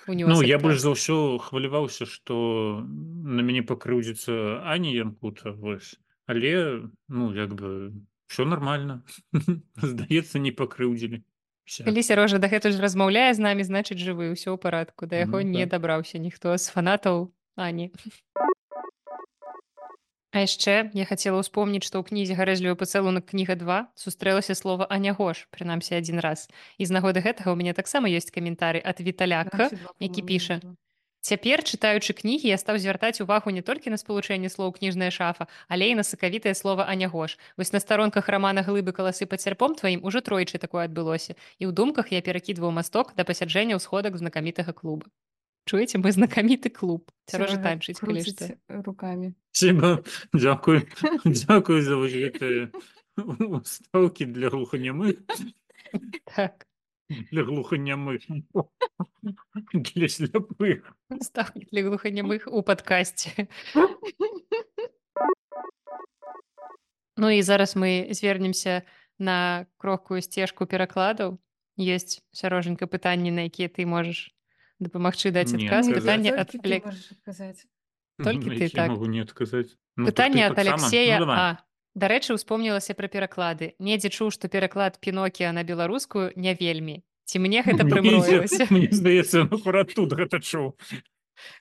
Ну, Унёсак, я так. больш за ўсё хваляваўся, што на мяне пакрыўдзіцца Аня Янкута, вось. Але, ну, як бы, ўсё нармальна. Здаецца, не пакрыўдзілі. Вся. Калі Сярожа дагэтуль размаўляе з намі, значыць жывы, ўсё ў парадку. Да яго Ну, не так. дабраўся ніхто з фанатаў Ані. А яшчэ я хацела ўспомніць, што ў кнізе «Гарэзлівы пацалунак» кніга два сустрэлася слова «Анягош», прынамсі адзін раз. І з нагоды гэтага ў мяне таксама ёсць каментары ад Віталяка, які піша: «Цяпер, чытаючы кнігі, я стаў звяртаць увагу не толькі на спалучэнне слоў «кніжная шафа», але і на сакавітае слова «Анягош». Вось на старонках рамана «Глыбы каласы пад сярпом тваім» ужо тройчы такое адбылося. І ў думках я перакідваў масток да пасяджэння ў сходах знакамітага клуба. Чуеце, мы знакаміты клуб. Сярожа танчыць, калі што. рукамі. Спасибо, дзякуй. Дзякуй за вось гэтыя ўстаўкі для глуханямых. Так. Для глуханямых. Для сляпых. Ставкі для глуханямых у падкасці. Ну і зараз мы звернемся на крохкую сцежку перакладаў. Ёсць, Сярожанька, пытанні, на якія ты можаш дапамагчы даць Не адказ. Не, адказаць. Пытанне ад толькі ты Алек... можаш адказаць. Толькі На ты, які я так. магу не адказаць. Ну так ты Пытанне ад таксама. Ну Алексея давай. А. Дарэчы, успомнілася пра пераклады. Недзе чуў, што пераклад Пінокія на беларускую не вельмі. Ці мне гэта Мне прымроілася? мне здаецца, ён акурат тут гэта чуў.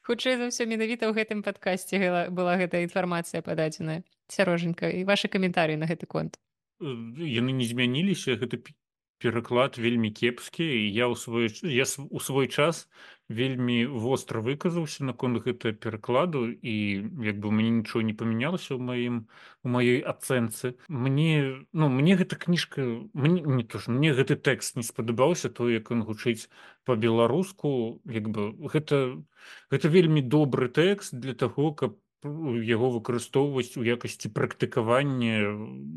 Хутчэй за ўсё, менавіта ў гэтым падкасці гела- была гэта інфармацыя пададзеная. Сярожанька, і вашы каментарыі на гэты конт. Э, яны не змяніліся, гэта пе- пераклад вельмі кепскі, і я ў свой ч- я с- у свой час вельмі востра выказаўся наконт гэта перакладу, і як бы мне нічого не памянялася ў маім у маёй ацэнцы. Мне ну мне гэта кніжка мне не то ж мне гэты тэкст не спадабаўся, то як ён гучыць па-беларуску, як бы гэта гэта вельмі добры тэкст для таго, каб ну, яго выкарыстоўваць у якасці практыкавання,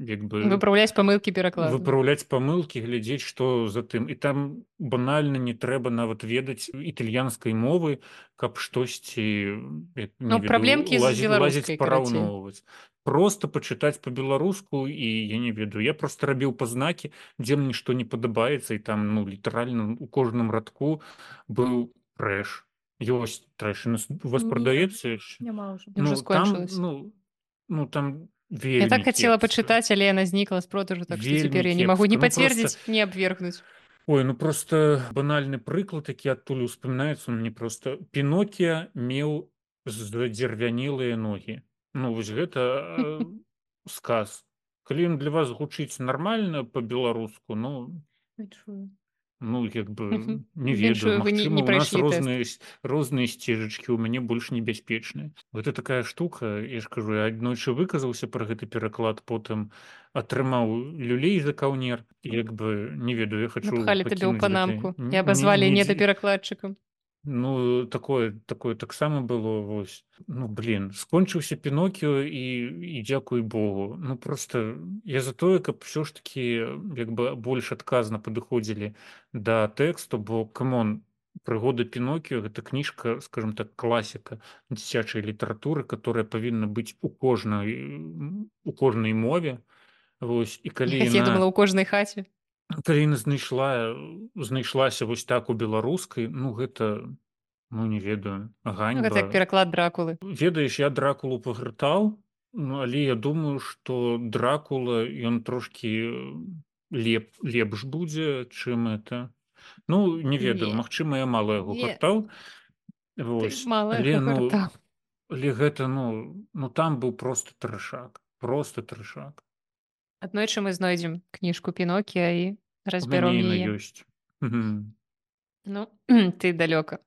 як бы Выпраўляць памылкі перакладу. выпраўляць памылкі, глядзець, што за тым. І там банальна не трэба нават ведаць італьянскай мовы, каб штосьці як, не Ну, праблемкі з лазіць, беларускай, лазіць карацей. параўноўваць. Просто пачытаць па-беларуску, і я не ведаю. Я просто рабіў пазнакі, дзе мне што не падабаецца, і там ну літаральна у кожным радку быў трэш. Ёсць трэш. У нас- у вас Не, прадаецца яшчэ? Няма ўжо. Уже Ну там скончылась. ну ну там Я вельмі так хацела кепска. пачытаць, але яна знікла з продажу, так што Вельмі цяпер я не магу ні кепска. Ну, просто- пацвердзіць, ні абвергнуць. Ой, ну просто банальны прыклад, які адтуль успамінаецца мне просто Пінокія меў задзервянелыя ногі. Ну вось гэта э, сказ. Калі ён для вас гучыць нармальна па-беларуску, ну Не чую. ну як бы Мгм. не Віншую, ведаю, вы не- магчыма, не у нас прайшлі тэст. розныя с- розныя сцежачкі, у мяне больш небяспечныя. Гэта такая штука, я ж кажу, я аднойчы выказаўся пра гэты пераклад, потым атрымаў люлей за каўнер, як бы не ведаю, я хочу Напхалі табе ў пакінуць панамку гэты- і Ні- абазвалі ні- недаперакладчыкам. Ну такое такое таксама было вось. Ну блин, скончыўся Пінокіо і і дзякуй Богу. Ну просто я за тое, каб все ж таки як бы больш адказна падыходзілі да тэксту, бо камон, прыгоды Пінокіо гэта кніжка, скажем так, класіка дзіцячай літаратуры, которая павінна быць у кожнай м, у кожнай мове. Вось і калі Я яна думала, у кожнай хаце. калі яна знайшла знайшлася вось так у беларускай, ну гэта ну не ведаю, Ну, ганьба. гэта як пераклад дракулы. Ведаеш, я дракулу пагрытаў, ну, але я думаю, што дракула ён трошкі э, леп лепш будзе, чым это. Ну не ведаю, Не. магчыма, я мала яго Не. гартаў. Ты Вось. мала Але яго ну гартаў. але гэта ну ну там быў просто трэшак, просто трэшак. Аднойчы мы знойдзем кніжку Пінокія і У мяне разбяром яна яе. ёсць. Мгм. Ну, ты далёка.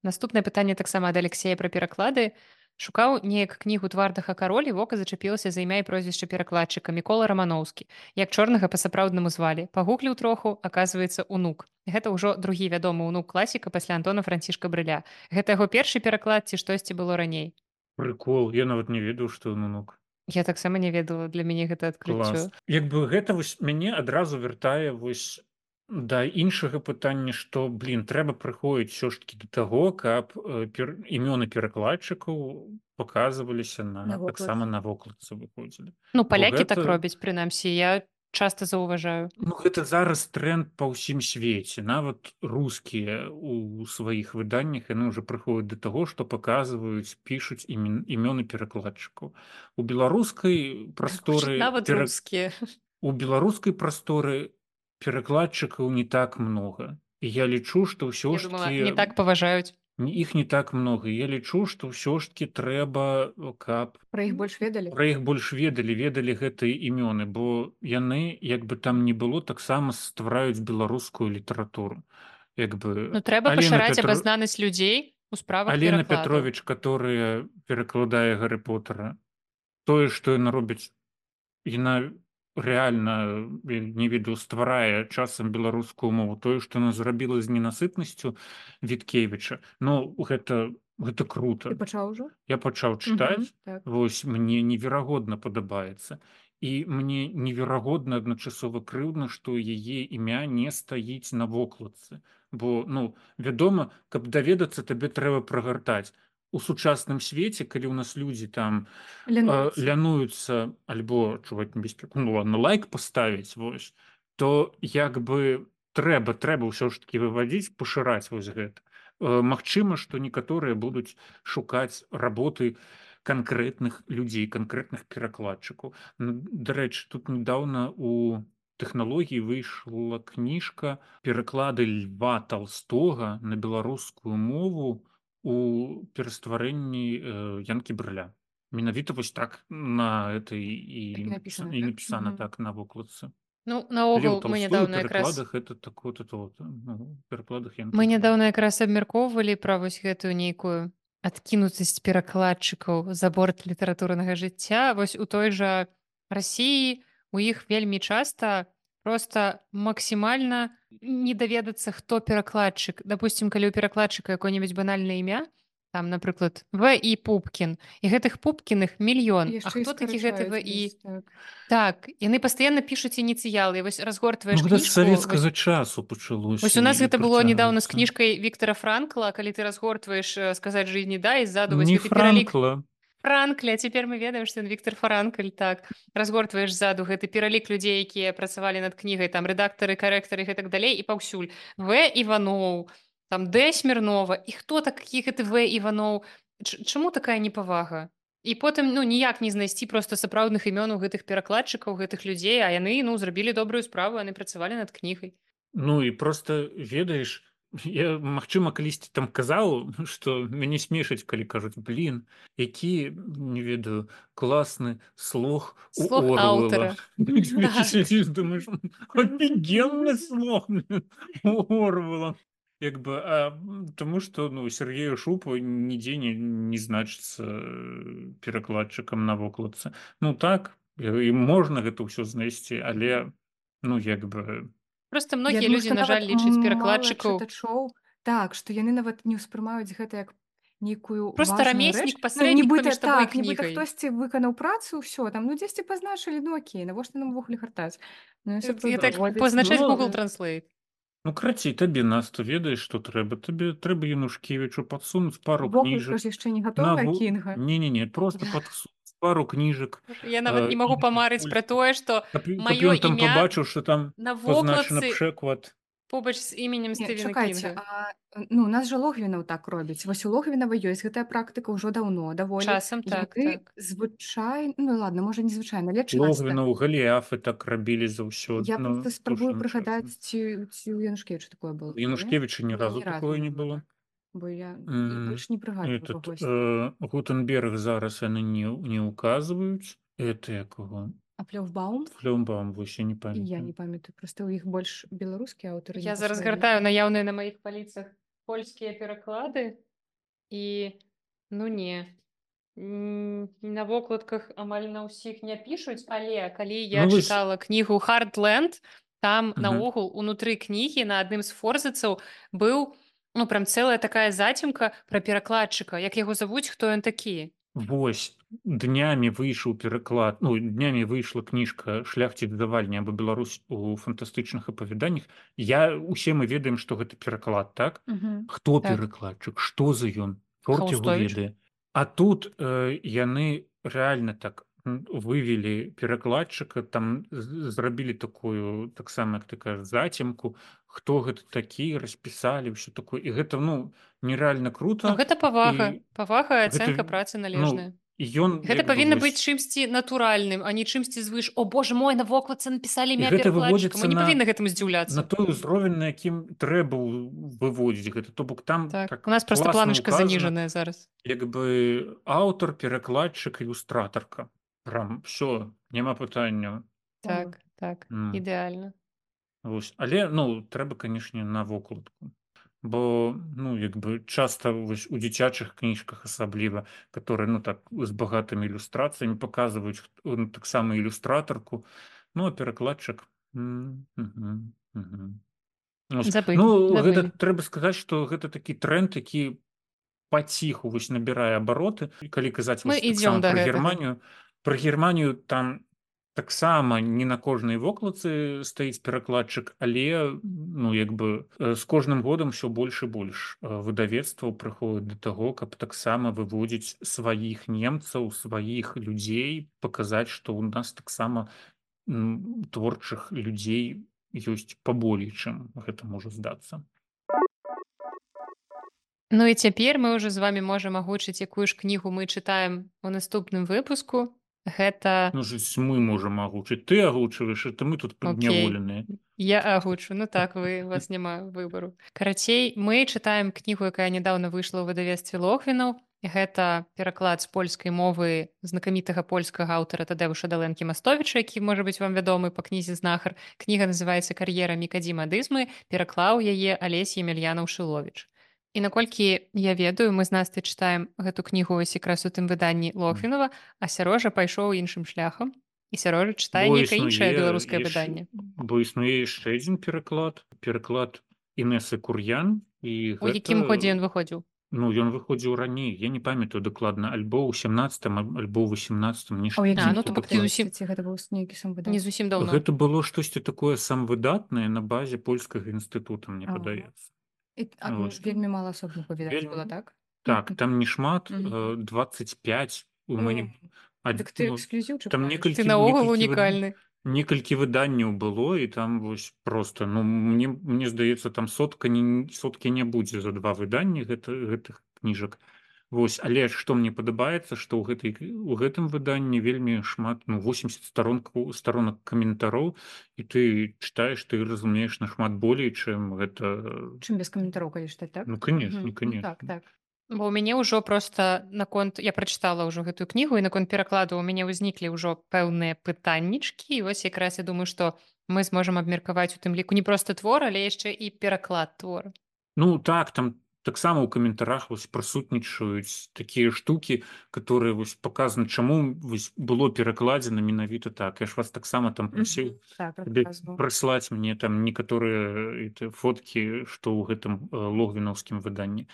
Наступнае пытанне таксама ад Алексея пра пераклады. Шукаў неяк кнігу «Твардага кароль» і вока зачапілася за імя і прозвішча перакладчыка Мікола Раманоўскі. Як чорнага па-сапраўднаму звалі. Пагугліў троху, аказваецца, унук. Гэта ўжо другі вядомы унук класіка пасля Антона Францішка Брыля. Гэта яго першы пераклад ці штосьці было раней? Прыкол, я нават не ведаў, што ён унук. Я таксама не ведала, для мяне гэта адкрыццё. Клас. Як бы гэта вось мяне адразу вяртае вось да іншага пытання, што блин, трэба прыходзіць ўсё ж таки да таго, каб э, пер... імёны перакладчыкаў паказваліся на, На таксама вокладцы. на вокладцы выходзілі. Ну, Бо палякі так гэта- робяць, прынамсі, я часта заўважаю. Ну гэта зараз тренд па ўсім свеце. Нават рускія у сваіх выданнях яны ўжо прыходзяць да таго, што паказваюць, пішуць імен... імёны перакладчыкаў. У беларускай прасторы Нават пера- рускія. у беларускай прасторы перакладчыкаў не так много. І я лічу, што ўсё Я ж думала, таки не так паважаюць. іх не так много. Я лічу, што ўсё ж таки трэба, каб Пра іх больш ведалі? пра іх больш ведалі, ведалі гэтыя імёны, бо яны, як бы там не было, таксама ствараюць беларускую літаратуру. Як бы Ну, трэба Алена пашыраць Петро- абазнанасць людзей у справах Алена перакладаў. Петрович, которая перакладае Гаррі Поттера, тое, што яна робіць, яна рэальна э, не ведаю, стварае часам беларускую мову, тое, што яна зрабіла з ненасытнасцю Віткевіча. Ну гэта гэта Ты круто. пачаў ужо? Я пачаў чытаць, Так. вось мне неверагодна падабаецца. І мне неверагодна адначасова крыўдна, што яе імя не стаіць на вокладцы. Бо ну вядома, каб даведацца, табе трэба прагартаць. у сучасным свеце, калі ў нас людзі там э, Лянуюцца. лянуюцца альбо чуваць небяспеку, ну ладно, лайк паставіць, вось, то як бы трэба трэба ўсё ж таки выводзіць, пашыраць вось гэта. Э, Магчыма, што некаторыя будуць шукаць работы канкрэтных людзей, канкрэтных перакладчыкаў. Ну, дарэчы, тут недавно у тэхналогіі выйшла кніжка пераклады Льва Толстога на беларускую мову у перастварэнні э, Янкі Брыля. Менавіта вось так на этой Так і і, напісана, і так? напісана Мгм. так на вокладцы. Ну, Леў наогул, мы Толстой у нядаўна якраз перакладах это так вот это вот, ну, перакладах Янкі мы Брыля. нядаўна якраз абмяркоўвалі пра вось гэтую нейкую адкінутасць перакладчыкаў за борт літаратурнага жыцця. Вось у той жа Расіі у іх вельмі часта просто максімальна не даведацца, хто перакладчык. Дапусцім, калі ў перакладчыка якое-небудзь банальнае імя, там, напрыклад, В і Пупкін, і гэтых Пупкіных мільён. А Яшчэ і хто такі гэты В скарачаюць і? весь, так. Так, яны пастаянна пішуць ініцыялы. І вось разгортваеш Ну гэта ж кніжку, вось савецкага часу Вось пачалося у нас і гэта было недавно з працягваецца. кніжкай Віктора Франкла, калі ты разгортваеш э, сказаць жизни да, і ззаду вось Не гэты пералік Франкла. Франкля, цяпер мы ведаем, што ён Віктор Франкль, так. Разгортваеш ззаду гэты пералік людзей, якія працавалі над кнігай, там рэдактары, карэктары і гэтак далей, і паўсюль. В Іваноў, там Д Смірнова, і хто такі гэты В Іваноў? Ч- Чаму такая непавага? І потым ну ніяк не знайсці проста сапраўдных імёнаў гэтых перакладчыкаў, гэтых людзей, а яны ну зрабілі добрую справу, яны працавалі над кнігай. Ну і просто ведаеш, я магчыма калісьці там казаў, што мяне смешаць, калі кажуць блин, які не ведаю класны слог у Слог Орвела. аўтара. Так. Думаешь, офігенны слог блин, у Орвела. Як бы, а, м, тому што ну Сергею Шупу нідзе не, не значыцца э, перакладчыкам на вокладцы. Ну так, і можна гэта ўсё знайсці, але ну як бы Проста Я многія думаю, людзі, што на жаль, нават лічаць мала перакладчыкаў чытачоў, так, што яны нават не ўспрымаюць гэта як нейкую проста важную рэч. рамеснік, Ну, пасрэднік нібыта паміж табой і так, нібыта кнігай. хтосьці выканаў працу, ўсё, там, ну, дзесьці пазначылі, ну, окей, навошта нам увогуле гартаць? Ну, і Э, сапраўды, І так даводзіць, пазначаць ну, Google да. Translate. ну крацей табе нас то ведаеш, што трэба. Табе трэба Янушкевічу падсунуць пару Вокладка кніжак. ж яшчэ не На гатовая, во... Кінга. Не-не-не, просто падсунуць пару кніжак. Я нават э, не магу іншых памарыць пра польскіх. тое, што Каб, каб маё ён там імя пабачыў, што там на пазначана вокладцы пшэклад. побач з іменем Не, Стывена чакайце, Кінга. а, ну, у нас жа Логвінаў так робіць. Вось у Логвінава ёсць гэтая практыка ўжо даўно, даволі. Часам так, Яны так. звычайна, ну, ладно, можа, не звычайна, але часта. Логвінаў, Галіафы так рабілі заўсёды. Я Ну, проста спрабую апошнім прыгадаць, часам. ці, ці у Янушкевіча такое было. У Янушкевіча ні Не, разу ні разу такое не не было. было. Так. Бо я М, больш не прыгадваю Этот кагосьці. э, Гутенберг зараз яны не, не указваюць. Это якого? А Плёвбаум? Флёмбаум, вось я не І я памятаю. не памятаю. Проста ў іх больш беларускія аўтары. Я не зараз пасваілі. гартаю наяўныя на маіх паліцах польскія пераклады і ну не. М, На вокладках амаль на ўсіх не пішуць, але калі я Ну, вось- чытала кнігу Hardland, там Мгм. наогул унутры кнігі на адным з форзацаў быў ну прям цэлая такая зацімка пра перакладчыка, як яго завуць, хто ён такі. Вось днямі выйшаў пераклад, ну днямі выйшла кніжка шляхціц давальня або Беларусь у фантастычных апавяданнях. Я усе мы ведаем, што гэта пераклад, так? Мгм. Хто Так. перакладчык, што за ён, чорт яго Хаустовіч. ведае. А тут э, яны рэальна так м, вывелі перакладчыка, там з- зрабілі такую таксама, як ты кажаш, зацемку, хто гэта такі, распісалі ўсё такое. І гэта ну нереальна круто. Ну, гэта павага, І павага і гэта, ацэнка працы ну, належная. і ён Гэта як бы павінна вось- быць чымсьці натуральным, а не чымсьці звыш. О боже мой, на вокладцы напісалі І імя гэта перакладчыка. выводзіцца Мы не на- павінны гэтаму на здзіўляцца. той узровень, на якім трэба ў- выводзіць гэта. То бок там Так. так У нас просто класна планочка указана, заніжаная зараз. як бы аўтар, перакладчык, ілюстратарка. Прям все, няма пытання. Так, так, М. ідэальна. Вось. Але ну трэба, канешне, на вокладку. Бо ну як бы часта вось у дзіцячых кніжках асабліва, которые ну так з багатымі ілюстрацыямі паказваюць хто- ну, таксама ілюстратарку, ну а перакладчык м, мгм, мгм. Вось. Забылі, Ну гэта забылі. трэба сказаць, што гэта такі тренд, які паціху вось набірае абароты. І калі казаць Мы вось ідзём таксама да пра гэтага. Германію, пра Германію там Таксама не на кожнай вокладцы стаіць перакладчык, але ну як бы э, з кожным годам усё больш і больш э, выдавецтваў прыходзіць да таго, каб таксама выводзіць сваіх немцаў, сваіх людзей, паказаць, што ў нас таксама м, творчых людзей ёсць паболей, чым гэта можа здацца. Ну і цяпер мы ўжо з вами можам агучыць, якую ж кнігу мы чытаем у наступным выпуску. Гэта Ну ж мы можам агучыць, ты агучваеш, это мы тут Окей. падняволеныя. Я агучу. Ну так, вы, у вас няма выбару. Карацей, мы чытаем кнігу, якая нядаўна выйшла ў выдавецтве Логвінаў. Гэта пераклад з польскай мовы знакамітага польскага аўтара Тадэвуша Далэнкі-Мастовіча, які можа быць вам вядомы па кнізе знахар. Кніга называецца «Кар'ера Мікадзіма Дызмы», пераклаў яе Алесь Емельянаў-Шыловіч. І наколькі я ведаю, мы з Настай чытаем гэту кнігу ось якраз у тым выданні Логвінава, а Сярожа пайшоў іншым шляхам. І Сярожа чытае Бо нейкае іншае існуе беларускае яш- выданне. Бо існуе яшчэ адзін пераклад, пераклад Інесы Кур'ян, і У якім годзе ён гэта выходзіў? ну ён выходзіў раней, я не памятаю дакладна, альбо ў сямнадцатым, аль- альбо ў васемнадцатым, А ў нешта якім А, ну, нешта то годзе, фактычна такое. зусім- кстати, гэта быў нейкі сам Не выдаць? зусім даўно. Гэта было штосьці такое самвыдатнае на базе польскага інстытута, мне А. падаецца. І, а Вось. вельмі мала асобных відаць Вельмі- было, так? Так, там не шмат, Мгм. э, двадцать пять у мяне. ад- Дык ты ну, эксклюзіў там чакаеш? некалькі- Ты наогул некалькі выд- унікальны. Некалькі выданняў было, і там вось просто ну мне мне здаецца там сотка не соткі не будзе за два выданні гэта гэтых кніжак. Вось, але што мне падабаецца, што ў гэтай у гэтым выданні вельмі шмат, ну восемьдесят сторонку сторонак каментароў, і ты чытаеш, ты разумееш нашмат болей, чым гэта. Чым без каментароў, калі чытаць, так? Ну конечно, Мгм. Ну, конечно. так, так. Бо ў мяне ўжо проста наконт я прачытала ўжо гэтую кнігу і наконт перакладу ў мяне ўзніклі ўжо пэўныя пытаннічкі. І вось якраз я думаю, што мы зможам абмеркаваць у тым ліку не проста твор, але яшчэ і пераклад твора. Ну так, там таксама ў каментарах вось прысутнічаюць такія штукі, которые вось паказаны, чаму вось было перакладзена менавіта так. Я ж вас таксама там прасіў Мгм. Так, табе расказваў. прыслаць мне там некаторыя эти фоткі, што ў гэтым э, логвінаўскім выданні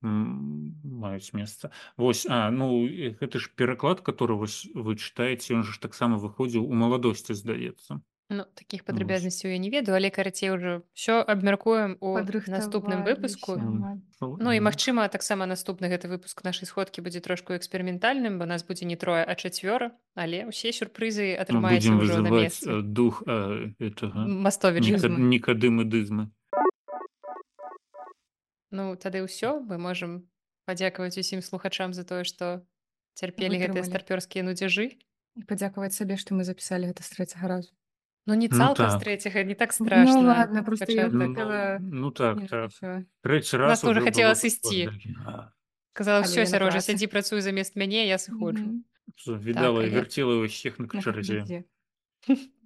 м, маюць месца. Вось, а ну і гэты ж пераклад, который вось вы чытаеце, ён же ж таксама выходзіў у маладосці, здаецца. Ну, такіх падрабязнасцяў я не ведаю, але карацей ўжо ўсё абмяркуем у наступным выпуску. Падрыхтаваліся. Ну і магчыма, таксама наступны гэты выпуск нашай сходкі будзе трошку эксперыментальным, бо нас будзе не трое, а чацвёра, але ўсе сюрпрызы Мы атрымаеце будзем ўжо на вызываць месцы. э, дух э, этого Мастовіча. Ніка- Дызмы. Нікадымы дызмы. Ну, тады ўсё, мы можам падзякаваць усім слухачам за тое, што цярпелі гэтыя Вытрымалі. старпёрскія нудзяжы. І падзякаваць сабе, што мы запісалі гэта з трэцяга разу. Ну, не Ну цалкам з так. трэцяга, не так Ну страшна. ладно, просто я пачатак. Ну, хотела... ну так, Не, так. всё. Трэці Нас раз тоже уже хотела было сысці. такі, а, Казала, Але все, я на Сярожа, працы. сядзі, працуй замест мяне, я сыходжу. Мгм. що Відала Так, і але- вертіла усіх на На чарзе. кахвезе.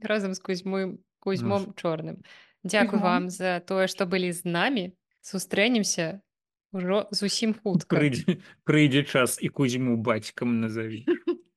Разам з Кузьмой, Кузьмом Чорным. Дзякуй Кузьмом? вам за тое, што былі з намі. Сустрэнемся ўжо зусім хутка. Прыйдзе, прыйдзе час і Кузьму бацькам назаві.